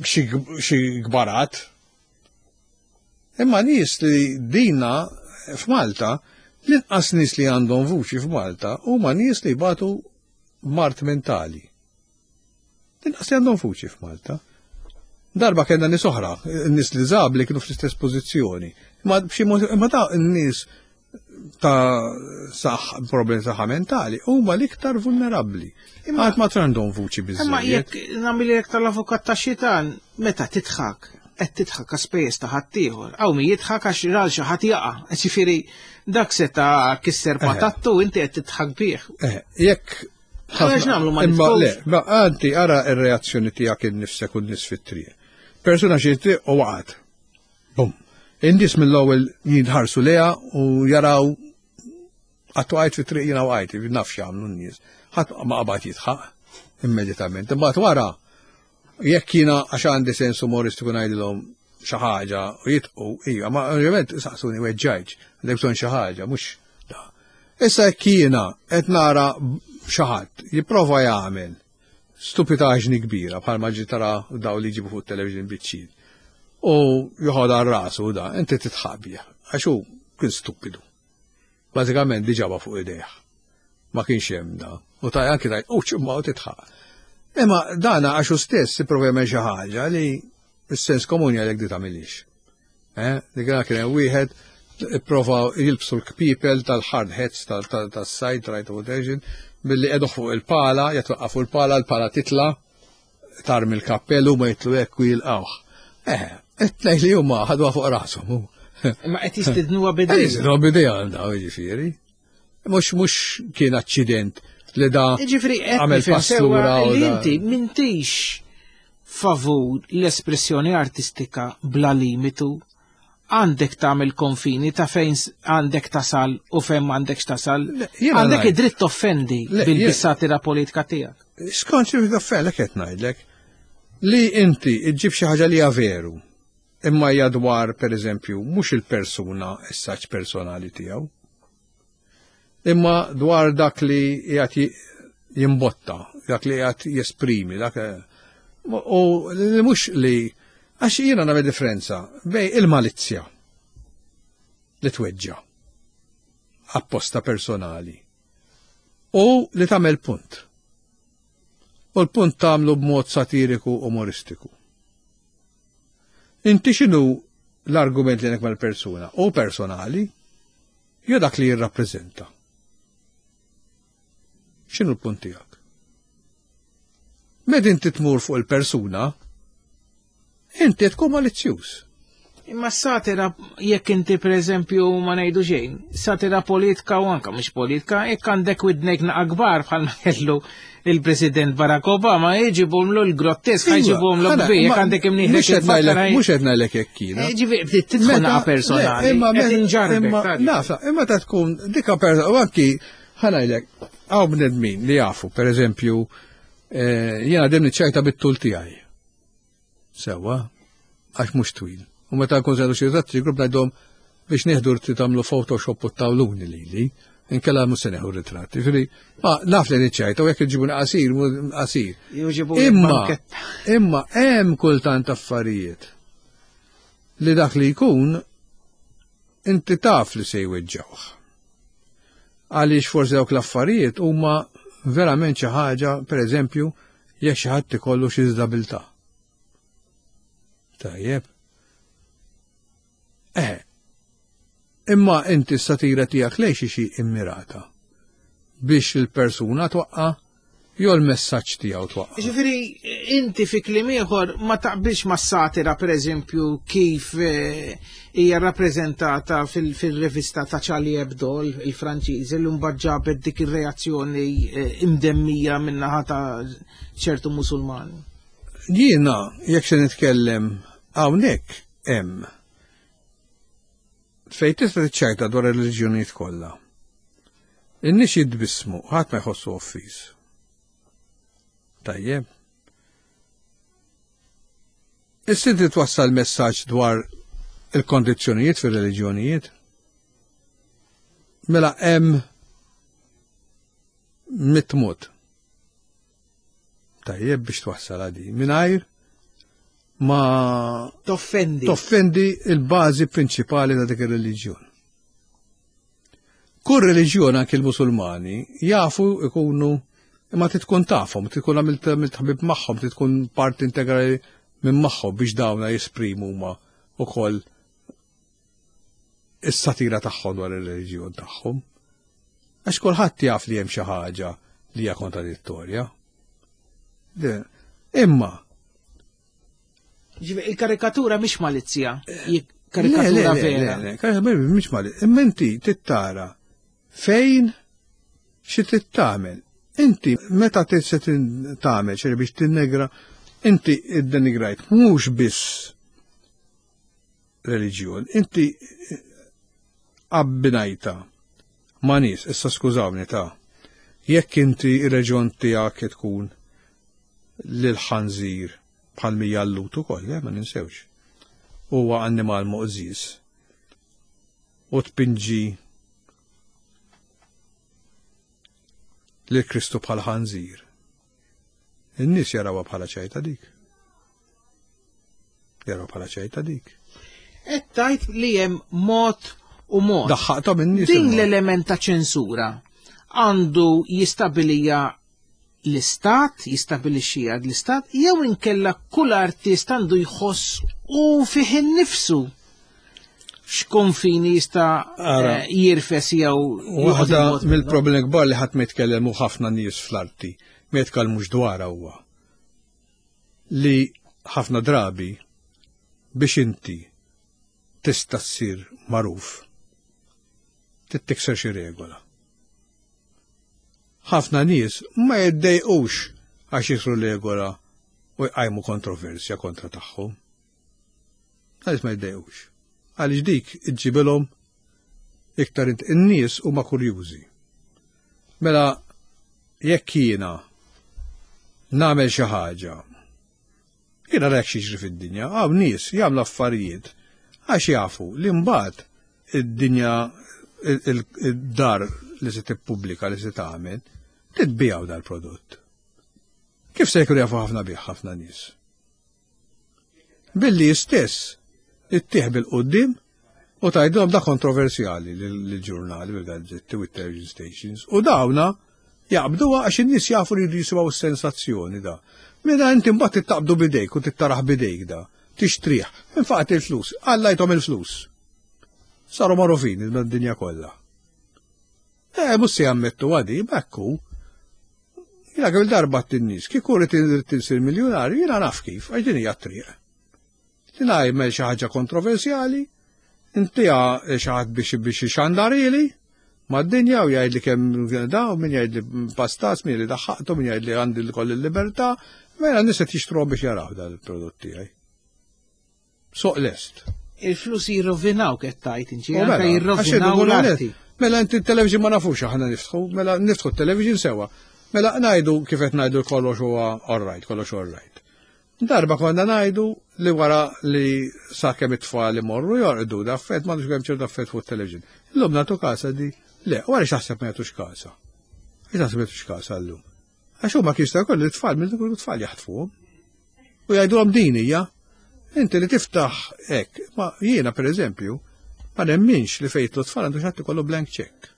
xi xi kbarat. Imma nies li dina f'Malta, l-inqas nies li għandhom vuċi f'Malta huma nies li jbatu mard mentali. L-inqas li għandhom vuċi f'Malta. Darba kellna nies oħra, nies li zabli kienu fl-istess pożizzjoni. Imma b'xi mod imma ta' n-nies ta' saħ problemi saħħa mentali huma l-iktar vulnerabbli. Għad ma għandhom vuċi Imma biżżejjed. jekk nagħmel tal-avukat ta' xitan, meta tidħak, qed tidħak għaspejjeż ta' ħaddieħor. Hawn min jidħak għax ral xi ħadd jaqa'. Ġifieri dak seta' kisser patattu inti qed tidħak bih. Eh, jekk Għax nagħmlu ma Imma nidħolx. le, ma anti ara ir-reazzjoni tiegħek innifsek u n-nies fit-triq. Persuna xi triq u waqgħet. Bum. In-nies mill-ewwel jidħarsu leha u jaraw qatt waqgħet fit-triq jiena waqgħet, naf x'jagħmlu n-nies. Ħadd ma qabad jidħaq immedjatament. Imbagħad wara jekk jiena għax għandi sens umoristiku ngħidilhom xi ħaġa u jitqu, iva, ma ovvjament saqsuni weġġajġ, għandek bżonn xi ħaġa, mhux da. Issa jekk jiena qed nara xi ħadd jipprova jagħmel stupitaġni kbira bħalma ġi tara daw li jġibu fuq television biċċin. U joħod għal rasu da, inti titħabja, għax hu kien stupidu. Bażikament diġaba fuq idejh. Ma kienx hemm da. U taj anki taj, u ċumma u titħaq. Imma dana għax hu stess ipprova jagħmel xi ħaġa li s-sens komuni għalhekk di tagħmilix. Eh, dik kien hemm wieħed ipprova jilbsu l-kpipel tal-hard hats tas-sajt right rotation billi qegħdu fuq il-pala, jatwaqqa fuq il-pala, l-pala titla, tarmi l-kappell u ma jitlu hekk u jilqawh. Eh, it-tnejn li huma ħadwa fuq rashom. Imma qed jistidnuha bidejha. Jistidnuha bidejha daw jiġifieri. Mhux mhux kien aċċident li da Jiġifieri qed għamel nifhem pass sewwa lura u li da- inti m'intix favur l-espressjoni artistika bla limitu għandek tagħmel konfini ta' fejn s- għandek tasal u fejn m'għandekx tasal. jiena Għandek ngħid- id-dritt toffendi Le, bil-satira politika tiegħek. Skont xi toffendek qed ngħidlek li inti iġġib xi ħaġa li hija veru imma hija dwar pereżempju mhux il-persuna is-saċ personali tiegħu. Imma dwar dak li qiegħed ji- jimbotta, dak li qiegħed jesprimi, dak u li mhux li għax jiena nagħmel differenza bej il-malizzja li tweġġa apposta personali u li tagħmel punt. U l-punt tagħmlu b'mod satiriku umoristiku. Inti x'inhu l-argument li għandek mal-persuna? U personali, jew dak li jirrappreżenta. X'inhu l-punt tiegħek? Meta inti tmur fuq il-persuna, inti tkun malizzjuż. Imma satira, jekk inti per eżempju ma ngħidu xejn, satira politika u anka mhux politika, jekk għandek widnejk naqa kbar bħalma kellu il-President Barack Obama, jġibhomlu l-grottesk, jġibhomlu Iva, kbir, jekk għandek Mhux imnieħrek qed ngħidlek- mhux qed ngħidlek hekk jiena. Ġifieri bdiet tidħol Meta- naqa personali, le, imma qed me- inġarbek. imma- tadi. Naf, imma ta' tkun dika persona, u anki ħa ngħidlek, hawn bnedmin li jafu, per eżempju, eh, jiena dejjem niċċajta bit-tul tiegħi. Sewwa, għax mhux twil. U meta nkun żelu xi ritratti, grupp ngħidhom biex nieħdu rti tagħmlu Photoshop u tawluni lili, inkella mhux se nieħu ritratti. Ġifieri, ma naf li niċċajta u jekk iġibuni qasir, mu- qasir. Jġibu Imma, banketta. imma hemm kultant affarijiet li dak li jkun inti taf li se jweġġawh. Għaliex forsi dawk l-affarijiet huma verament xi ħaġa, pereżempju, jekk xi ħadd ikollu xi diżabilità. Tajjeb. Eh, imma inti s-satira tiegħek lejn xi xi immirata biex il-persuna twaqqa' jew l-messaġġ tiegħu twaqqa'. Ġifieri, inti fi kliem ieħor ma taqbilx ma' satira, per eżempju, kif eh, hija rappreżentata fil- fil-rivista ta' Charlie Hebdo, il-Franċiżi, li mbagħad ġabet dik ir-reazzjoni eh, imdemmija min-naħa ta' ċertu Musulmani. Jiena, jekk se nitkellem hawnhekk hemm fejn tista' tiċċajta dwar ir-reliġjonijiet kollha. In-nies jitbissmu, ħadd ma jħossu offiż. Tajjeb. Issa inti twassal messaġġ dwar il-kondizzjonijiet fir-reliġjonijiet. Mela hemm mitt mod. Tajjeb biex twassal għadi. Mingħajr ma Toffendi. toffendi il-bażi prinċipali ta' dik ir-reliġjon. Kull reliġjon anke l-Musulmani jafu ikunu imma tkun tafhom, tkun għamilt għamilt ħabib magħhom, tkun parti integrali minn magħhom biex dawna jesprimu huma ukoll is-satira tagħhom dwar ir-reliġjon tagħhom. Għax kulħadd jaf li hemm xi ħaġa li hija kontradittorja. De- Imma Ġifieri, il-karikatura mhix malizzja, hi Le, karikatura le, le, vera. le, le, karikatura mhix malizzja. Imma inti tittara fejn xi trid tagħmel. Inti meta trid se tin- tagħmel xi biex tinnegra, inti iddenigrajt mhux biss reliġjon, inti abbinajta ma' nies, issa skużawni ta' jekk inti ir-reġjon tiegħek tkun lil ħanżir bħal mija l-lut ukoll, eh, ma ninsewx. Huwa annimal moqżis. U tpinġi lil Kristu bħal ħanżir. In-nies jarawha bħala ċajta dik. Jarawha bħala ċajta dik. Qed tgħid li hemm mod u mod. Daħħaqthom in-nies Din imma. l-element ta' ċensura għandu jistabilija l-istat, jistabilixxija l-istat, jew inkella kull artist għandu jħoss u fih innifsu x'konfini jista' eh, jirfes jew Waħda mill-problemi kbar li ħadd ma jitkellem u ħafna nies fl-arti ma jitkellmux dwarha huwa li ħafna drabi biex inti tista' ssir magħruf trid tikser xi regola. Ħafna nies ma jiddejqux għax jiksru regola u jqajmu kontroversja kontra tagħhom. Għaliex ma jiddejqux? Għaliex dik iġġibilhom iktar int in-nies huma kurjużi. Mela jekk jiena nagħmel xi ħaġa, jiena rek xi fid-dinja, hawn nies jagħmlu affarijiet għax jafu li mbagħad id-dinja id-dar li se tippubblika li se tagħmel titbijaw dal-prodott. Kif se jkunu jafu ħafna bih ħafna nies? Billi stess ittieħ bil-qoddim u tgħidilhom da kontroversjali lill-ġurnali, bil-gazzetti u television stations u dawna jaqbduha għax in-nies jafu li jridu jisimgħu s-sensazzjoni da. Mela inti mbagħad tittaqbdu bidejk u tittaraħ bidejk da. Tixtrih, infaqat il-flus, għallajthom il-flus. Saru magħrufin id-dinja kollha. Eh, mhux se jammettu għadi, bekku. Jiena kemm darba t-nies, kieku rrid insir miljonarju, jiena naf kif, għax din hija t-triq. Li nagħmel xi ħaġa kontroversjali, intiha xi ħadd biex biex ixandarili mad-dinja u jgħidli kemm da, u min jgħidli pastas, min li daħħaqtu, min jgħidli għandi l-koll il-libertà, mela nies qed jixtruhom biex jaraw dal-prodott tiegħi. Soq lest. Il-flus jirrovinaw qed tgħid inti, U mela, anke għax jirrovinaw irridu l-arti. Mela inti t-television ma nafux aħna niftħu, mela niftħu t-television sewa. Mela ngħidu kif qed ngħidu kollox huwa all right, kollox all right. Darba konna ngħidu li wara li sakemm it-tfal imorru jorqdu daffet m'għandux kemm ċertu daffet fuq it-television. Illum nagħtu kasa di, le, wara x'taħseb ma jagħtux kasa. Għax taħseb ma jagħtux kasa llum. Għax huma kif jista' jkollu t-tfal minn ikunu tfal jaħtfuhom. U jgħidulhom din hija, inti li tiftaħ hekk, ma jiena pereżempju, ma nemminx li fejtlu tfal għandu xi ikollu blank check.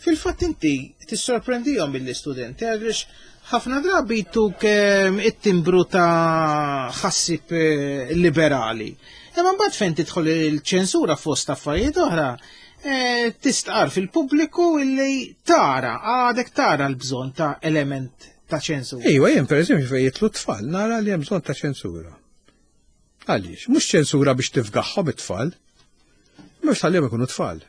Fil-fatt inti tissorprendihom mill-istudenti għaliex ħafna drabi tuk ehm, it-timbru ta' ħassib eh, liberali. Imma mbagħad fejn tidħol il-ċensura fost affarijiet oħra, eh, tistqar fil-pubbliku illi tara, għadek tara l-bżonn ta' element ta' ċensura. Ejwa, jien pereżempju fejn jitlu tfal nara li hemm bżonn ta' ċensura. Għaliex, mhux ċensura biex tifgaħħom it-tfal, mhux tħallihom ikunu tfal.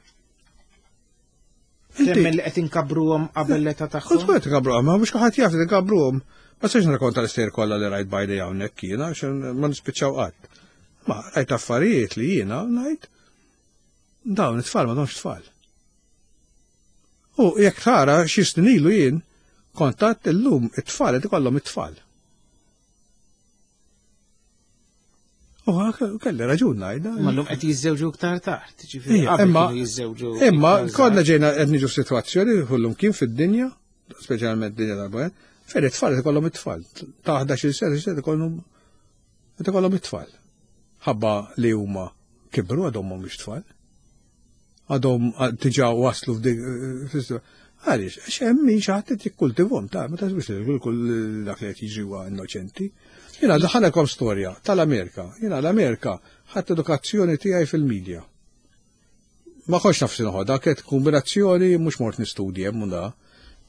Temmen li qed inkabruhom qabel l-età Kont tagħhom. kont inkabruhom, ma mhux kulħadd jaf li inkabruhom. Ma sax nirrakkonta l-istejjer kollha li rajt bajdi hawnhekk jiena għax ma nispiċċaw qatt. Ma rajt affarijiet li jiena ngħid dawn it-tfal ma domx tfal. U jekk tara xi snin ilu jien kontat illum it-tfal qed ikollhom it-tfal. U kelli raġun ngħidha. Ma llum qed jiżżewġu iktar tard, ġifieri Ija, qabel imma kienu jiżżewġu. imma iktar żgħar. konna ġejna qed niġu f'sitwazzjoni kullum kien fid-dinja, speċjalment dinja tal-bojen, fejn it-tfal qed ikollhom it-tfal. Ta' ħdax-il sena qed ikollhom qed ikollhom it-tfal. Ħabba li huma kibru għadhom mhumiex tfal. Għadhom diġà waslu f'dik għaliex, għax hemm min xi ħadd qed jikkultivhom ta' ma taħsibx li kull dak li qed jiġri huwa innoċenti. Jiena daħalekom storja tal-Amerika. Jiena l-Amerika ħadd edukazzjoni tiegħi fil-medja. Ma kontx naf x'inħodha, kienet kombinazzjoni mhux mort nistudji hemm u da.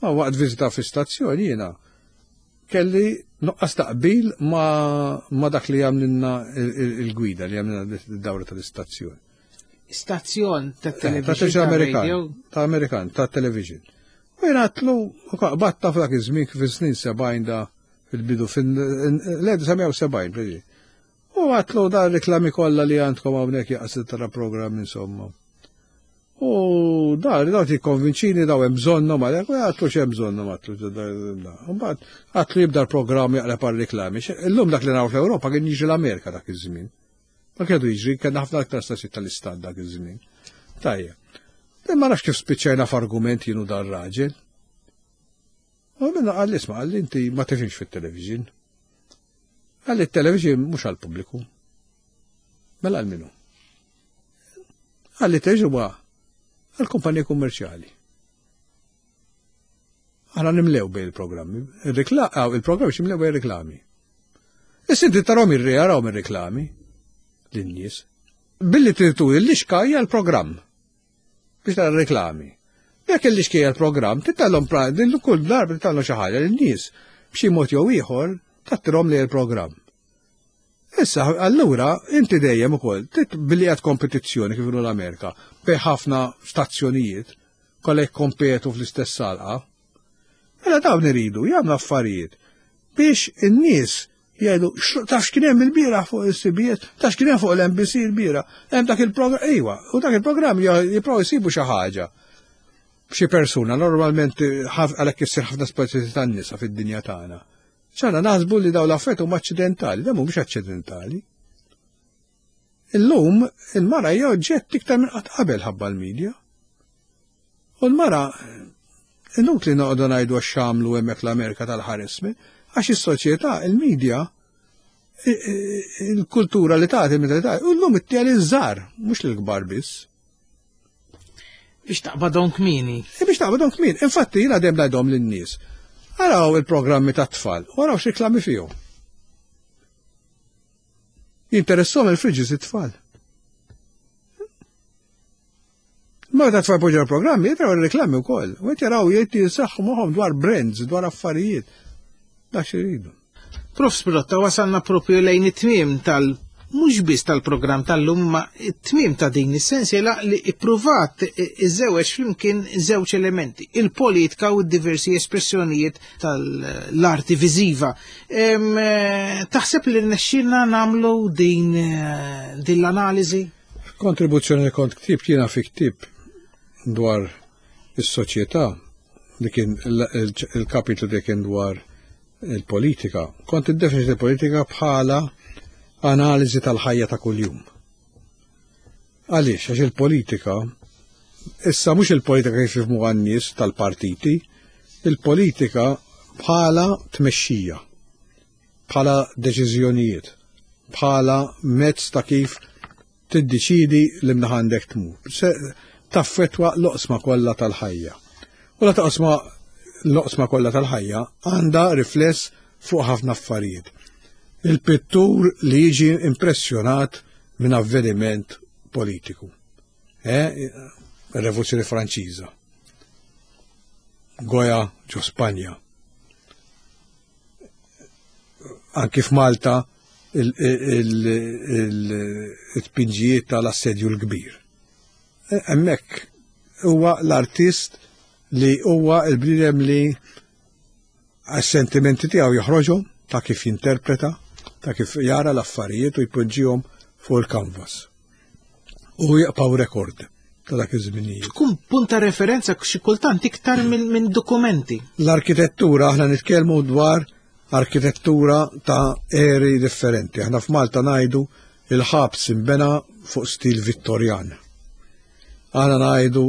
Ma waqt viżita fi stazzjoni jiena kelli nuqqas taqbil ma, ma dak li għamlilna il-gwida li għamlilna d-dawra tal-istazzjoni. Stazzjon ta' Ta' television television ta' Amerikan, radio. ta' Amerikan, ta' television. U jena għatlu, u batta f'dak iż-żmien kif snin sebgħin da fil-bidu, fil-elf disa' mija u sebgħin, preġi. U għatlu da reklami kollha li għandkom hawnhekk jaqsid tara programm insomma. U da, daw tikkonvinċini daw hemm bżonnhom għalhekk, u għatlu x'hemm bżonnhom għatlu. U mbagħad għatlu jibda l-programm jaqleb għal-reklami. Illum dak li naraw fl-Ewropa kien jiġi l-Amerika dak iż-żmien. Ma kienu jiġri, kellna ħafna aktar stazzjoni tal-istat dak iż-żmien. Tajjeb. Ma nafx kif spiċċajna f'argument jienu dar raġel. U minna qalli isma' qalli inti ma tifhimx fit-television. Qalli t-television mhux għall-pubbliku. Mela għal minu. Qalli television huwa għall-kumpaniji kummerċjali. Aħna nimlew bejn il-programmi. Il-programmi ximlew bejn reklami. Issa inti tarahom irri ir-reklami lin-nies. Billi tritu l-lixka hija l-programm biex tara reklami. Jekk il-lixka hija l-programm, titallhom din kull darba titallhom xi ħaġa lin-nies b'xi mod jew ieħor tattirhom lejn il-programm. Issa, allura, inti dejjem ukoll, billi qed kompetizzjoni kif l-Amerika, bejn ħafna stazzjonijiet, kollha jikkompetu fl-istess salqa. Mela dawn iridu jagħmlu affarijiet biex in-nies jgħidu taf x'kien hemm il-bieraħ fuq il-C B S, taf x'kien hemm fuq l-N B C il-bieraħ, hemm dak il-programm, ejwa, u dak il-programm jipprovaw jsibu xi ħaġa. Xi persuna, normalment għalhekk issir ħafna speċi tan-nisa fid-dinja tagħna. ċana naħsbu li daw l-affarijiet huma aċċidentali, da mhumiex aċċidentali. Illum il-mara hija oġġett iktar minn qatt qabel ħabba l-medja. U l-mara inutli noqogħdu ngħidu għax għamlu hemmhekk l-Amerika tal-harassment, għax is-soċjetà, il-medja, il-kultura li tagħti meta tagħti, u llum ittija liż-żgħar, mhux lill-kbar biss. Biex taqbadhom kmieni. E biex taqbadhom kmieni. Infatti jiena dejjem ngħidhom lin-nies. Araw il-programmi tat-tfal, u araw x'reklami fihom. Jinteressom il-fridges it-tfal. Ma ta' tfal poġġa programmi, jitraw il-reklami wkoll. U qed jaraw jgħid jisaħħu moħħhom dwar brands, dwar affarijiet. Dak x'iridu. Prof Pirotta, wasalna propju lejn it-tmiem tal mhux biss tal-programm tal-lum ma it-tmiem ta' din is-sensiela li ippruvat iżewweġ flimkien żewġ elementi, il-politika u d-diversi espressjonijiet tal-arti viżiva. Taħseb li rnexxielna nagħmlu din din l-analiżi? Kontribuzzjoni li kont ktibt jiena fi ktieb dwar is-soċjetà li kien il-kapitlu li kien dwar il-politika. Kont iddefinit il-politika bħala analiżi tal-ħajja ta' kuljum. Għaliex, għax il-politika, issa mhux il-politika kif jifhmu għan-nies tal-partiti, il-politika bħala tmexxija, bħala deċiżjonijiet, bħala mezz ta' kif tiddeċidi li mnaħa għandek tmur. Taffetwa l-oqsma kollha tal-ħajja. U la taqsma l-oqsma kollha tal-ħajja għandha rifless fuq ħafna affarijiet. Il-pittur li jiġi impressjonat minn avveniment politiku. Eh? Il-Revoluzzjoni Franċiża. Goya ġo Spanja. Anki f'Malta il-tpinġijiet tal-assedju l-kbir. Hemmhekk huwa l-artist li huwa l-bniedem li għas-sentimenti tiegħu joħroġhom ta' kif jinterpreta, ta' kif jara l-affarijiet u jpoġġihom fuq il-canvas. U jaqpaw rekord ta' dak iż-żminijiet. Tkun punt ta' referenza xi kultant iktar minn dokumenti. L-arkitettura, aħna nitkellmu dwar arkitettura ta' eri differenti. Aħna f'Malta ngħidu il-ħabs imbena fuq stil Vittorjan. Aħna ngħidu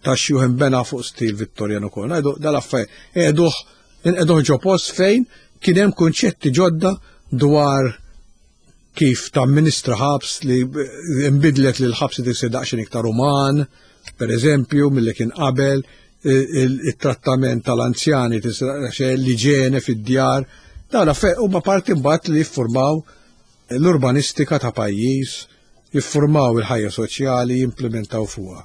tax-xjuħ imbena fuq stil Vittorjan ukoll. Ngħidu dal-affarijiet qiegħduh inqegħduh ġo post fejn kien hemm kunċetti ġodda dwar kif tamministra ħabs li imbidlet li l-ħabs isir daqsxejn iktar uman, per eżempju, milli kien qabel, il-trattament tal-anzjani, l-iġene fid-djar, dawn huma parti mbagħad li jiffurmaw l-urbanistika ta' pajjiż, jiffurmaw il-ħajja soċjali, jimplementaw fuqha.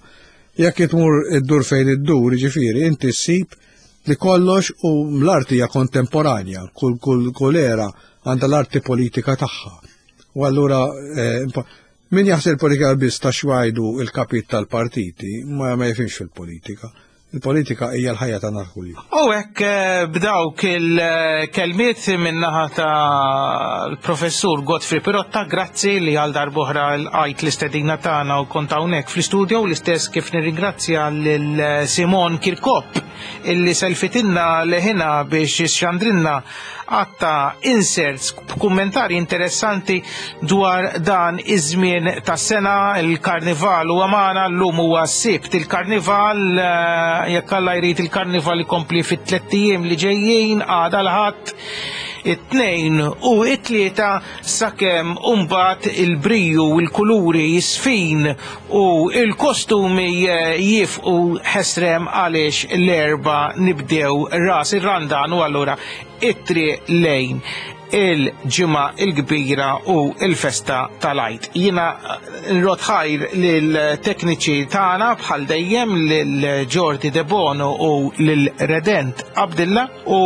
Jekk tmur iddur fejn iddur, ġifieri, inti ssib li kollox u l-arti hija kontemporanja, kull kull kull era għandha l-arti politika tagħha. U allura eh, min jaħseb il-politika biss ta' xwajdu il-kapit tal-partiti ma ma jifhimx fil-politika. Il-politika hija l-ħajja tagħna kuljum. U hekk eh, b'dawk il-kelmiet min-naħa tal-professur Godfrey Pirotta, grazzi li għal darb'oħra lqajt l-istedina tagħna u kont hawnhekk fl-istudio, l-istess kif nirringrazzja lil Simon Kirkop illi selfitinna leħina biex xandrinna għatta inserts b'kummentari interessanti dwar dan iż-żmien tas-sena. Il-karnival u għamana llum huwa s-Sibt il-karnival, eh, jekk Alla jrid il-karnival ikompli fit-tliet ijiem li ġejjin, għada l-Ħadd. it-tnejn u it-tlieta sakemm imbagħad il-briju u l-kuluri jisfin u il-kostumi jifqu ħesrem għaliex l-erba nibdew ras ir-Randan u allura it-triq lejn il-ġimgħa il-kbira u il-festa tal-Għid. Jiena nrod ħajr lill-tekniċi tagħna bħal dejjem lil Jordi De Bono u lil Redent Abdilla u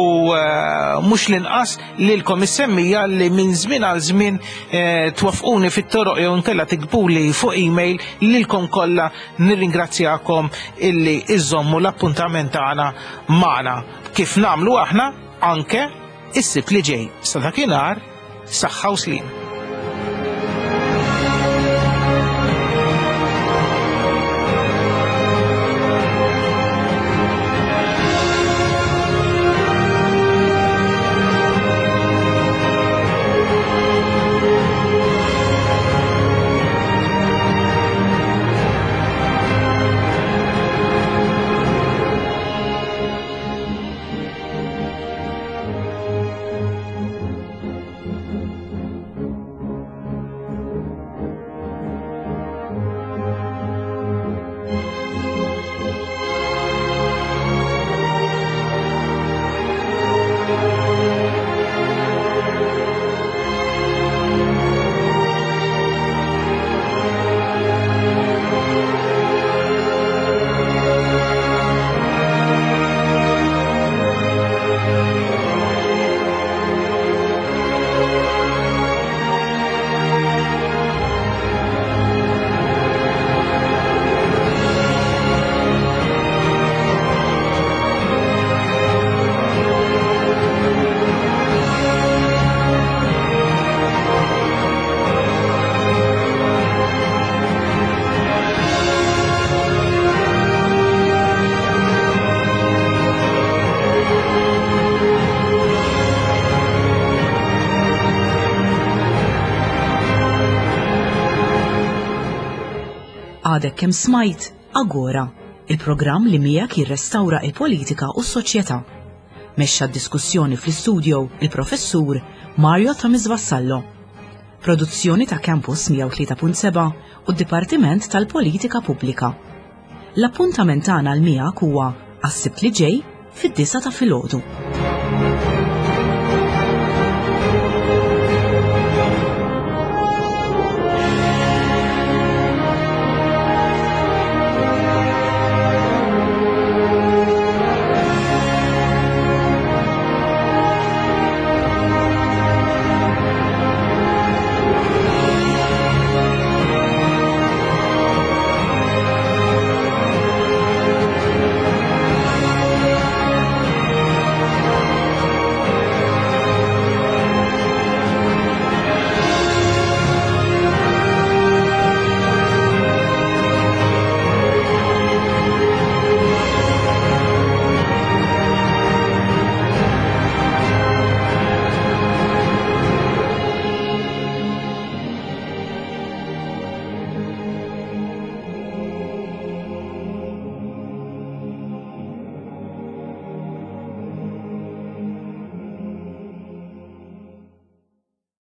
mhux l-inqas lilkom is-semmija li minn żmien għal żmien twafquni fit-toroq jew inkella tiktbuli fuq email. Lilkom kollha nirringrazzjakom illi iżommu l-appuntament tagħna magħna kif nagħmlu aħna anke is-Sibt li ġej. Sa dakinhar, saħħa u sliem. Għadek kemm smajt Agora, il-programm li miegħek jirrestawra il-politika u s-soċjetà. Mexxa d-diskussjoni fl-istudio il-professur Mario Thomas Vassallo. Produzzjoni ta' Campus mija u tlieta punt seba' u d-Dipartiment tal-Politika Pubblika. L-appuntament tagħna l miegħek huwa għas-Sibt li ġej fid-disgħa ta' filgħodu.